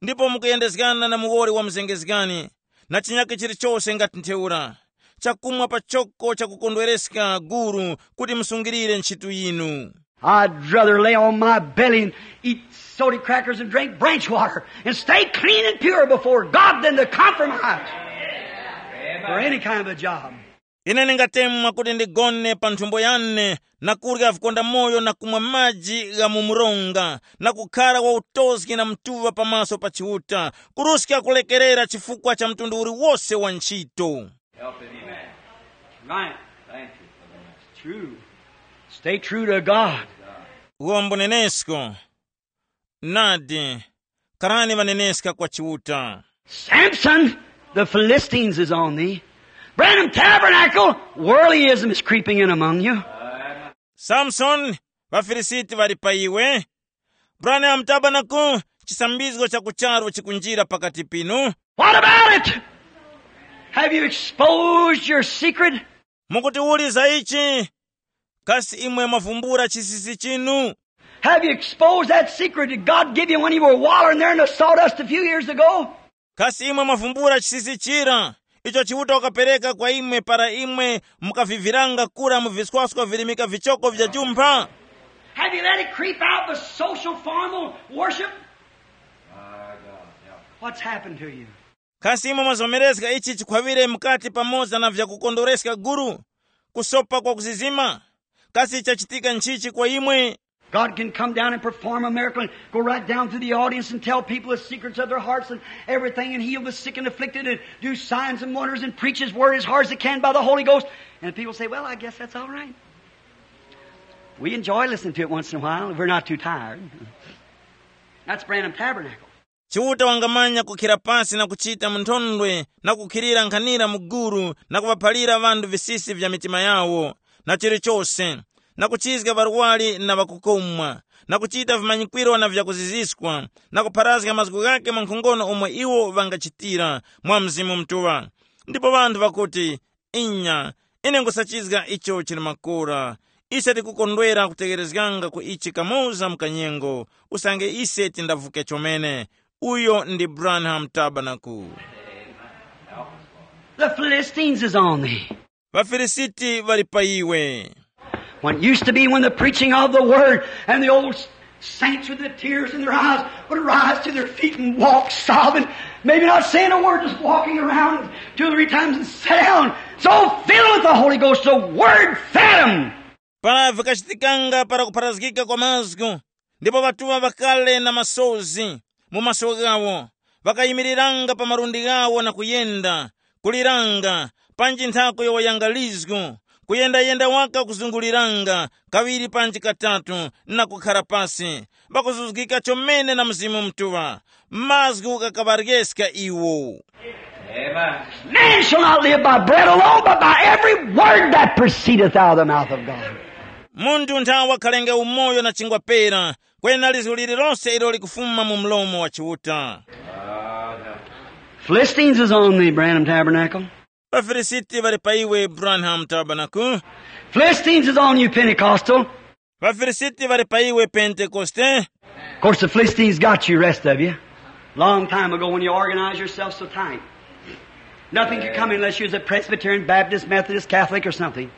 ndipo mukuyendezgana na muwoli wa muzengezgani, na chinyakhe chilichose ngati ntheura. Chakumwa pachoko chakukondwereska guru kuti musungilire ntchitu yinu. I'd rather lay on my belly and eat soda crackers and drink branch water and stay clean and pure before God than to compromise for any kind of a job. Ine ndingatemwa kuti ndigone pa nthumbo yane na kurya vikondamoyo na kumwa maji gha mu mronga na kukhara wa utozgi na mtuŵa pamaso pa Chiuta, kuruska kulekerera chifukwa cha mtundu uliwose wa ntchito. Help him. Amen. Right. Thank you for the message. True. Stay true to God. Uwombo nenesko. Nadi, karani ŵaneneska kwa Chiuta. Samson, the Philistines is on thee. Branham Tabernacle, worldlyism is creeping in among you. Samson, ŵafilisiti ŵali pa iwe. Branham Tabernacle, chisambizgo cha kucharu chikunjira pakati pinu. What about it? Have you exposed your secret? Mukuti uli za ichi? Kasi imwe mwavumbula chisisi chinu? Have you exposed that secret that God gave you when you were wallowing there in the sawdust a few years ago? Kasi imwe mwavumbula chisisi chira icho Chiuta wakapereka kwa imwe para imwe mukaviviranga kura mu viswaskwa virimika vichoko vya jumpha? Have you let it creep out the social formal worship? What's happened to you? Kasi imwe mwazomerezga ichi chikhwaŵire mukati pamoza na vyakukondwereska guru, kusopa kwa kuzizima? Kasi chachitika nchichi kwa imwe? God can come down and perform a miracle and go right down through the audience and tell people the secrets of their hearts and everything and heal the sick and afflicted and do signs and wonders and preach his word as hard as he can by the Holy Ghost. And people say, "Well, I guess that's all right." We enjoy listening to it once in a while. We're not too tired. That's Branham Tabernacle. Chiuta wangamanya kukhira pasi na kuchita mu nthondwe na kukhirira nkhanira mu guru na kuŵaphalira ŵanthu visisi vya mitima yawo, na chilichose, na kuchizga ŵarwari na ŵakukomwa, na kuchita vimanyikwiro na vyakuziziskwa, na kupharazga mazgu ghakhe mwa nkhongono umo iwo ŵangachitira mwa Mzimu Mutuŵa. Ndipo ŵanthu ŵakuti, "Inya, ine nkhusachizga icho chili makora." Ise tikukondwera kutegherezganga ku ichi kamoza mu kanyengo, usange ise tindavuke chomene. Uyo ndi Branham Tabernacle. The Philistines is on thee. ВaFilisiti ŵali pa iwe. When it used to be when the preaching of the word and the old saints with the tears in their eyes would rise to their feet and walk sobbing, maybe not saying a word, just walking around two or three times and sit down. So filled with the Holy Ghost, the word fed 'em. Para vikachitikanga para kupharazgika kwa mazgu, ndipo ŵatuŵa ŵakale na masozi mu maso ghawo, ŵakayimiriranga pa malundi ghawo na kuyenda, kuliranga, panji nthako yowoyanga lizgu, kuyendayenda waka kuzunguliranga kaŵiri panji katatu na kukhara pasi, ŵakuzuzgika chomene na Mzimu Mutuŵa, mazgu ghakaŵaryeska iwo. Man shall not live by bread alone, but by every word that proceedeth out of the mouth of God. Munthu nthawe wakhalenge umoyo na chingwa pera, kwena lizgu lililonse ilo likufuma mu mlomo wa Chiuta. Philistines is on the Branham Tabernacle. ВaFilisiti ŵali pa iwe, Branham Tabernacle. Philistines is on you, Pentecostal. ВaFilisiti ŵali pa iwe, Pentekoste. Of course, the Philistines got you, rest of you. Long time ago when you organized yourself so tight. Nothing could come unless you was a Presbyterian, Baptist, Methodist, Catholic or something.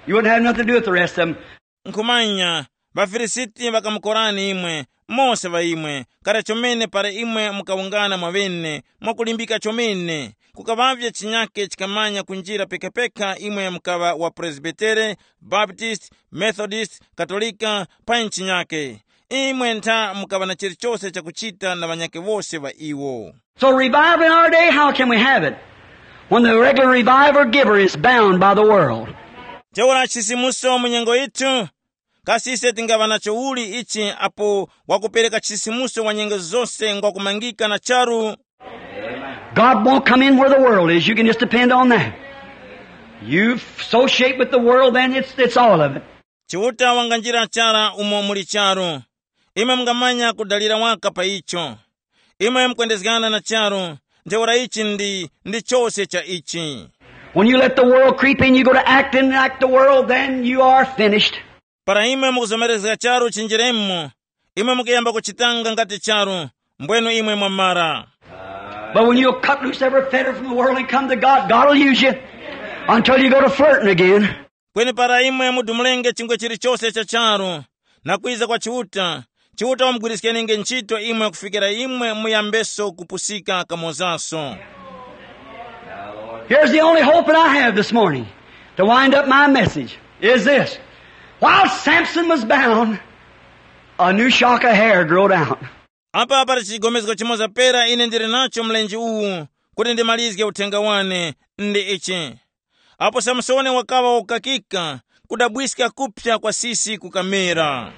You wouldn't have nothing to do with the rest of them. Nkhumanya, ŵaFilisiti ŵakamukorani imwe, mose ŵa imwe, kara chomene para imwe mukawungana mwaŵene, mwakulimbika chomene. Kukaŵavye chinyake chikamanya kunjira pekapeka imwe mukaŵa wa Presbitere, Baptist, Methodist, Katolika, panyi chinyake. Imwe ntha mukaŵa na chilichose chakuchita na ŵanyakhe wose ŵa iwo. So revival in our day, how can we have it? When the regular revival giver is bound by the world. Ntheura chisimuso mu nyengo yithu, kasi ise tingaŵa nacho uli ichi apo wakupereka chisimuso wa nyengo zose ngwakumangika na charu? God won't come in where the world is. You can just depend on that. You associate with the world, then it's, it's all of it. Chiuta wanganjira chara umo muli charu. Imwe mungamanya kudalira waka pa icho. Imwe mukwendezgana na charu, ntheura ichi ndi, ndi chose cha ichi. When you let the world creep in, you go to acting like the world, then you are finished. Para imwe mukuzomerezga charu chinjiremo, imwe mukuyamba kuchitanga ngati charu, mbwenu imwe mwamara. But when you'll cut loose every fetter from the world and come to God, God will use you until you go to flirting again. Kweni para imwe mudumulenge chingwe chilichose cha charu na kwiza kwa Chiuta, Chiuta wamugwiriskenge ntchito imwe kufikira imwe muyambeso kupusika kamozaso. Here's the only hope that I have this morning to wind up my message is this. While Samson was bound, a new shock of hair growed out. Apa pali chigomezgo chimoza pera ine ndili nacho mlenje uwu kuti ndimalizge uthenga wane, ndi ichi. Apo Samsoni wakaŵa wakukakika, kudabwiska kuphya kwa sisi kukamera.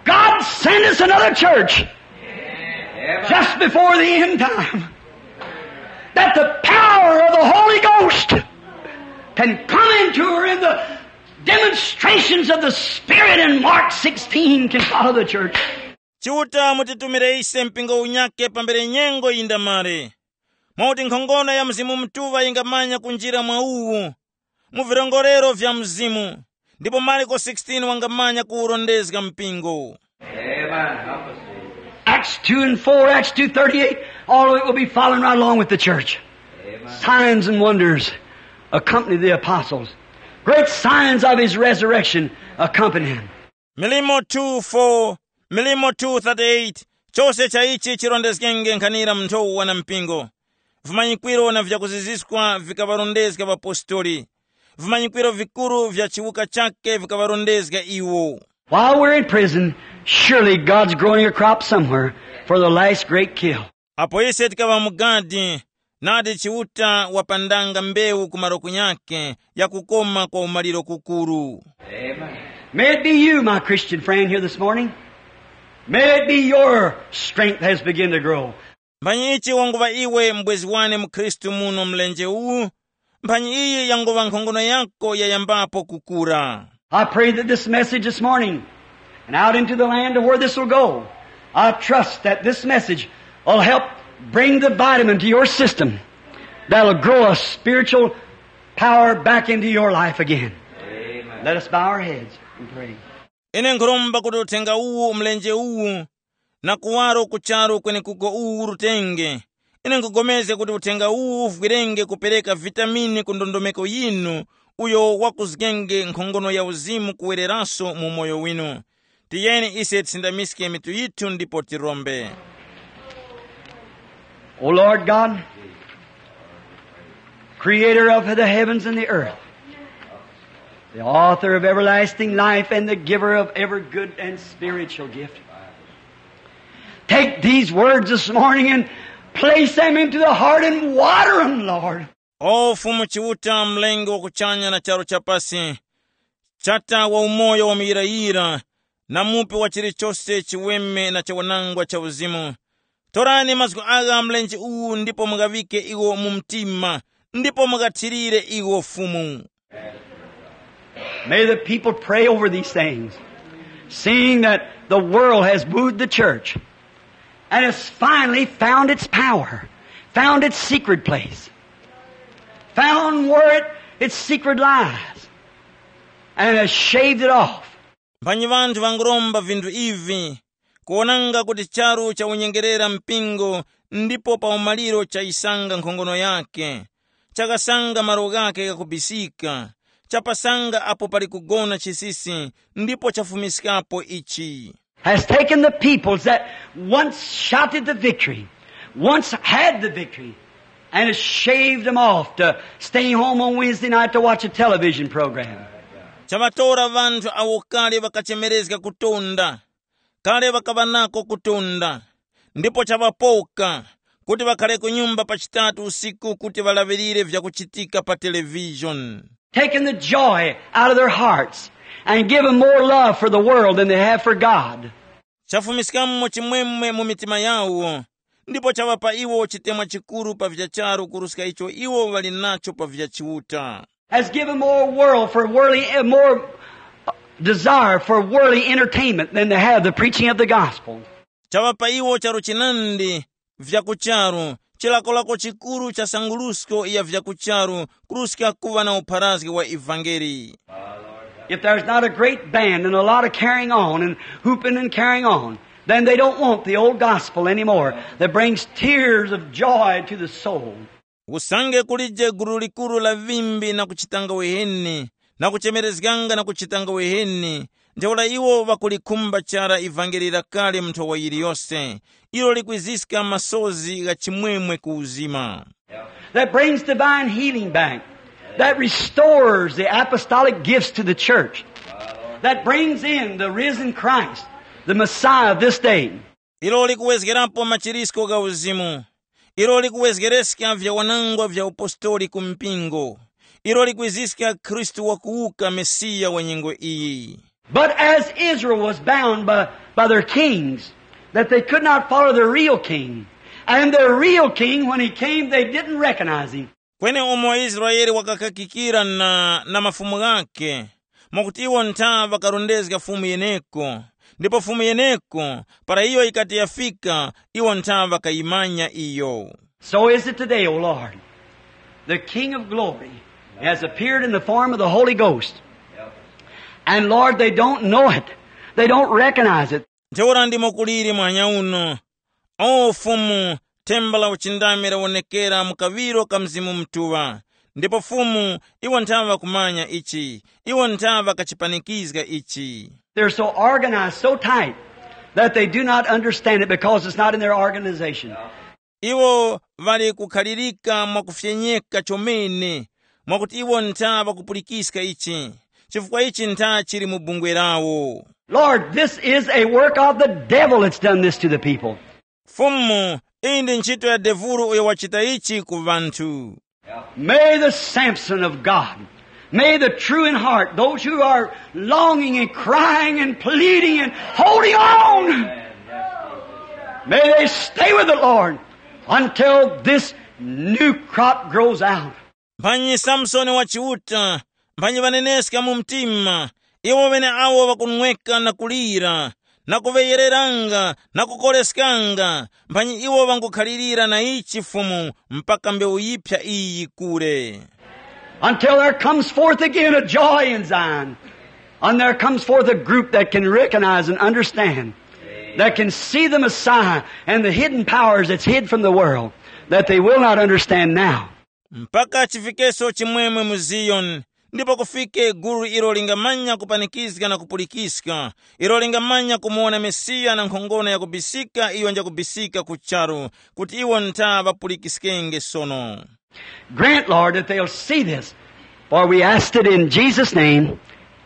God send us another church just before the end time, that the power of the Holy Ghost can come into her and the demonstrations of the Spirit in Mark sixteen can follow the church. Chiuta mutitumire ise mpingo unyake pambere nyengo yindamare, mwakuti nkhongono ya Mzimu Mutuŵa yingamanya kunjira mwa uwu, mu virongorero vya Mzimu, Ndipo Marko sixteen wangamanya kuwurondezga mpingo. Amen. Help us, Lord. Acts two and four, Acts two thirty-eight, all of it will be following right along with the church. Signs and wonders accompany the apostles. Great signs of his resurrection accompany him. Milimo two four, Milimo two thirty-eight, chose cha ichi chirondezgenge nkhanira mu nthowa na mpingo. Vimanyikwiro na vyakuziziswa vikaŵarondezga ŵapostoli. Vimanyikwiro vikuru vya chiwuka chakhe vikaŵarondezga iwo. While we're in prison, surely God's growing a crop somewhere for the last great kill. Apo ise tikaŵa mu gadi, nadi Chiuta wapandanga mbewu ku malo kunyakhe ya kukoma kwa umaliro kukuru. May it be you, my Christian friend, here this morning. May it be your strength has begun to grow. Mphanyi ichi wanguŵa iwe mbwezi wane mu Khristu muno mlenje uwu, mphanyi iyi yanguŵa nkhongono yako yayambapo kukura. I pray that this message this morning and out into the land to where this will go, I trust that this message will help bring the vitamin to your system that'll grow a spiritual power back into your life again. Let us bow our heads and pray. Ine nkhuromba kuti uthenga uwu mlenje uwu na kuwaro ku charu kwenekuko uwu urutenge. Ine nkhugomezga kuti uthenga uwu uvwirenge kupereka vitamini ku ndondomeko yinu uyo wakuzgenge nkhongono ya uzimu kuwereraso mu umoyo winu. Tiyeni ise tisindamiske mitu yithu ndipo tirombe. O Lord God, creator of the heavens and the earth, the author of everlasting life and the giver of every good and spiritual gift, take these words this morning and place them into the heart and water them, Lord. O Fumu Chiuta, mlengi wa kuchanya na charu chapasi, chata wa umoyo wa muyirayira, na mupi wa chilichose chiweme na chawanangwa cha uzimu, torani mazgu agha mlenje uwu ndipo mughawike iwo mu mtima, ndipo mughathirire iwo Fumu. May the people pray over these things, seeing that the world has booed the church and has finally found its power, found its secret place, found where it, its secret lies, and has shaved it off. Mphanyi ŵanthu ŵanguromba vinthu ivi, kuwonanga kuti charu chawunyengerera mpingo, ndipo pa umaliro chayisanga nkhongono yakhe, chakasanga malo ghakhe ghakubisika, chapasanga apo pali kugona chisisi, ndipo chafumiskapo ichi. Has taken the peoples that once shouted the victory, once had the victory, and has shaved them off to stay home on Wednesday night to watch a television program. Chaŵatora ŵanthu awo kale ŵakachemerezga kutonda, kale ŵakaŵa nako kutonda, ndipo chaŵapoka kuti ŵakhare ku nyumba pa chitatu usiku kuti ŵalaŵirire vyakuchitika pa televishoni. Taking the joy out of their hearts and giving more love for the world than they have for God. Chafumiskamo chimwemwe mu mitima yawo, ndipo chaŵapa iwo chitemwa chikuru pa vya charu kuruska icho iwo ŵali nacho pa vya Chiuta. Has given more world for worldly, eh, more desire for worldly entertainment than they have the preaching of the gospel. Chaŵapa iwo charu chinandi vya ku charu, chilakolako chikuru cha sangurusko ya vya ku charu kuruska kuŵa na upharazgi wa ivangeli. If there's not a great band and a lot of carrying on and hooping and carrying on, then they don't want the old gospel anymore that brings tears of joy to the soul. Usange kulije gulu likuru la vimbi na kuchitanga weheni, na kuchemerezganga na kuchitanga weheni, ntheura iwo ŵakulikhumba chara ivangeli la kale mu nthowa yiliyose, ilo likwiziska masozi gha chimwemwe ku uzima. That brings divine healing back, that restores the apostolic gifts to the church, that brings in the risen Christ, the Messiah of this day. Ilo likuwezgerapo machirisko gha uzimu, ilo likuwezgereska vyawanangwa vya upostoli ku mpingo, ilo likwiziska Khristu wakuwuka, Mesiya wa nyengo iyi. But as Israel was bound by, by their kings, that they could not follow their real king, and their real king, when he came, they didn't recognize him. Kweni umo Israele wakakakikira na, na mafumu ghakhe, mwakuti iwo ntha ŵakarondezga fumu yeneko, ndipo fumu yeneko, para iyo yikati yafika, iwo ntha ŵakayimanya iyo. So is it today, O Lord. The King of glory has appeared in the form of the Holy Ghost. And Lord, they don't know it. They don't recognize it. Ntheura ndimo kuliri mwanya uno. O Fumu, themba la uchindami lawonekera mu kaŵiro ka Mzimu Mutuŵa. Ndipo Fumu, iwo nthaŵa kumanya ichi, iwo nthaŵa kachipanikizga ichi. They're so organized, so tight, that they do not understand it because it's not in their organization. Iwo ŵali kukhalirika mwakufyenyeka chomene, mwakuti iwo ntha ŵakupulikiska ichi, chifukwa ichi ntha chili mu bungwe lawo. Lord, this is a work of the devil that's done this to the people. Fumu, iyi ndi ntchito ya devulu uyo wachita ichi ku ŵanthu. May the Samson of God, may the true in heart, those who are longing and crying and pleading and holding on, may they stay with the Lord until this new crop grows out. Mphanyi Samsoni wa Chiuta, mphanyi ŵaneneska mu mtima, iwo ŵeneawo ŵakunweka na kulira, na kuŵeyereranga na kukoreskanga, mphanyi iwo ŵangukhalirira na ichi Fumu mpaka mbewu yiphya iyi yikure. Until there comes forth again a joy in Zion, and there comes forth a group that can recognize and understand, that can see the Messiah and the hidden powers that's hid from the world, that they will not understand now. Mpaka chifikeso chimwemwe mu Ziyoni, ndipo kufike gulu ilo lingamanya kupanikizga na kupulikiska, ilo lingamanya kumuwona Mesiya na nkhongono yakubisika iyo njakubisika ku charu, kuti iwo ntha ŵapulikiskenge sono. Grant, Lord, that they'll see this, for we asked it in Jesus' name.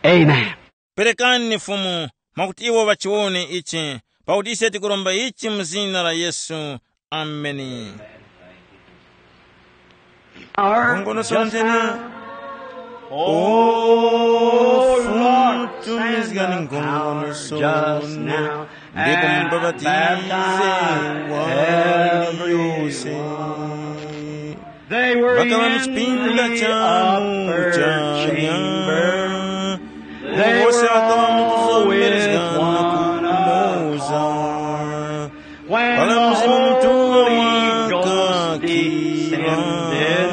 Amen. Perekani Fumu, mwakuti iwo ŵachiwone ichi, pakuti ise tikuromba ichi mu zina la Yesu. Ameni. Our Nkhongono just sontene. Now. Oh, Lord, tumizgani send the power just now. Ndipo and mubapatize baptize wali yose. They were Ŵakaŵa mu in chipinda the chawo upper chanya. Chamber. They Wose were ŵakaŵa mu all with kuzomerezgana one kumoza. Accord. When Pala the Mzimu Mutuŵa Holy Ghost wakakira, descended,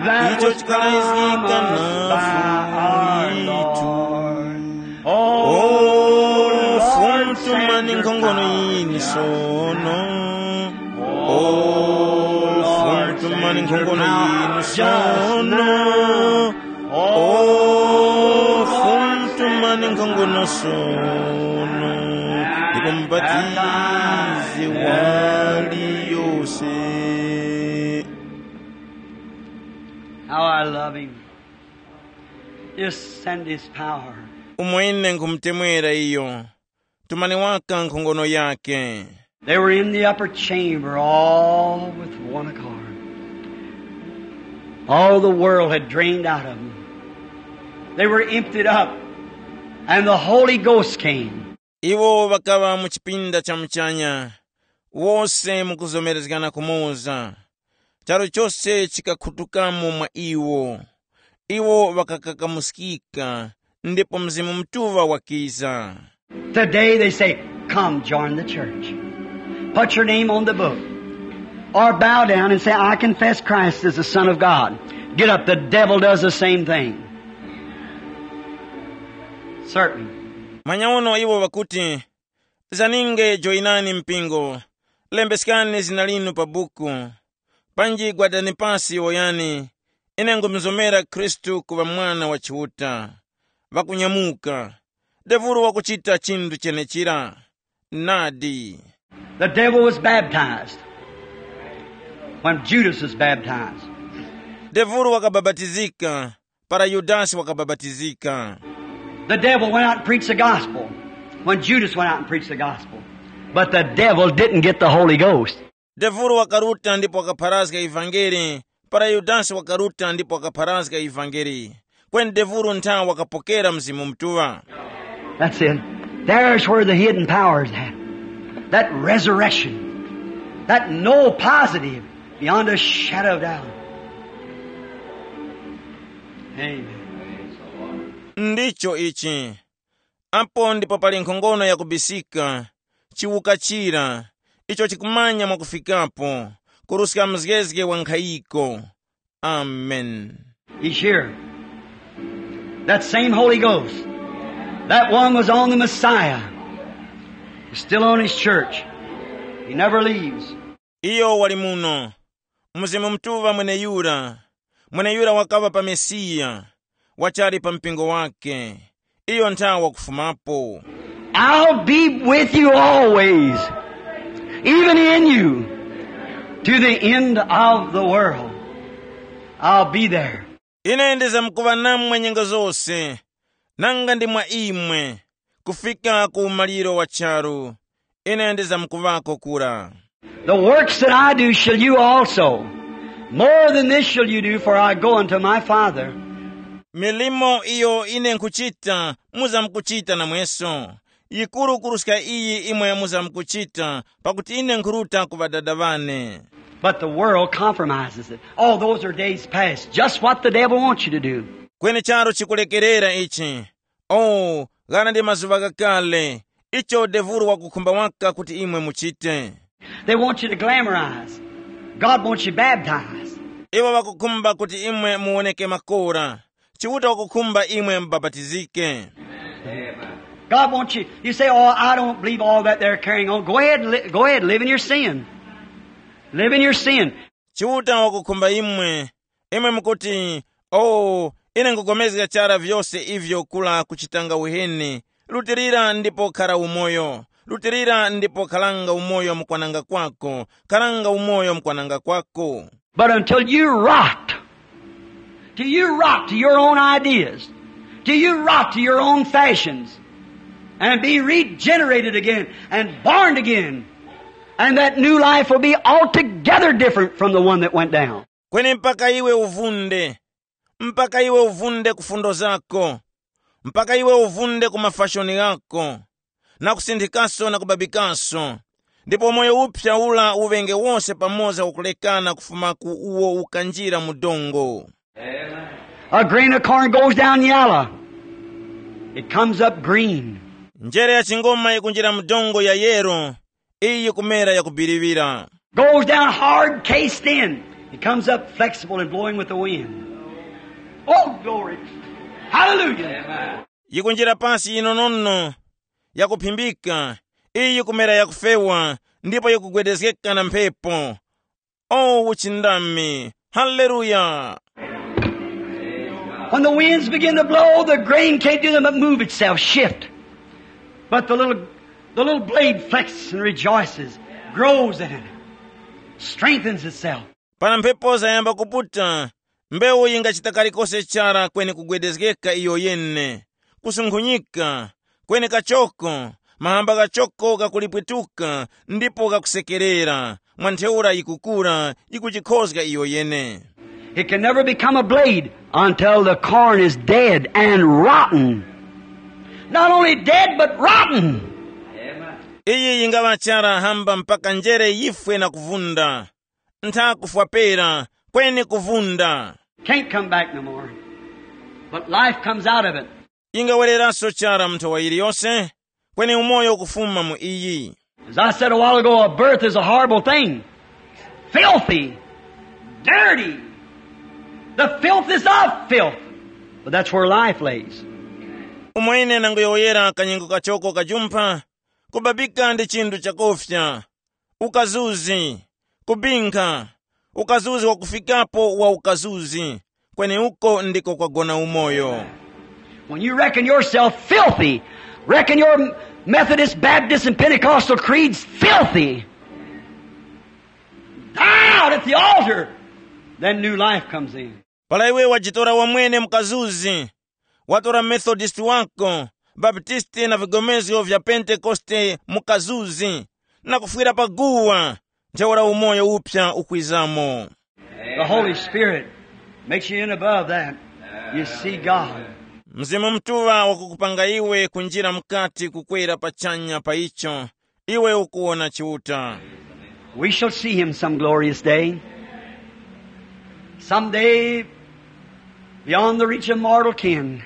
that icho was chikalayizgika promised by our nafu itu. Lord. O Fumu, tumani nkhongono yinu sono. O Fumu, tumani nkhongono yinu sono. O Fumu, tumani nkhongono sono. Ndipo mubatize wali yose. How I love him. Just send his power. Umo ine nkhumutemwera iyo. Tumani waka nkhongono yake. They were in the upper chamber all with one accord. All the world had drained out of them. They were emptied up, and the Holy Ghost came. Iwo ŵakaŵa mu chipinda cha muchanya, wose mukuzomerezgana kumoza. Charu chose chikakhutukamo mwa iwo. Iwo ŵakakakamuskika, ndipo Mzimu Mutuŵa wakiza. Today they say, "Come join the church. Put your name on the book. Or bow down and say, 'I confess Christ is the Son of God.'" Get up, the devil does the same thing. Certainly. Manyauno iwo ŵakuti, "Zaninge, joyinani mpingo, lembeskani zina linu pa buku, panji gwadani pasi woyani, ine nkhumuzomera Khristu kuŵa Mwana wa Chiuta." Ŵakunyamuka. Devulu wakuchita chinthu chenechira. Nadi. The devil was baptized when Judas was baptized. Devulu wakabapatizika para Yudasi wakabapatizika. The devil went out and preached the gospel when Judas went out and preached the gospel. But the devil didn't get the Holy Ghost. Devulu wakaruta ndipo wakapharazga ivangeli, para Yudasi wakaruta ndipo wakapharazga ivangeli. Kweni devulu ntha wakapokera Mzimu Mutuŵa. That's it. There's where the hidden power is at. That resurrection. That no positive beyond a shadow of doubt. Amen. Ndicho ichi. Apo ndipo pali nkhongono yakubisika, chiwuka chira, icho chikumanya mwakufikapo, kuruska mzgezge wa nkhayiko. Amen. He's here. That same Holy Ghost That one was on the Messiah. He's still on his church. He never leaves. Iyo wali muno. Mzimu Mutuŵa mweneyura. Mweneyura wakaŵa pa Mesiya. Wachali pa mpingo wake. Iyo nthawa wakufumapo. I'll be with you always, even in you, to the end of the world. I'll be there. Ine ndizamkuŵa namwe nyengo zose, nanga ndi mwa imwe, kufika ku umaliro wa charu. Ine ndizamkuŵako kura. The works that I do shall you also. More than this shall you do, for I go unto my Father. Milimo iyo ine nkhuchita, muzamkuchita namweso. Yikuru kuruska iyi imwe muzamkuchita, pakuti ine nkhuruta ku Ŵadada ŵane. But the world compromises it. Oh, those are days past. Just what the devil wants you to do. Kweni charu chikulekerera ichi. Oh, ghana ndi mazuŵa ghakale. Icho devulu wakukhumba waka kuti imwe muchite. They want you to glamorize. God wants you baptized. Iwo ŵakukhumba kuti imwe muwoneke makora. Chiuta wakukhumba imwe mubapatizike. God wants you. You say, "Oh, I don't believe all that they're carrying on." Go ahead, li- go ahead, live in your sin. Live in your sin. Chiuta wakukhumba imwe. Imwe mukuti, "Oh, ine nkupulikana chara vyose ivyo kula kuchitanga uheni. Lutilira ndipo khara umoyo. Lutilira ndipo kharanga umoyo mukwananga kwako. Kharanga umoyo mukwananga kwako." But until you rot, till you rot to your own ideas, till you rot to your own fashions, and be regenerated again and born again, and that new life will be altogether different from the one that went down. Kweni mpaka iwe uvunde, mpaka iwe uvunde ku fundo zako, mpaka iwe uvunde ku mafashoni ghako, na kusinthikaso na kubabikaso, ndipo moyo uphya ula uŵenge wose pamoza wakulekana kufuma ku uwo ukanjira mu dongo. A grain of corn goes down yellow, it comes up green. Njere ya chingoma yikunjira mu dongo ya yero, iyi yikumera yakubiriwira. Goes down hard, cased in, it comes up flexible and blowing with the wind. Oh, glory. Hallelujah. Yikunjira pasi yinonono, yakuphimbika, iyi yikumera yakufewa, ndipo yikugwedezgeka na mphepo. Oh, uchindami! Haleluya! When the winds begin to blow, the grain can't do nothing but move itself, shift. But the little, the little blade flexes and rejoices, grows in it, strengthens itself. Para mphepo zayamba kuputa, mbewu yingachita kalikose chara kweni kugwedezgeka iyo yene, kusunkhunyika, kweni kachoko, mahamba ghachoko ghakulipwituka ndipo ghakusekerera, mwa ntheura yikukura, yikujikhozga iyo yene. It can never become a blade until the corn is dead and rotten. Not only dead, but rotten. Iyi yingaŵa chara hamba mpaka njere yifwe na kuvunda. Ntha kufwa pera, kweni kuvunda. Can't come back no more. But life comes out of it. Ingawereranso chara mu nthawa iliyonse, kweni umoyo ukufuma mu iyi. As I said a while ago, a birth is a horrible thing. Filthy. Dirty. The filth is of filth. But that's where life lays. Umo ine nanguyowoyera kanyengo kachoko kajumpha, kubabika ndi chinthu chakofya, ukazuzi, kubinkha, ukazuzi wakufikapo wa ukazuzi, kweni uko ndiko kwagona umoyo. When you reckon yourself filthy, reckon your Methodist, Baptist, and Pentecostal creeds filthy, die out at the altar, then new life comes in. Para iwe wajitora wamwene mukazuzi, watora Methodist wako, Baptisti na vigomezgo vya Pentekoste mukazuzi, na kufwira pa guwa, ntheura umoyo uphya ukwizamo. The Holy Spirit makes you in above that. You see God. Mzimu Mutuŵa wakukupanga iwe kunjira mukati kukwera pachanya pa icho, iwe ukuwona Chiuta. We shall see him some glorious day. Some day, beyond the reach of mortal kin,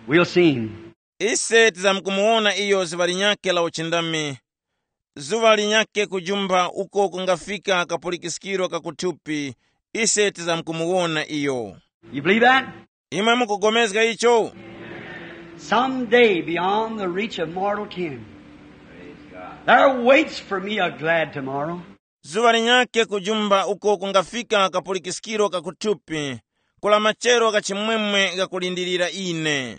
we'll see him. Ise tizamkumuwona iyo zuŵa linyakhe la uchindami, zuŵa linyakhe kujumpha uko kungafika kapulikiskiro ka kuthupi, ise tizamkumuwona iyo. You believe that? Imwe mukupulikana icho? Someday beyond the reach of mortal kin, there waits for me a glad tomorrow. Zuŵa linyakhe kujumba uko kungafika kapulikiskiro ka kuthupi, kula machero gha chimwemwe ghakulindirira ine.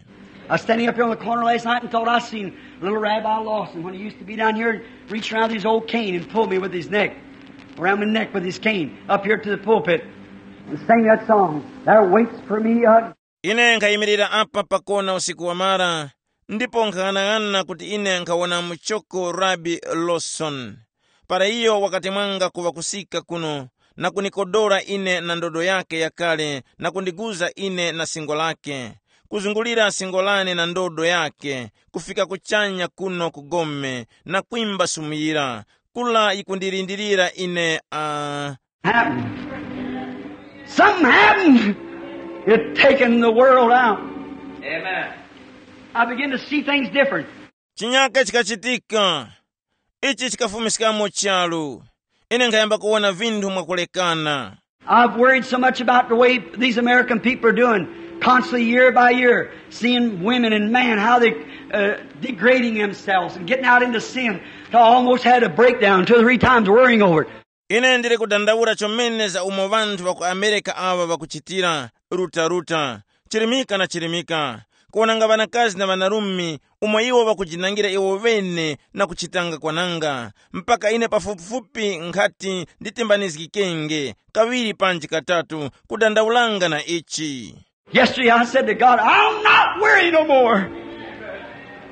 I was standing up here on the corner last night and thought I seen little Rabbi Lawson when he used to be down here and reach around his old cane and pull me with his neck, around my neck with his cane, up here to the pulpit, and sing that song, "There waits for me a." Ine nkhayimirira apa pakona usiku wamara, ndipo nkhang'anang'ana kuti ine nkhawona muchoko Rabi Lawson. Para iyo wakati mwanga kuŵa kusika kuno, na kunikodora ine na ndodo yake yakale na kundiguza ine na singo lake, kuzungulira singo lane na ndodo yake, kufika kuchanya kuno ku gome, na kwimba sumuyira, kula yikundilindirira ine. Uh, happened. Something happened. It taken the world out. Amen. I begin to see things different. Chinyaka chikachitika. Ichi chikafumiskamo charu. Ine nkhayamba kuwona vinthu mwakulekana. I've worried so much about the way these American people are doing, constantly year by year, seeing women and men, how they uh, degrading themselves and getting out into sin. To almost had a breakdown two or three times worrying over it. Ine ndili kudandaula chomene za umo vanthu va ku Amerika awa vakuchitira, ruta-ruta, chirimika na chirimika, kuwonanga ŵanakazi na ŵanarume umo iwo ŵakujinangira iwo ŵene na kuchitanga kwananga, mpaka ine pafupifupi nkhati nditimbanizgikenge kaŵiri panji katatu kudandaulanga na ichi. Yesterday I said to God, "I'll not worry no more.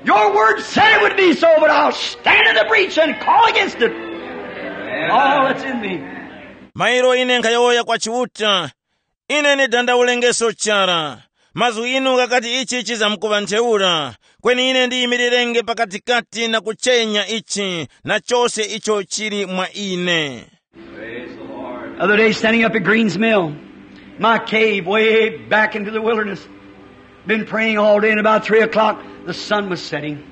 Your word said it would be so, but I'll stand in the breach and call against it." All that's in me. Mairo ine nkhayowoya kwa Chiuta, ine ndidandaulenge chara. Mazgu inu ghakati ichi chizamkuŵa ntheura, kweni ine ndiyimirirenge pakatikati na kuchenya ichi na chose icho chili mwa ine. Other day, standing up at Green's Mill, my cave way back into the wilderness. Been praying all day, and about three o'clock, the sun was setting.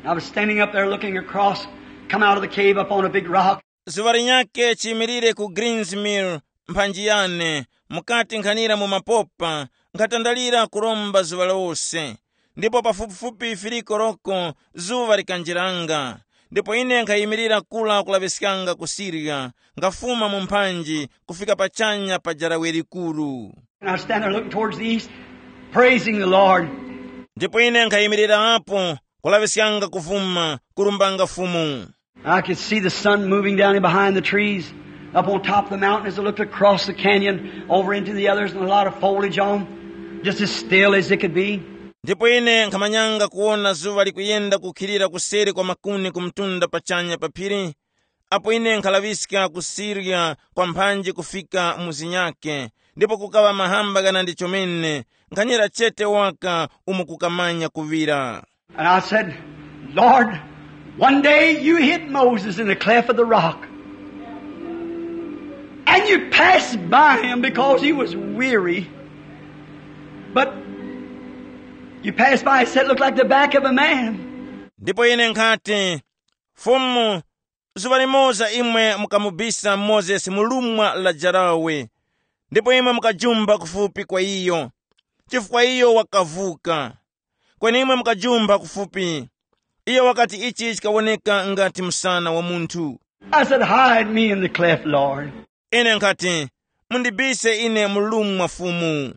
I was standing up there looking across, come out of the cave up on a big rock. Zuŵa linyakhe chiyimirire ku Greens Mill, mphanji yane, mukati nkhanira mu mapopa, nkhatandalira kuromba zuŵa lose. Ndipo pafupifupi firiko roko zuŵa likanjiranga. Ndipo ine nkhayimirira kula kulaŵiskanga ku Siriya, nkhafuma mu mphanji kufika pachanya pa jarawe likuru. And I stand there looking towards the east, praising the Lord. Ndipo ine nkhayimirira apo kulaŵiskanga kufuma, kurumbanga Fumu. I could see the sun moving down in behind the trees, up on top of the mountain as I looked across the canyon over into the others, and a lot of foliage on, just as still as it could be. Ndipo ine nkhamanyanga kuwona zuŵa likuyenda kukhilira kuseri kwa makuni ku mtunda pachanya pa phiri, apo ine nkhalaŵiska kusirya kwa mphanji kufika mu zinyakhe, ndipo kukaŵa mahamba ghanandi chomene, nkhanyera chete waka umo kukamanya kuŵira. And I said, "Lord, one day you hid Moses in the cleft of the rock, and you passed by him because he was weary. But you passed by, it said, looked like the back of a man." Ndipo ine nkhati, Fumu, zuŵa limoza imwe mukamubisa Mozesi mu lumwa la jarawe, ndipo imwe mukajumba kufupi kwa iyo, chifukwa iyo wakavuka. Kweni imwe mukajumba kufupi. Iyo wakati ichi chikawoneka ngati msana wa munthu. I said, "Hide me in the cleft, Lord." Ine nkhati, "Mundibise ine mu lumwa, Fumu."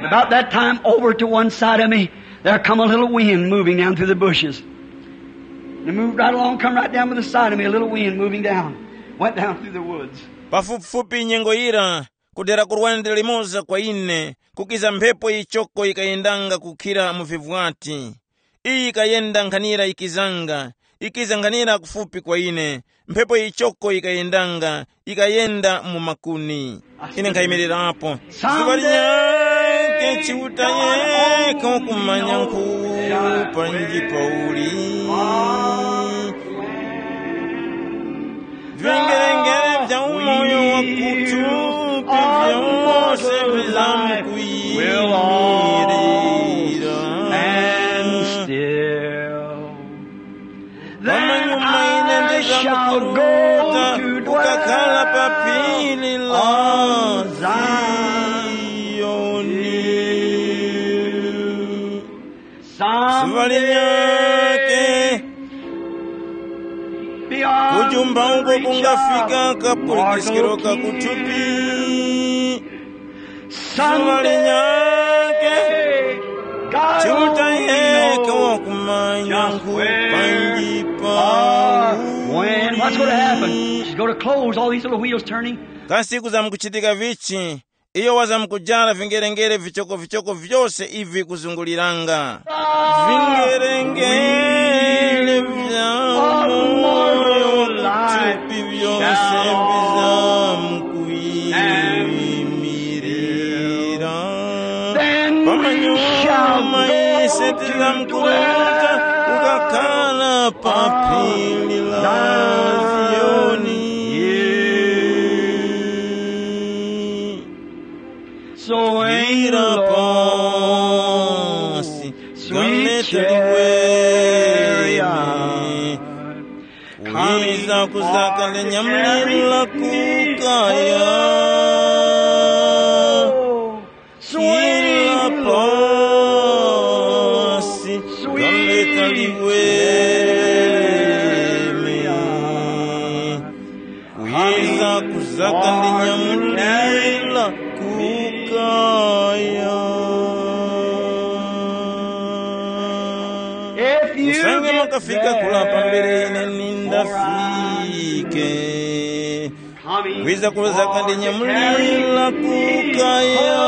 About that time, over to one side of me, there come a little wind moving down through the bushes. It moved right along, come right down by the side of me, a little wind moving down. Went down through the woods. Pafupifupi nyengo yira, kudera kurwande limoza kwa ine, kukiza mphepo yichoko yikayendanga kukhira mu vivwati. Iyi yikayenda nkhanira yikizanga, yikiza nkhanira kufupi kwa ine. Mphepo yichoko yikayendanga, yikayenda mu makuni. Ine nkhayimirirapo. Zuŵa linyakhe Chiuta yekha wakumanya nkhu panji pauli. Vingerengere vya umoyo wa kuthupi vyose vizamkuyimirira. And still. Pamanyuma ine ndizamkuruta kukakhala pa phiri la Ziyoni. Zuŵa linyakhe, kujumba uko kungafika kapulikiskiro ka kuthupi. Zuŵa linyakhe, Chiuta yekha wakumanya nkhu panji pa When? What's going to happen? She's going to close all these little wheels turning. Kasi kuzamkuchitika vichi? Iyo wazamkujara vingerengere vichokovichoko vyose ivi kuzunguliranga. Vingerengere vya moyo wa kuthupi vyose vizamkuyimirira. Pamanyuma ise tizamkuruta kukakhala pa phiri la Ziyoni. Swira pasi, galeta liweme. Kwiza kuzaka linyamulira kukaya. Swira pasi, galeta liweme. Kwiza kuzaka ndinyamulira kukaya. If you Usange get makafika there kula pambere ene nindafike. Kwiza kuzaka ndinyamulira kukaya.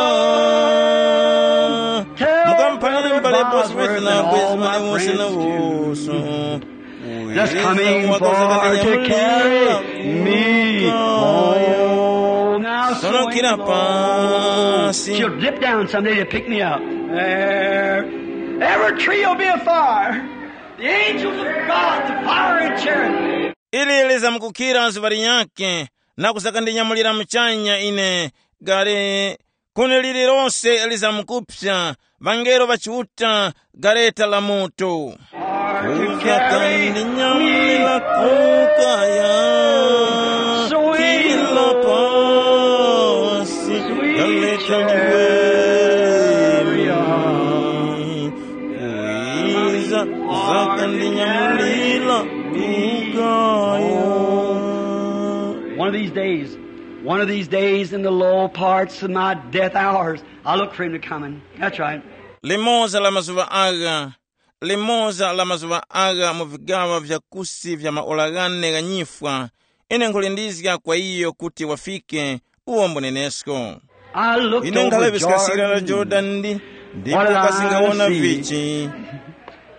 Mukamphalire mbale bosi wese na bwezi mane wose na woso. Just coming for to carry me home. Now, Sono kira pasi. She'll dip down someday to pick me up. There. Every tree will be afire. The angels of God, the fire and cherub. Ili lizamkukira zuŵa linyakhe, na kuzakandinyamulira muchanya ine, gale, kuni lililose lizamkupsa, ŵangelo ŵa Chiuta, gareta la moto. Kuzakandinyamulira kukaya, kila pasi, gareta liweme. Kwiza zakandinyamulira kukaya. One of these days, one of these days in the low parts of my death hours, I look for him to coming. That's right. Limoza la mazuŵa agha, limoza la mazuŵa agha mu vigaŵa vya kusi vya maora ghane gha nyifwa, ine nkhulindizga kwa iyo kuti wafike uwo mbunenesko. I looked Ine over nkhalaŵiska sira la Jordan. Jordan ndi, ndipo What did I kasingawona see? Vichi.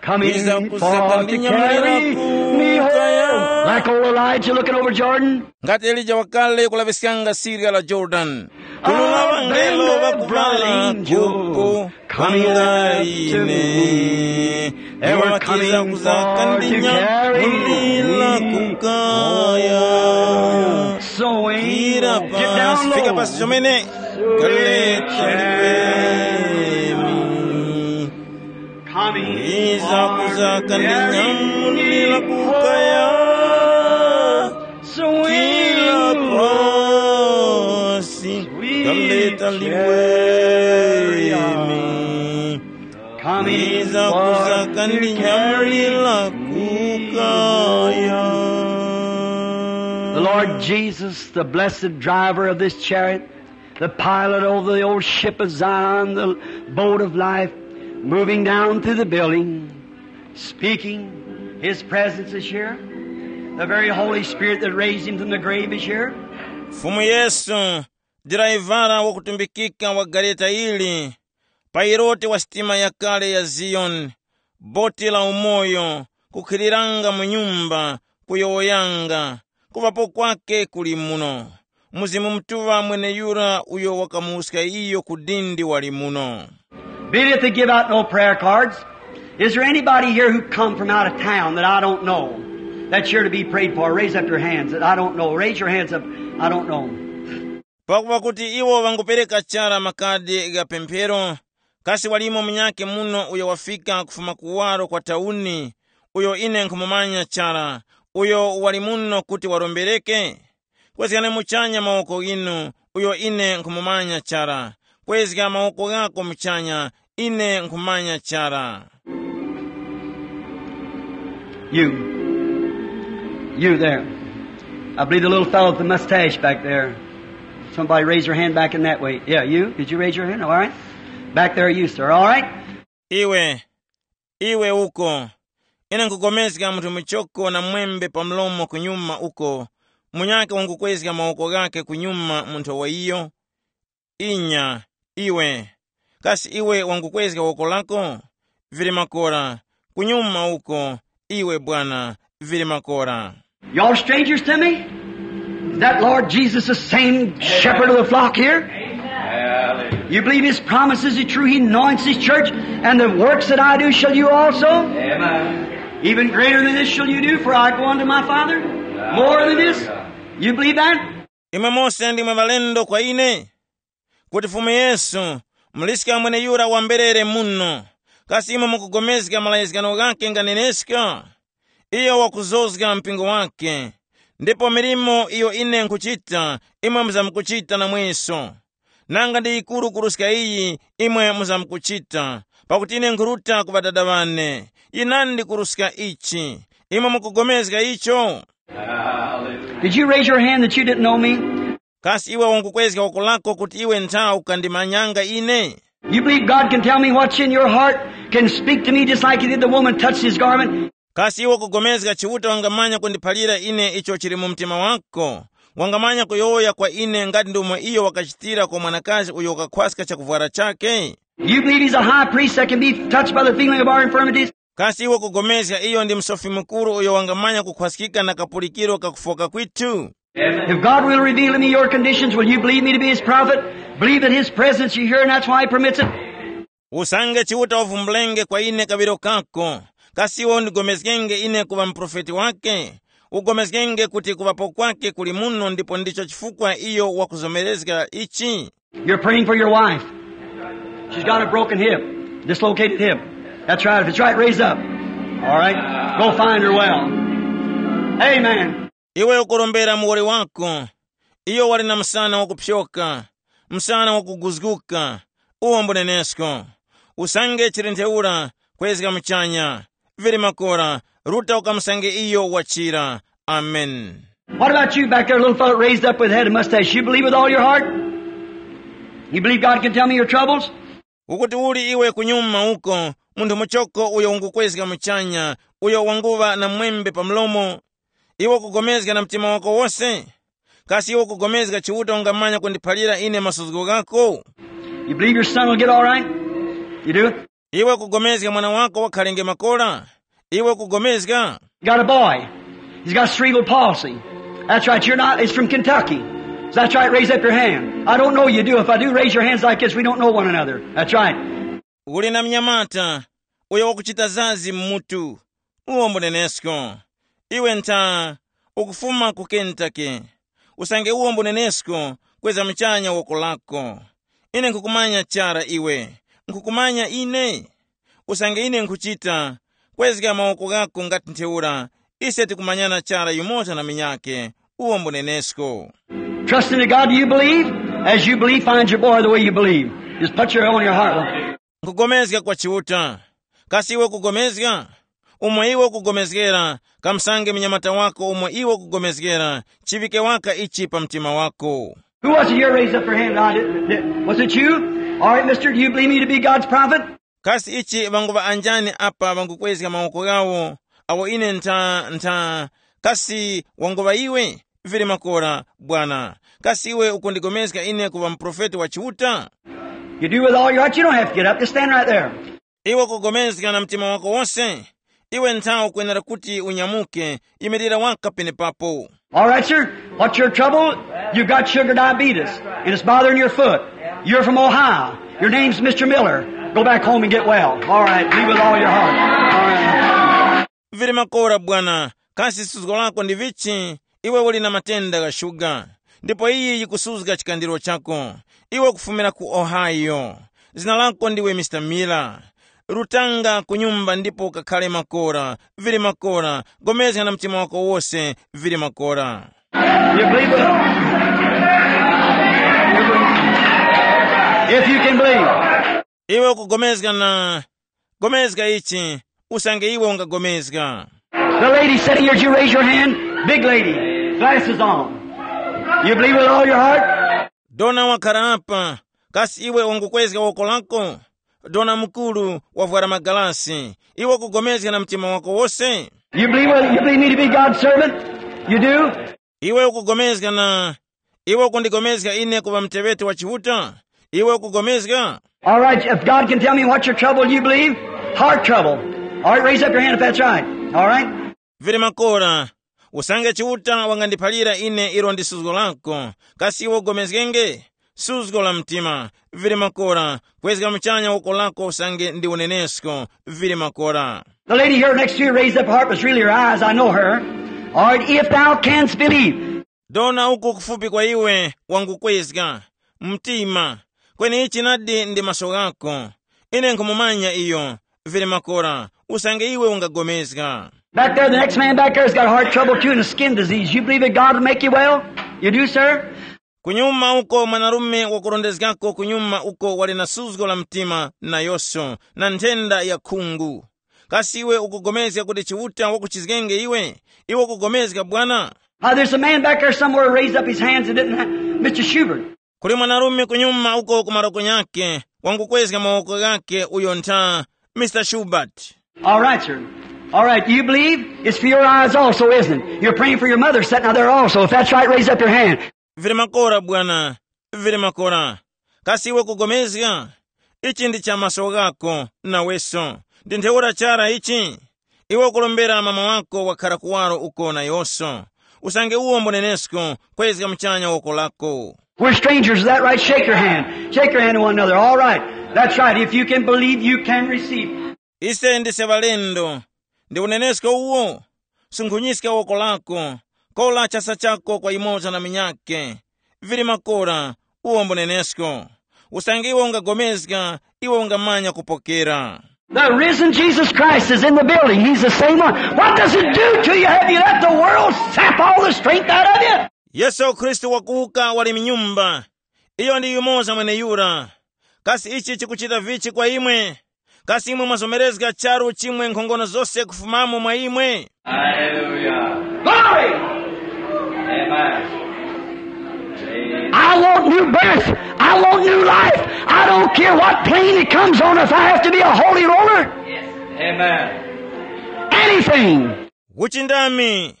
Coming Kwiza forth kusaka to ndi nyamulira carry me kukaya. Home. Like old Elijah looking over Jordan. Ngati Elija wakale kulaŵiskanga sirya la Jordan. Kulula ŵangelo ŵakumala kupo panga ine. Iwo ŵakiza kuzaka ndi nyamulira kukaya. Kira pasi, fika pasi chomene. Galeta liweme. Kwiza kuzaka ndi nyamulira kukaya. Kila pasi, galeta liweme. Kwiza kuzaka ndi nyamulira kukaya. The Lord Jesus, the blessed driver of this chariot, the pilot over the old ship of Zion, the boat of life, moving down through the building, speaking. His presence is here. The very Holy Spirit that raised him from the grave is here. Fumu Yesu, driver wakutumbikika wa gareta ili, pailote wa sitima yakale ya Ziyoni, boti la umoyo, kukhiliranga mu nyumba, kuyowoyanga, kuŵapo kwake kuli muno. Mzimu Mutuŵa mweneyura uyo wakamuwuska iyo ku dindi wali muno. Being that they give out no prayer cards, is there anybody here who come from out of town that I don't know, that's here to be prayed for? Raise up your hands that I don't know. Raise your hands up. I don't know. Pakupa kuti iwo vangupereka chara makadi gha pemphero, kasi walimo munyakhe muno uyo wafika kufuma kuwaro kwa tauni, uyo ine nkhumumanya chara, uyo wali muno kuti warombereke? Kwezgani muchanya mawoko ghinu, uyo ine nkhumumanya chara. Kwezga mawoko ghako muchanya, ine nkhumanya chara. You. You there. I believe the little fellow with the mustache back there. Somebody raise your hand back in that way. Yeah, you? Did you raise your hand? All right. Back there, you, sir. All right. Iwe, iwe uko. Ine nkupulikana munthu muchoko na mwembe pa mlomo kunyuma uko. Munyakhe wangukwezga mawoko ghakhe kunyuma munthu wa iyo. Inya, iwe. Kasi iwe wangukwezga woko lako? Vili makora. Kunyuma uko, iwe bwana, vili makora. Y'all strangers to me? Is that Lord Jesus the same shepherd of the flock here? You believe his promises are true? He anoints his church, and the works that I do shall you also? Even greater than this shall you do, for I go unto my Father. More than this? You believe that? Imwe mose ndimwe ŵalendo kwa ine? Kuti Fumu Yesu, muliska mweneyura wamberere muno, kasi imwe mukugomezga malayizgano ghakhe nganeneska? Iyo wakuzozga mpingo wakhe, ndipo milimo iyo ine nkhuchita, imwe muzamkuchita namweso. Nanga ndi yikuru kuruska iyi, imwe muzamkuchita, pakuti ine nkhuruta ku Ŵadada ŵane. Yinandi kuruska ichi. Imwe mukugomezga icho? Did you raise your hand that you didn't know me? Kasi iwe ungukwezga woko lako kuti iwe ntha ukandimanyanga ine? You believe God can tell me what's in your heart, can speak to me just like he did the woman touched his garment? Kasi iwe ukugomezga Chiuta wangamanya kundiphalira ine icho chili mu mtima wako? Wangamanya kuyowoya kwa ine ngati ndomwe iyo wakachitira kwa mwanakazi uyo wakakhwaska chakuvwara chake? You believe he's a high priest that can be touched by the feeling of our infirmities? Kasi iwe ukugomezga iyo ndi Musofi Mukuru uyo wangamanya kukhwaskika na kapulikiro ka kufoka kwithu? If God will reveal to me your conditions, will you believe me to be his prophet? Believe that his presence is here and that's why he permits it? Usange Chiuta wavumbulenge kwa ine kaŵiro kako, kasi iwe undigomezgenge ine kuŵa muprofeti wake? Ugomezgenge kuti kuŵapo kwake kuli muno ndipo ndicho chifukwa iyo wakuzomerezga ichi? You're praying for your wife. She's got a broken hip, dislocated hip. That's right. If it's right, raise up. All right. Go find her well. Amen. Iwe ukurombera muwoli wako. Iyo wali na msana wakupyoka, msana wakuguzguka. Uwo mbunenesko. Usange chili ntheura, kwezga muchanya. Vili makora, ruta ukamusange iyo wachira. Amen. What about you back there, little fellow raised up with head and mustache? You believe with all your heart? You believe God can tell me your troubles? Ukuti uli iwe kunyuma uko, munthu muchoko uyo ungukwezga muchanya, uyo wanguŵa na mwembe pa mlomo? Iwe ukugomezga na mtima wako wose? Kasi iwe ukugomezga Chiuta ungamanya kundiphalira ine masuzgo ghako? You believe your son will get all right? You do? Iwe ukugomezga mwana wako wakhalenge makora? Iwe ukugomezga? You got a boy. He's got cerebral palsy. That's right. You're not. He's from Kentucky. That's right. Raise up your hand. I don't know you do. If I do, raise your hands like this. We don't know one another. That's right. Uli na mnyamata uyo wakuchita zazi mmutu. Uwo mbunenesko. Iwe ntha ukufuma ku Kentucky. Usange uwo mbunenesko, kweza muchanya woko lako. Ine nkhukumanya chara iwe. Nkhukumanya ine. Usange ine nkhuchita, kwezga mawoko ghako ngati ntheura. Ise tikumanyana chara yumoza na minyake. Uwo mbunenesko. Trust in God, do you believe? As you believe, find your boy the way you believe. Just put your on your heart. Nkugomezga kwa Chiuta. Kasi iwe ukugomezga? Umo iwe ukugomezgera, kamusange munyamata wako umo iwe ukugomezgera, chiŵike waka ichi pa mtima wako. Who was it here raised up their hand? I didn't, did, was it you? All right, mister, do you believe me to be God's prophet? Kasi ichi ŵanguŵa anjani apa ŵangukwezga mawoko ghawo, awo ine ntha, ntha, kasi wanguŵa iwe? Vili makora, bwana. Kasi iwe ukundigomezga ine kuŵa muprofeti wa Chiuta? You do with all your heart. You don't have to get up. Just stand right there. Iwe ukugomezga na mtima wako wose? Iwe ntha ukwenera kuti unyamuke, yimirira waka penepapo. All right, sir. What's your trouble? You've got sugar diabetes, and it's bothering your foot. You're from Ohio. Your name's mister Miller. Go back home and get well. All right, be with all your heart. All right. Vili makora bwana, kasi suzgo lako ndi vichi? Iwe uli na matenda gha shuga, ndipo iyi yikusuzga chikandiro chako. Iwe ukufumira ku Ohio. Zina lako ndiwe mister Miller. Rutanga ku nyumba ndipo ukakhale makora. Vili makora, gomezga na mtima wako wose. Vili makora. You believe it? If you can believe. Iwe ukugomezga na gomezga ichi, usange iwe ungagomezga. The lady sitting here, did you raise your hand? Big lady, glasses on. You believe with all your heart? Dona wakhala apa, kasi iwe wangukwezga woko lako? Dona mukuru wavwara magalasi, iwe ukugomezga na mtima wako wose? You believe, well, you believe me to be God's servant? You do? Iwe ukugomezga na iwe ukundigomezga ine kuŵa muteŵeti wa Chiuta? Iwe ukugomezga? All right, if God can tell me what's your trouble, you believe? Heart trouble. All right, raise up your hand if that's right. All right? Vili makora, usange Chiuta wangandiphalira ine ilo ndi suzgo lako, kasi iwe ugomezgenge? Suzgo la mtima. Vili makora, kwezga muchanya woko lako usange ndi unenesko. Vili makora. The lady here next to you raised up her heart, was really her eyes. I know her. All right, if thou canst believe. Dona uko kufupi kwa iwe wangukwezga mtima, kweni ichi nadi ndi maso ghako. Ine nkhumumanya iyo. Vili makora, usange iwe ungagomezga. Back there, the next man back there has got heart trouble too and a skin disease. You believe that God will make you well? You do, sir? Kunyuma uko mwanarume wakurondezgako kunyuma uko wali na suzgo la mtima nayoso na nthenda ya khungu. Kasi iwe ukugomezga kuti Chiuta wakuchizgenge iwe? Iwe ukugomezga bwana? Uh, there's a man back there somewhere raised up his hands and didn't have, Mister Schubert. Kuli mwanarume kunyuma uko ku maroko nyake wangukwezga mawoko ghake uyo ntha Mister Schubert. All right, sir. All right. Do you believe? It's for your eyes also, isn't it? You're praying for your mother sitting out there also. If that's right, raise up your hand. Vili makora bwana. Vili makora. Kasi iwe kugomezga? Ichi ndi cha maso ghako naweso. Ndi ntheura chara ichi. Iwe ukulombera mama wako wakhara kuwaro uko nayoso. Usange uwo mbonenesko, kwezga muchanya woko lako. We're strangers, is that right? Shake your hand. Shake your hand to one another. All right. That's right. If you can believe, you can receive. Ise ndise ŵalendo. Ndi unenesko uwo? Sunkhunyiska woko lako. Kola chasa chako kwa yumoza na munyakhe. Vili makora, uwo mbunenesko. Usange iwe ungagomezga, iwe ungamanya kupokera. The risen Jesus Christ is in the building. He's the same one. What does it do to you? Have you let the world sap all the strength out of you? Yesu Khristu wakuwuka wali mnyumba. Iyo ndi yumoza mweneyura. Kasi ichi chikuchita vichi kwa imwe? Kasi imwe mwazomerezga charu chimwe nkhongono zose kufumamo mwa imwe? Hallelujah. Glory! Amen. I want new birth. I want new life. I don't care what plane it comes on, if I have to be a holy roller. Amen. Anything. Uchindami.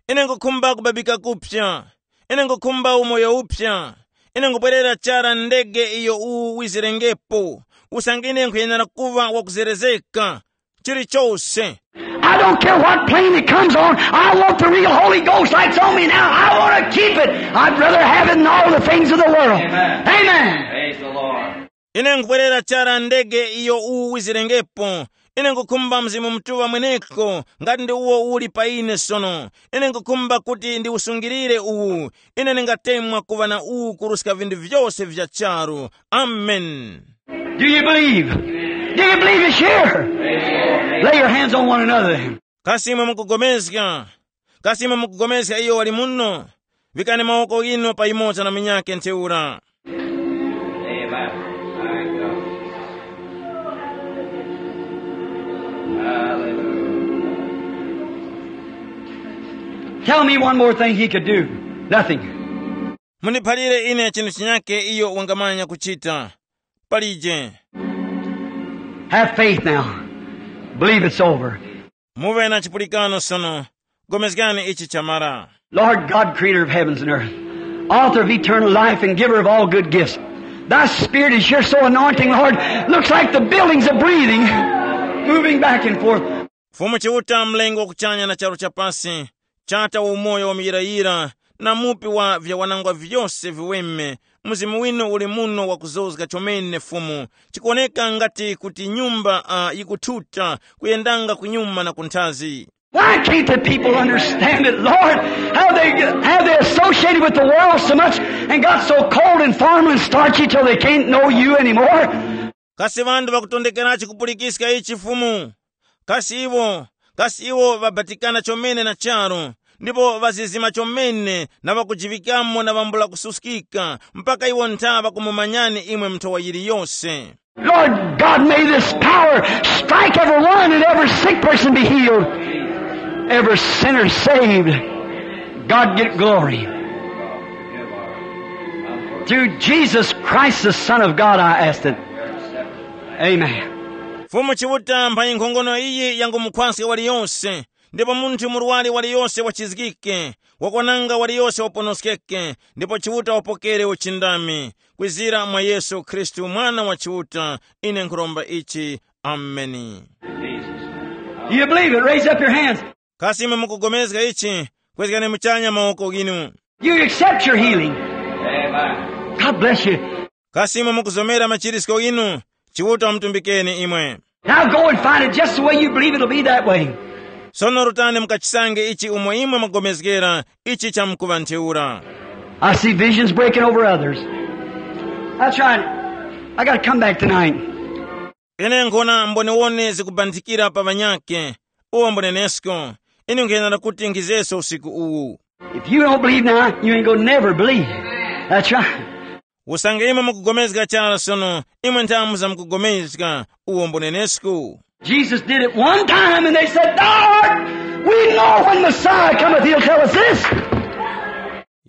Ine nkukhumba kubabika kupya. Ine nkukhumba umoyo upya. Ine nkubwerera chara ndege iyo uwu wizirengepo. Usange ine nkhuyenera kuŵa wakuzerezeka. Chilichose. I don't care what plane it comes on. I want the real Holy Ghost like it's on me now. I want to keep it. I'd rather have it than all the things of the world. Amen. Amen. Praise the Lord. Ine nkubwerera chara ndege iyo uwu wizirengepo. Ine nkukhumba Mzimu Mutuŵa mweneko ngati ndi uwo uli pa ine sono. Ine nkukhumba kuti ndiwusungirire uwu. Ine ndingatemwa kuŵa na uwu kuruska vinthu vyose vya charu. Amen. Do you believe? Do you believe it's here? Lay your hands on one another. Kasi imwe mukugomezga? Kasi imwe mukugomezga iyo wali muno? Vikani mawoko ghinu pa yumoza na munyakhe ntheura. Amen. Hallelujah. Tell me one more thing he could do. Nothing. Mundiphalire ine chinthu chinyake iyo wangamanya kuchita. Palije. Have faith now. Believe it's over. Muve na chipulikano sono. Gomezgani ichi chamara. Lord God, creator of heavens and earth, author of eternal life and giver of all good gifts, thy spirit is here so anointing, Lord. Looks like the buildings are breathing, moving back and forth. Fumu Chiuta, mlengi wa kuchanya na charu chapasi, chata wa umoyo wa muyirayira, na mupi wa vyawanangwa vyose viweme, mzimu winu uli muno wakuzozga chomene Fumu. Chikuwoneka ngati kuti nyumba uh, yikuthuta kuyendanga kunyuma na kunthazi. Why can't the people understand it, Lord? How they, how they associated with the world so much and got so cold and formal and starchy till they can't know you anymore? Kasi ŵanthu ŵakutondekerachi kupulikiska ichi Fumu? Kasi iwo, kasi iwo ŵabatikana chomene na charu, ndipo ŵazizima chomene na ŵakujiŵikamo na ŵambula kususkika, mpaka iwo ntha ŵakumumanyani imwe nthowa yiliyose. Lord God, may this power strike every one and every sick person be healed. Every sinner saved, God get glory. Through Jesus Christ, the Son of God, I asked it. Amen. Fumu Chiuta, mphanyi nkhongono iyi yangumukhwaska waliyose, ndipo munthu murwari waliyose wachizgike, wakwananga waliyose waponoskeke, ndipo Chiuta wapokere uchindami. Kwizira mwa Yesu Khristu, Mwana wa Chiuta, ine nkhuromba ichi. Ameni. Do you believe it? Raise up your hands. Kasi imwe mukugomezga ichi? Kwezgani muchanya mawoko ghinu. You accept your healing. God bless you. Kasi imwe mukuzomera machirisko ghinu? Chiuta wamutumbikeni imwe. Now go and find it just the way you believe it'll be that way. Sono rutani mukachisange ichi umo imwe mwagomezgera, ichi chamkuŵa ntheura. I see visions breaking over others. That's right. I gotta come back tonight. Ine nkhona mboniwone zikubandikira pa ŵanyakhe. Uwo mbunenesko. Ine nkhenera kuti nkhizeso usiku uwu. If you don't believe now, you ain't gonna never believe. That's right. Usange imwe mukugomezga chara sono, imwe nthamu zamkugomezga. Uwo mbunenesko. Jesus did it one time and they said, "Lord, we know when Messiah cometh, he'll tell us this."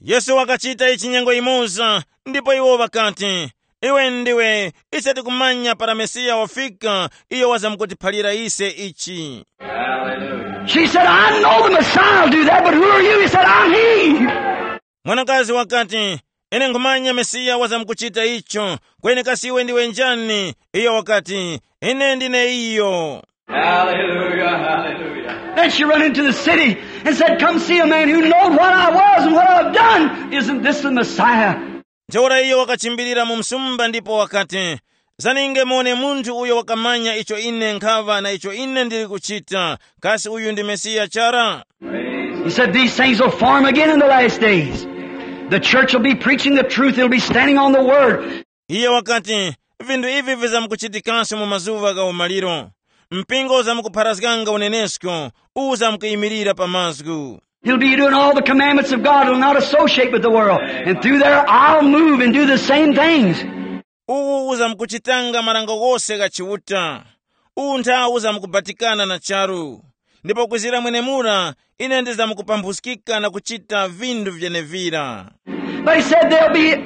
Yesu wakachita ichi nyengo yimoza, ndipo iwo ŵakati, "Iwe ndiwe, ise tikumanya para Mesiya wafika, iyo wazamkutiphalira ise ichi." She said, "I know the Messiah will do that, but who are you?" He said, "I'm he." Mwanakazi wakati, "Ine nkhumanya Mesiya wazamkuchita icho, kweni kasi iwe ndiwe njani?" Iyo wakati, "Ine ndine iyo." Hallelujah, hallelujah. Then she run into the city and said, "Come see a man who knows what I was and what I've done. Isn't this the Messiah?" Ntheura iyo wakachimbirira mu msumba ndipo wakati, "Zaninge muwone munthu uyo wakamanya icho ine nkhaŵa na icho ine ndili kuchita. Kasi uyu ndi Mesiya chara?" He said, "These things will form again in the last days. The church will be preaching the truth. It'll be standing on the word." Iye wakati, "Vinthu ivi vizamkuchitikaso mu mazuŵa gha umaliro. Mpingo uzamkupharazganga unenesko, uzamkuyimirira pa mazgu." He'll be doing all the commandments of God. He'll not associate with the world. And through there, I'll move and do the same things. Uwu uzamkuchitanga marango ghose gha Chiuta. Uwu nthawu uzamkubatikana na charu. Ndipo kwizira mwenemura, ine ndizamkupambhuskika na kuchita vinthu vyenevira. But he said they'll be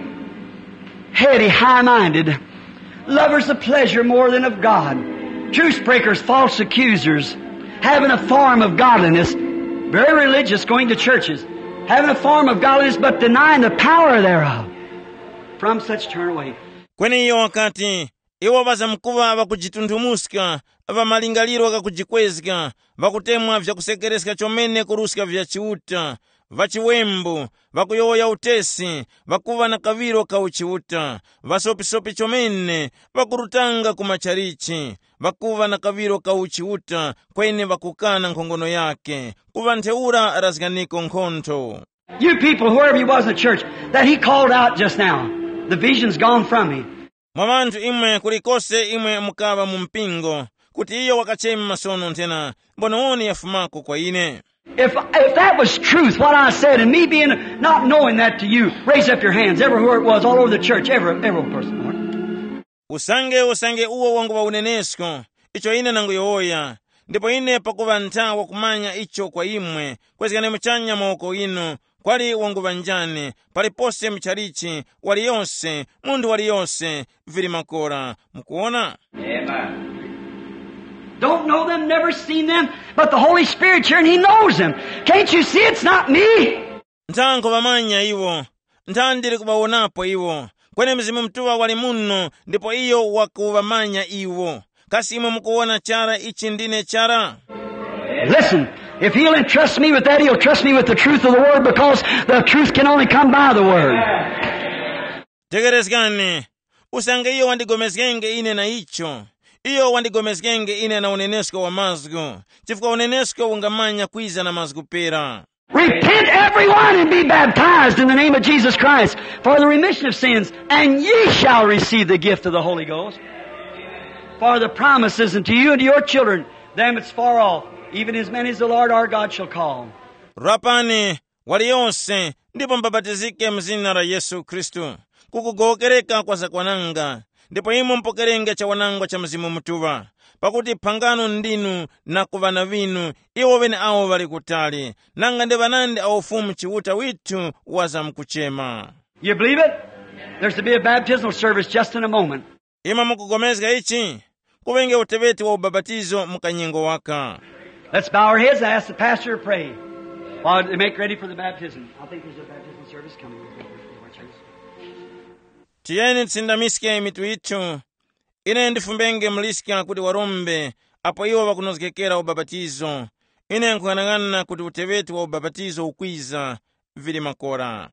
heady, high minded, lovers of pleasure more than of God, truce breakers, false accusers, having a form of godliness, very religious, going to churches, having a form of godliness, but denying the power thereof. From such turn away. Kweni iyo wakati, iwo ŵazamkuŵa ŵakujitunthumuska, ŵa malingaliro ghakujikwezga, ŵakutemwa vyakusekereska chomene kuruska vya Chiuta, ŵachiwembu, ŵakuyowoya utesi, ŵakuŵa na kaŵiro ka uchiuta, ŵasopisopi chomene, ŵakurutanga ku machalichi, ŵakuŵa na kaŵiro ka uchiuta, kweni ŵakukana nkhongono yakhe, kuŵa ntheura razganiko nkhontho. You people, wherever you was in the church, that he called out just now, the vision's gone from me. Mwa ŵanthu imwe kulikose imwe mukaŵa mu mpingo, kuti iyo wakachema masono nthena, mbonewoni yafumako kwa ine. If, if that was truth, what I said, and me being not knowing that to you, raise up your hands, everywhere it was, all over the church, every, every person. Usange usange uwo wanguŵa unenesko, icho ine nanguyowoya, ndipo ine pakuŵa ntha wakumanya icho kwa imwe, kwezgani muchanya mawoko inu, kwali wanguŵa njani, palipose muchalichi, waliyose, munthu waliyose, vili makora. Mukuwona? Amen. Don't know them, never seen them, but the Holy Spirit's here and he knows them. Can't you see it's not me? Ntha nkhuŵamanya iwo, ntha ndili kuŵawonapo iwo, kweni Mzimu Mutuŵa wali muno ndipo iyo wakuŵamanya iwo. Kasi imwe mukuwona chara ichi ndine chara? Listen, if he'll entrust me with that, he'll trust me with the truth of the word, because the truth can only come by the word. Tekerezgani, usange iyo wandigomezgenge ine na icho, iyo wandigomezgenge ine na unenesko wa mazgu, chifukwa unenesko ungamanya kwiza na mazgu pera. Repent everyone and be baptized in the name of Jesus Christ for the remission of sins, and ye shall receive the gift of the Holy Ghost. For the promise is unto you and to your children, them that's far off, even as many as the Lord our God shall call. Rapani, waliyonse, ndipo mubapatizike mu zina la Yesu Khristu, kukugowokereka kwa zakwananga, ndipo imwe mupokerenge chawanangwa cha Mzimu Mutuŵa. Pakuti phangano ndinu na ku ŵana ŵinu, iwo ŵeneawo ŵali kutali, nanga ndi ŵanandi awo Fumu Chiuta withu wazamkuchema. You believe it? There's to be a baptismal service just in a moment. Imwe mukupulikana ichi? Kuŵenge uteŵeti wa ubapatizo mu kanyengo waka. Let's bow our heads and ask the pastor to pray. While they make ready for the baptism. I think there's a baptismal service coming. Tiyeni tisindamiske mitu yithu. Ine ndifumbenge muliska kuti warombe apo iwo ŵakunozgekera ubapatizo. Ine nkhung'anang'ana kuti uteŵeti wa ubapatizo ukwiza. Vili makora.